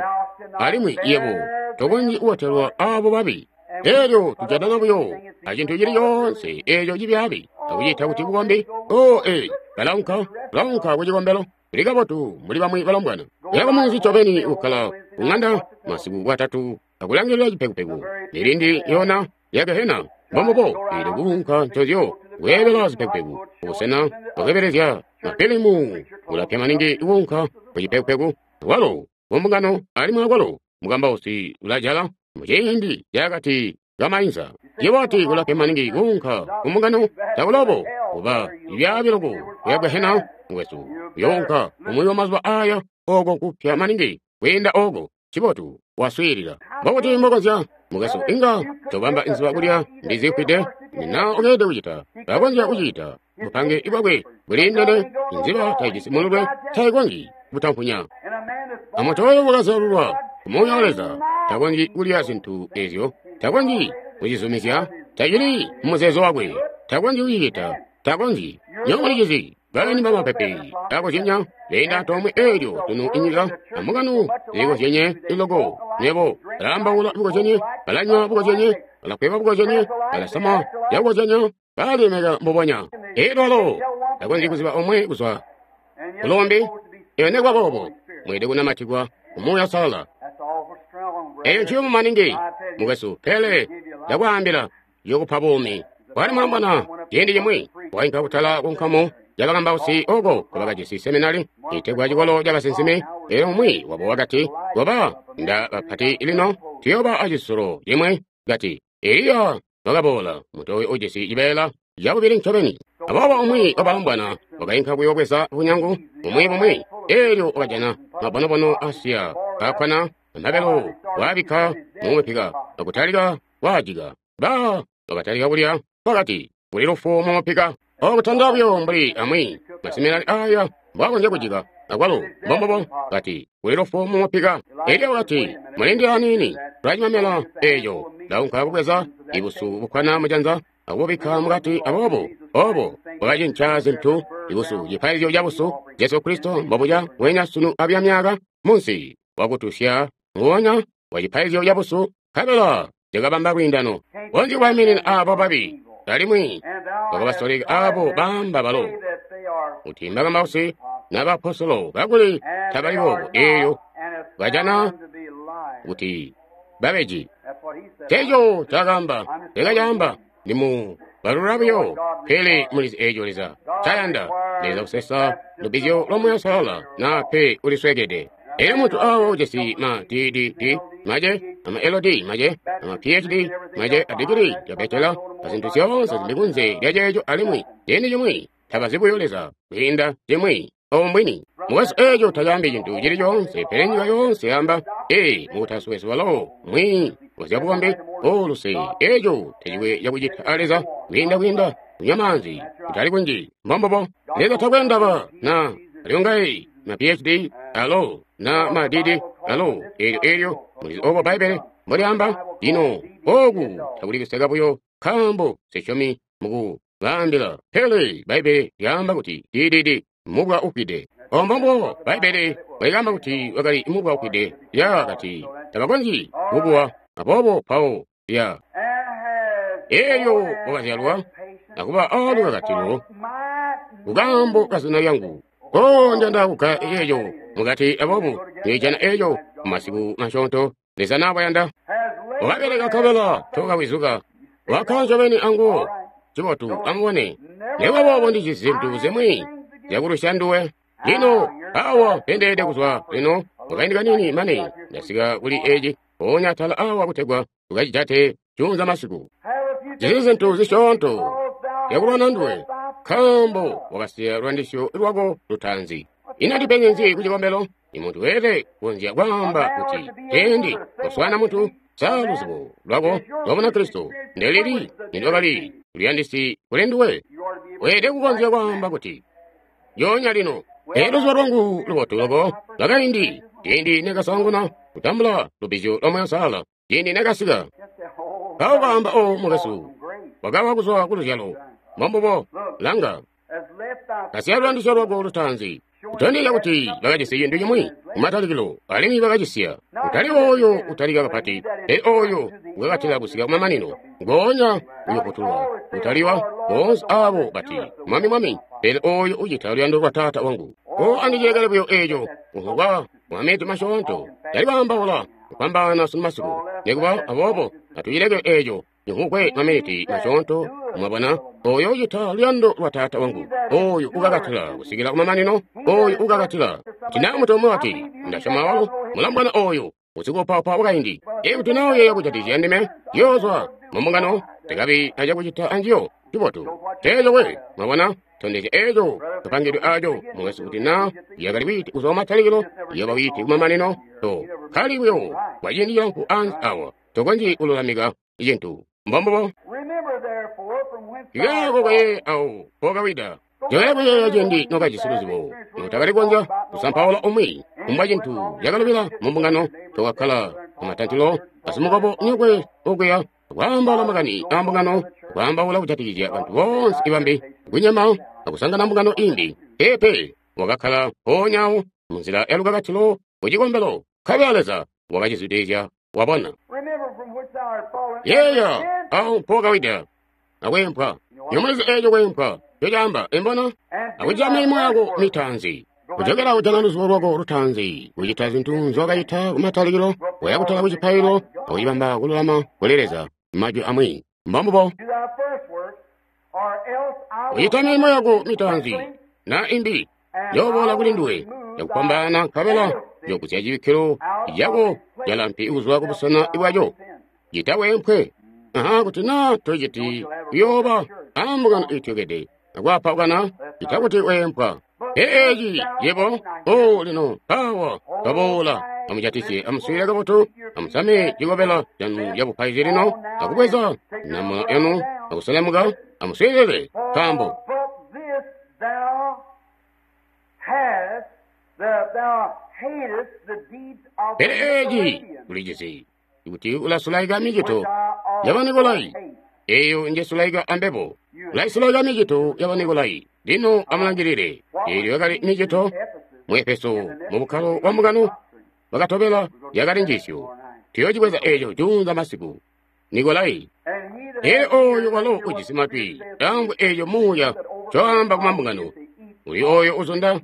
alimwi yebo tokonzyi kubotelwa abo babi. Elyo tujatana buyo acintu cili coonse eco cibyaabi akuciita kuti bukombi. O ee, balaunka balaunka ku cikombelo kuli kabotu mbuli bamwi balombwana. Kuya kumunzi ncobeni kukkala kuŋanda masiku bwatatu akulangilila cipekupeku milindi yona ya gehena. Mbombubo, eelyo kuunka ncozyo kweebela zipekupeku kubusena bwakweebelezya mafilimu kulapya maningi kuunka ku cipekupeku. Walo mumbungano alimwi akwalo mukambausi ulajala muciindi cakati kamainza. Ciwati kulapya maningi kuunka kumbungano takulobo kuba ibyaabi loko kuya gehena mukwesu uyounka umwi wa mazuba aya oko kupya maningi kwiinda oko. Cibotu waswiilila. Mbokuti mbokonzya mukwesu inga tobamba inziba kulya ndizifwide na ukeede kucita bakonzya kucita bupange bwakwe buliindene. Inziba taijisi mululwe taikonzyi kutampunya. Amuntu oyo wakazalulwa ku Muuya wa Leza takonzyi kulya zintu ezyo, takonzyi kucizumizya, tacili mumuzeezo wakwe, takonzyi kucicita, takonzyi. Nywebo mulicizi, balani bamapepe akozyenya beenda antoomwe eelyo tunu inyika ambungano zilikozyenye iloko. Nywebo balaambaula bukozyenye, balanywa bukozyenye, balakweba bukozyenye, balasama zyakukozyenya, balalemeka mbubonya. Eelyo alo takonzyi kuziba omwe kuzwa kulombi. Eyo nekuba boobo mweelede kunamatikwa ku Muuya Uusalala. Eyo nciyumu maningi mukwesu, pele ndakwaambila yokupa buumi. Kwali mulombwana ciindi cimwi wainka kutala ku nkamu yabakambausi oko kubakajisi seminari itegwa cikolo cabasinsimi. Elyo umwi wabo wakati, goba nda bapati lino tuyooba acisulo cimwe. Kati Eliya wakaboola, muntu oyo ujisi cibeela cabubili ncobeni. Aboobo umwi wabalombwana wakainka kuyoobweza bunyangu bumwi bumwi, eelyo wakajana mabonobono asiya kakkwana amabelo, waabikka mumupika akutalika waajika. Ba wakatalika kulya, wakati kuli lufu mumupika. Okutanda buyo mbuli amwi maseminari aya mbwakonzya kujika akwalo mbombobo. Kati kuli lufu mumupika. Eliya wakati mulindi aniini tulacimamela eeco. Ndaunka kubweza ibusu bukkwana mujanza akububikka mukati. Aboobo obo bwakacinca zintu. Ibusu cipaizyo cabusu Jesu Kristo mbobuca wenya sunu abya myaka munsi wakutusya nguwonya wa cipaizyo cabusu, nkabela cakabamba lwiindano. Konzyi kubaiminina abo babi, alimwi wakabasoleka abo baamba balo kuti mbakambausi n'abaapostolo kakuli tabali boobo. Eelyo bajana kuti babeji. Teeco cakaamba lekacaamba ndimu balula buyo, pele mulizi eeco Leza ncayanda. Leza kusesa lubizyo lwa Muuya Uusalala naa pe uliswekede. Elyo muntu awo ujisi ma D D D mace, ama L D mace, ama P H D mace, a digiri lya bachelor, azintu zyoonse zili kunze lya ceeco, alimwi ciindi cimwi tabazi buyo Leza kwiinda cimwi. Obo mbwini. Mukwesu, eeco tacaambi cintu cili coonse, pele nyika yoonse yaamba, ee, mukutausi wesu walo mwiiyi wazyabukombi oluse. Eeco tacikwe cakucita a Leza kwiinda kwiinda kunywa maanzi kutali kunji. Mbombobo. Leza takwe ndaba na aliongayi ma P H D alo na ma D D alo. Eelyo eelyo mulizi obo Bbaibbele mbolyaamba. Lino oku takuli kuseka buyo nkaambo sisyomi muku baambila, pele Bbaibbele lyaamba kuti D D D mubwa ufwide. Ombombo Bbaibbele bwaikaamba kuti wakali mubwa ufwide. Lya kati tabakonzyi kubuwa. Aboobo pawo lya eelyo wakazyalwa akuba aalukakatilo kukaambo kazina lyangu. Ko njanda kukka eeco mukati. Aboobo niijana eeco mumasiku masyoonto Leza naabayanda. Wakabeleka nkabela tokawizuka, wakkala ncobeni anguwo. Cibotu, amubone. Nekuba boobo ndijisi zintu zimwi zyakulusya nduwe. Lino awa mpendeede kuzwa lino mukaindi kaniini mane ndasika kuli eci mpoonya atala awa kutegwa tukacijate juunza masiku. Jisi zintu zisyoonto zyakulwana nduwe, nkaambo wakasiya lwandisyo lwako lutaanzi. Ino ndipenzi nzi ku cikombelo? Imuntu weelede kukonzya kwaamba kuti ciindi kuswaana muntu, Sa luzibo lwako lwa Bunakristo ndelili nilwakali luyandisi kuli nduwe? Weelede kukonzya kwaamba kuti, "Lyoonya lino, ee luzibo lwangu lubotu loko lwakaindi, ciindi nekasaanguna kutambula lubbizyo lwa Muuya Uusalala, ciindi nekasika." Mpawo kaamba, "O mukwesu, wakawa kuzwa ku luzyalo." Mbombubo. Langa, kasiya luyandisyo lwako lutaanzi. Kutondezya kuti bakajisi cintu cimwi kumatalikilo, alimwi bakacisiya. Kutali oyo utalika kapati, pele oyo ukakatila kusika kumamanino, ngoonya uyofutulwa. Kutaliwa boonse abo bati, "Mwami, Mwami," pele oyo ucita luyando lwa Taata wangu. O andicilekele buyo eco kuhukwa maminiti masyoonto. Tali kwaambaula kupambaana sunu masiku. Nikuba aboobo, atucileke eco cihukwe maminiti masyoonto. Mwabona, oyo ucita luyando lwa Taata wangu, oyo ukakatila kusikila kumamanino, oyo ukakatila. Kuti naa muntu umwi wati, "Ndasyoma walo mulambwana oyo usikuupaupa wakaindi," ikuti naa uyeeya kujatikizya ndime, yoozwa mumbungano, tekabi acakucita anjiyo. Cibotu teeco we. Mwabona, tondezya eeco kapangidwe aco, mukwesu, kuti naa yakali wiiti kuzwa kumatalikilo, yoba wiiti kumamanino. To kali buyo kwa ciindi cilamfu ansi awa, tokonzyi kululamika cintu. Mbombubo. Ikaako kaye awo pokawida. Joya kuyeeya ciindi nokajisi luzibo notakali kukonzya kusampaula umwi kumbwa cintu cakalubila mumbungano, tokakkala kumatantilo asimukobo nyokwe okuya kwaambaula makani a mbungano, kwaambaula kujatikizya bantu boonse ibambi kunyama akusangana mbungano imbi. Peepe, wakakkala mpoonya awo munzila ya lukakatilo kucikombelo, nkabela Leza wakacizwidilizya. Wabona, yeeya awo mpokawida akwempwa. Nyomulizi eeco kwempwa ncocaamba, imbona akucita milimo yako mitaanzi. Kujokela kujana luzibo lwako lutaanzi, kucita zintu nzowakacita kumatalikilo, waya kutala kucipaililo akucibamba kululama kuli Leza. Majwi amwi, mbombubo. Kucita milimo yako mitaanzi na imbi yooboola kuli nduwe yakupambaana, nkabela yogusya cibikkilo cako calampi kuzwa kubusena bwaco. Cita wempwe. Aha, kuti naa tociti kuyooba ambungano iityokede akwaapawukana, cita kuti weempwa. Eeci yebo o lino mpawa twaboola. Amujatisye, amuswiilile kabotu, amusame cikobela canu cabupaizi lino, akubweza namula yanu akuselemuka. Amuswiilile, nkaambo pele eeci ulijisi kuti ulasulaika micito ya Banikolai, eyo njesulaika ambebo. Ulaisulaika micito ya Banikolai. Lino amulangilile, eelyo yakali micito mu Efeso mu bukkalo bwa mbungano bakatobela yakali njiisyo. Tuyoocibweza eeco juunza masiku. Nikolai. Ee oyo walo ujisi matwi amvwe eeco Muuya ncoamba ku mambungano. Uli oyo uzunda,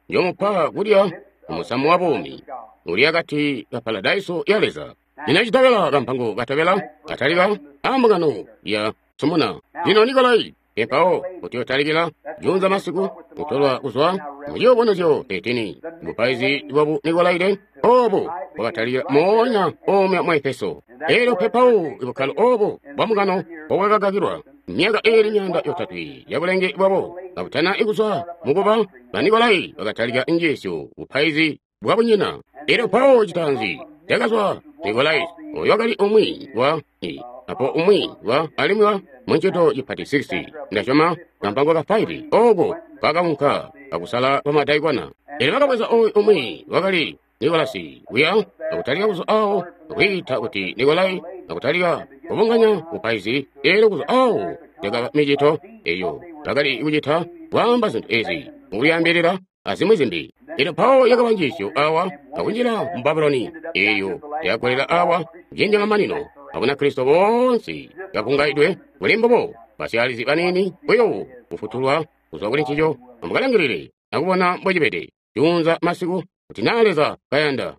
njomupa kulya umusamu wa buumi uli akati ka paradaiso ya Leza. Lino citobela kampango katobela katalika ambungano ya Sumuna. Lino Nikolai empawo kutyotalikila juunza masiku kutolwa kuzwa mu ciyubunuzyo thirteen. Bupaizi bwabu Nikolaide obu bwakatalika moonya omya mu Efeso. Eelyo pepawu ibukkalo obu bwa mbungano bwakakakilwa myaka iili myaanda yotatwe yabulenge bwabo kabutana ikuzwa mukuba Banikolai bakatalika njiisyo bupaizi bwabunyina. Eelyo mpawo citaanzi cakazwa Nikolai, oyo wakali umwi wa i apo umwi wa alimwi wa muncito cipati six, ndasyoma kampango ka five, oko kakaunka akusala bamadaikona. Eelyo bakabweza oyu umwi wakali Nikolasi kuya akutalika kuzwa awo akwiita kuti Nikolai, akutalika kubunganya bupaizi. Eelyo kuzwa awo yakaba micito eyo bakali kucita kwaamba zintu ezi mukulyaambilila azimwi zimbi. Eelyo mpawo yakaba njiisyo awa akunjila mu Babuloni, eyo yakagolela awa kuciindi mamanino Abunakristo boonse bakungaidwe kuli mbubo, basyaalizi baniini buyo kufutulwa kuzwa kuli ncico. Amukalangilile akubona mbocibede juunza masiku, kuti naa Leza kayanda.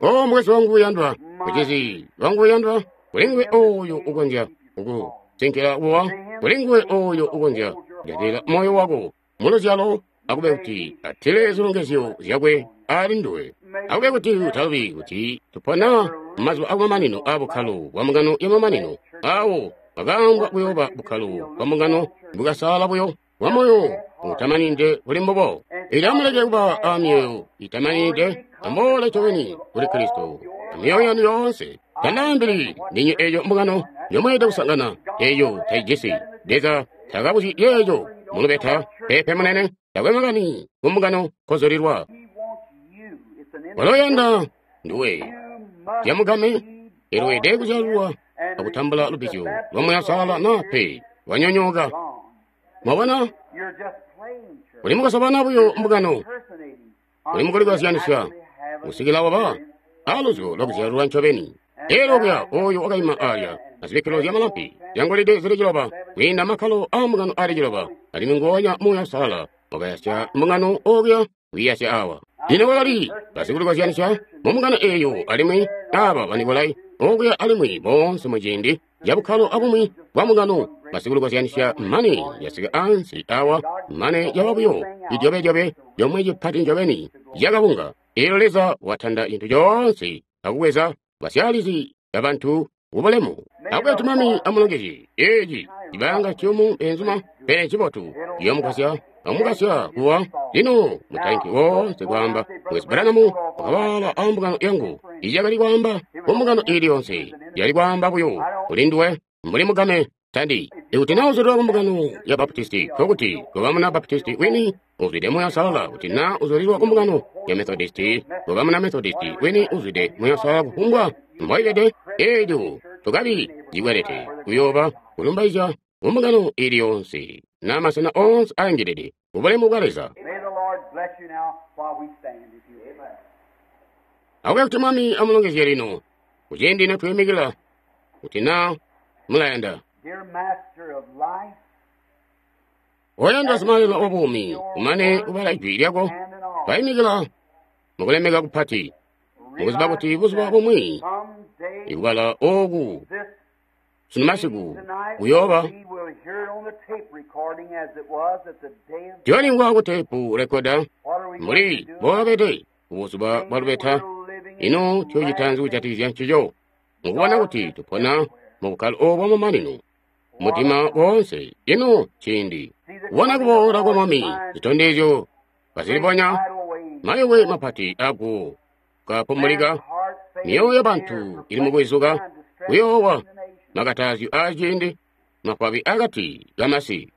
O mukwesu wangu uyandwa, mucizi wangu uyandwa, kuli nguwe oyo ukonzya kukusinkila kuwa, kuli nguwe oyo ukonzya kujatilila moyo wako muluzyalo, akube kuti atile zilongezyo zyakwe ali nduwe. Akube kuti utalubi kuti tupona mumazuba akumamanino a bukkalo bwa mbungano yamamanino, awo bakaambwa kuyooba bukkalo bwa mbungano bukasala buyo bwa moyo utamanide kuli mbubo. Eelyo amuleke kuba a myoyo itamanide, amuboole ncobeni kuli Kristo amyoyo yanu yoonse. Tandaambili ndinywe eyo mbungano yomweelede kusangana, eyo taijisi. Leza takabuzyi yeeyo mulubeta, peepe munene, takwe makani ku mbungano kozulilwa. Waloyanda nduwe yamugame elweede kuzyalwa akutambula lubbizyo lwa Muuya Uusalala na pe wanyonyooka. Mwabona, uli mukasobana buyo mbungano, uli mukulikozyanisya kusikila waba aluzyo lwakuzyalwa ncobeni. Elyo kuya oyo wakaima alya azibikkilo zya malampi zyangolide zili ciloba kwiinda makkalo aa mbungano ali ciloba, alimwi nguonya Muuya Uusalala wakayasya mbungano okuya kwiiyasya awa. Lino kwakali basikulikozyanisya mu mbungano eeyo, alimwi aba Banikolai okuya, alimwi boonse muciindi cabukkalo abumwi bwa mbungano basikulikozyanisya mane yasika ansi awa, mane yaba buyo cijobedyobe comwe cipati ncobeni cakabunga. Eelyo Leza watanda cintu coonse akubweza basyaalizi babantu kubulemu. Akube Mwami amulongezye. Eeci cibanga ciyumu beenzuma, pele ncibotu ciyoomugwasya amukasya kuwa. Lino mutainki woonse kwaamba, Mukwesu Branham wakabaala a mbungano yangu. Icakali kwaamba ku mbungano iili yonse, yali kwaamba buyo kuli nduwe mbuli mugame. Tandi ikuti naa uzulilwa ku mbungano ya Baptisti, nkokuti koba muna Baptisti wini uzwide Muuya Uusalala. Kuti naa uzulilwa ku mbungano ya Methodisti, koba muna Methodisti wini uzwide Muuya Uusalala. Kufumbwa mboibede, eelyo tukabi cikwelete kuyooba kulumbaizya ku mbungano iili yonse na masena oonse aangilide kubulemu bwa Leza. Akube kuti Mwami amulongezye lino kuciindi notwiimikila, kuti naa mulayanda. Oyandwa Simalelo wa buumi, kumane kubala ijwi lyako, twaimikila mukulemeka kupati, mukuziba kuti buzuba bumwi ikubala ooku sunu masiku kuyooba tuyolingwa ku teepu rekoda mbuli mbokabede kubuzuba bwa lubeta. Ino tuyocita nzi kujatikizya ncico? Mukubona kuti tupona mu bukkalo oobu bwamamanino, mudima woonse. Ino ciindi kubona kuboola kwa Mwami, zitondezyo kazilibonya, mayowe mapati aguwo kapumulika, myoyo yabantu ili mukwizuka, kuyoowa, makatazyo aaciindi, mafwabi akati kamasi.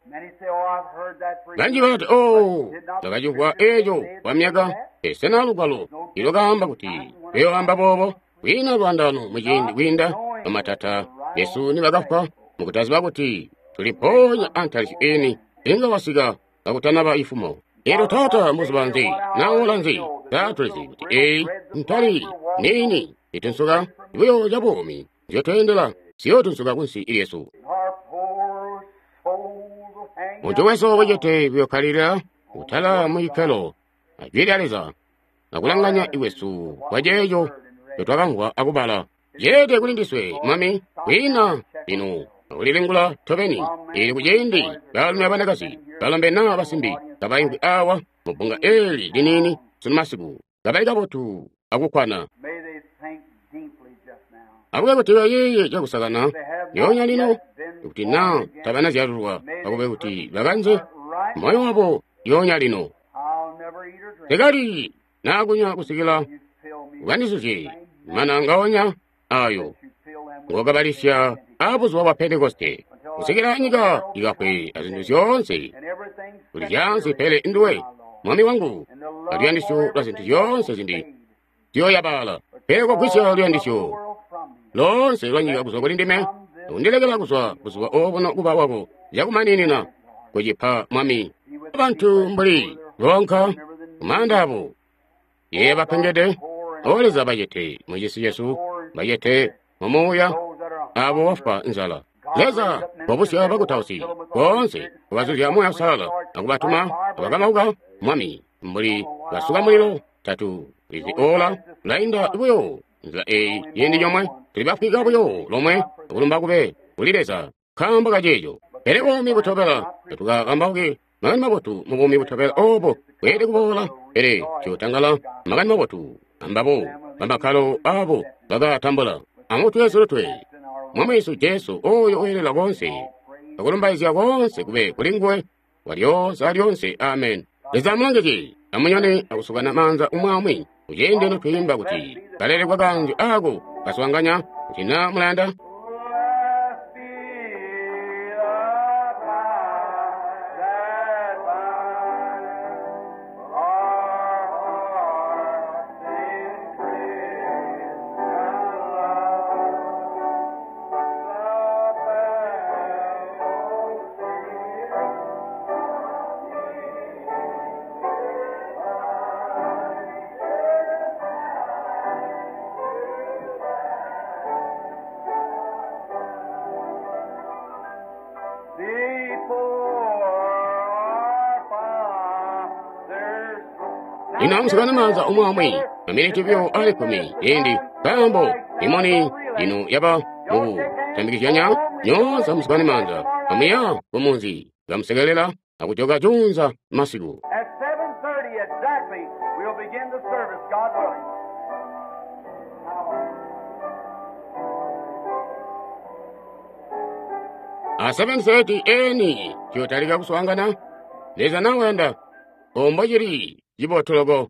Banji balati, "Oh, ndakacimvwa eeco kwa myaka." Sena lugwalo ilwakaamba kuti luyooamba boobo? Kwiina lwaandaano muciindi kwiinda bamatata besu nibakafwa mukutaziba kuti tuli mpoonya antalisyo ini inga wasika kakutanaba ifumo. Eelyo Taata, mbuzuba nzi na ola nzi, taatulizi kuti eeyi ntali niini itunsuka buyo ca buumi nzyotweendela ziyootunsuka kunsi lyesu. Muntu wesu wecete kuyokkalilila kutala mucikkelo ajwi lya Leza akulanganya iwesu kwa ceeco ncotwakamvwa akubala. Ceede kuli ndiswe, Mwami, kwiina lino akulilingula tobeni. Ili kuciindi baalumi abanakazi, balombe naa basimbi kabaimvwi awa mubbunga eeli liniini sunu masiku, kabali kabotu akukkwana. Akube kuti bayeeye cakusakana lyoonya lino, kuti naa tabanazyalulwa, akube kuti bakanze moyo wabo lyoonya lino. Tekali naa kunywa kusikila ukandizuzye mana ngaonya ayo ngokabalisya aabuzuba bwa Pentekoste, kusikila nyika ikafwe azintu zyoonse kuli zyaansi, pele nduwe Mwami wangu aluyandisyo lwa zintu zyoonse zindi ziyoyabaala. Pele kogwisya luyandisyo loonse lwa nyika kuzwa kuli ndime, akundilekela kuzwa buzuba obuno kuba wako cakumaninina kucipa Mwami. Bantu mbuli lonka kumaanda abo ye bapengede, O Leza, bacete mucisi cesu, bacete mumuuya, abo bafwa nzala. Leza wabusya bakutausi boonse kubazuzya Muuya Uusalala akubatuma abakamauka Mwami mbuli basuka mulilo. Tatu lizi ola lainda buyo nzila eyi ciindi comwe, tuli bafwika buyo lomwe, akulumba kube kuli Leza nkaambo kaceeco. Pele buumi butobela tatukakambauke makani mabotu mu buumi butobela oobo bweelede kuboola, pele tuyotangala makani mabotu ambabo bamakkalo abo bakatambula. Amutwe silutwe Mwami wesu Jesu, oyo weelela koonse akulumbaizya koonse kube kuli nguwe walyoonse alyoonse. Amen. Leza amulongezye. Amunyone akusukana maanza umwi aumwi kuciindi notwiimba kuti kalelekwa kanji ako kaswaanganya kuti na mulayanda. Blessed be the tie that binds our hearts in Christian love. The fellowship Before our Father's throne. Ino amusukana maanza omwe omwe maminiti buyo ali kkumi indi nkaambo imoni ino yaba mu kutambikizyanya nyoonse amusukane maanza amuya kumunzi kamusekelela akujoka junza masiku. At seven thirty exactly, we'll begin the service, God willing. A seven thirty eni ciyotalika kuswaangana. Leza nawayanda ombo cili cibotoloko.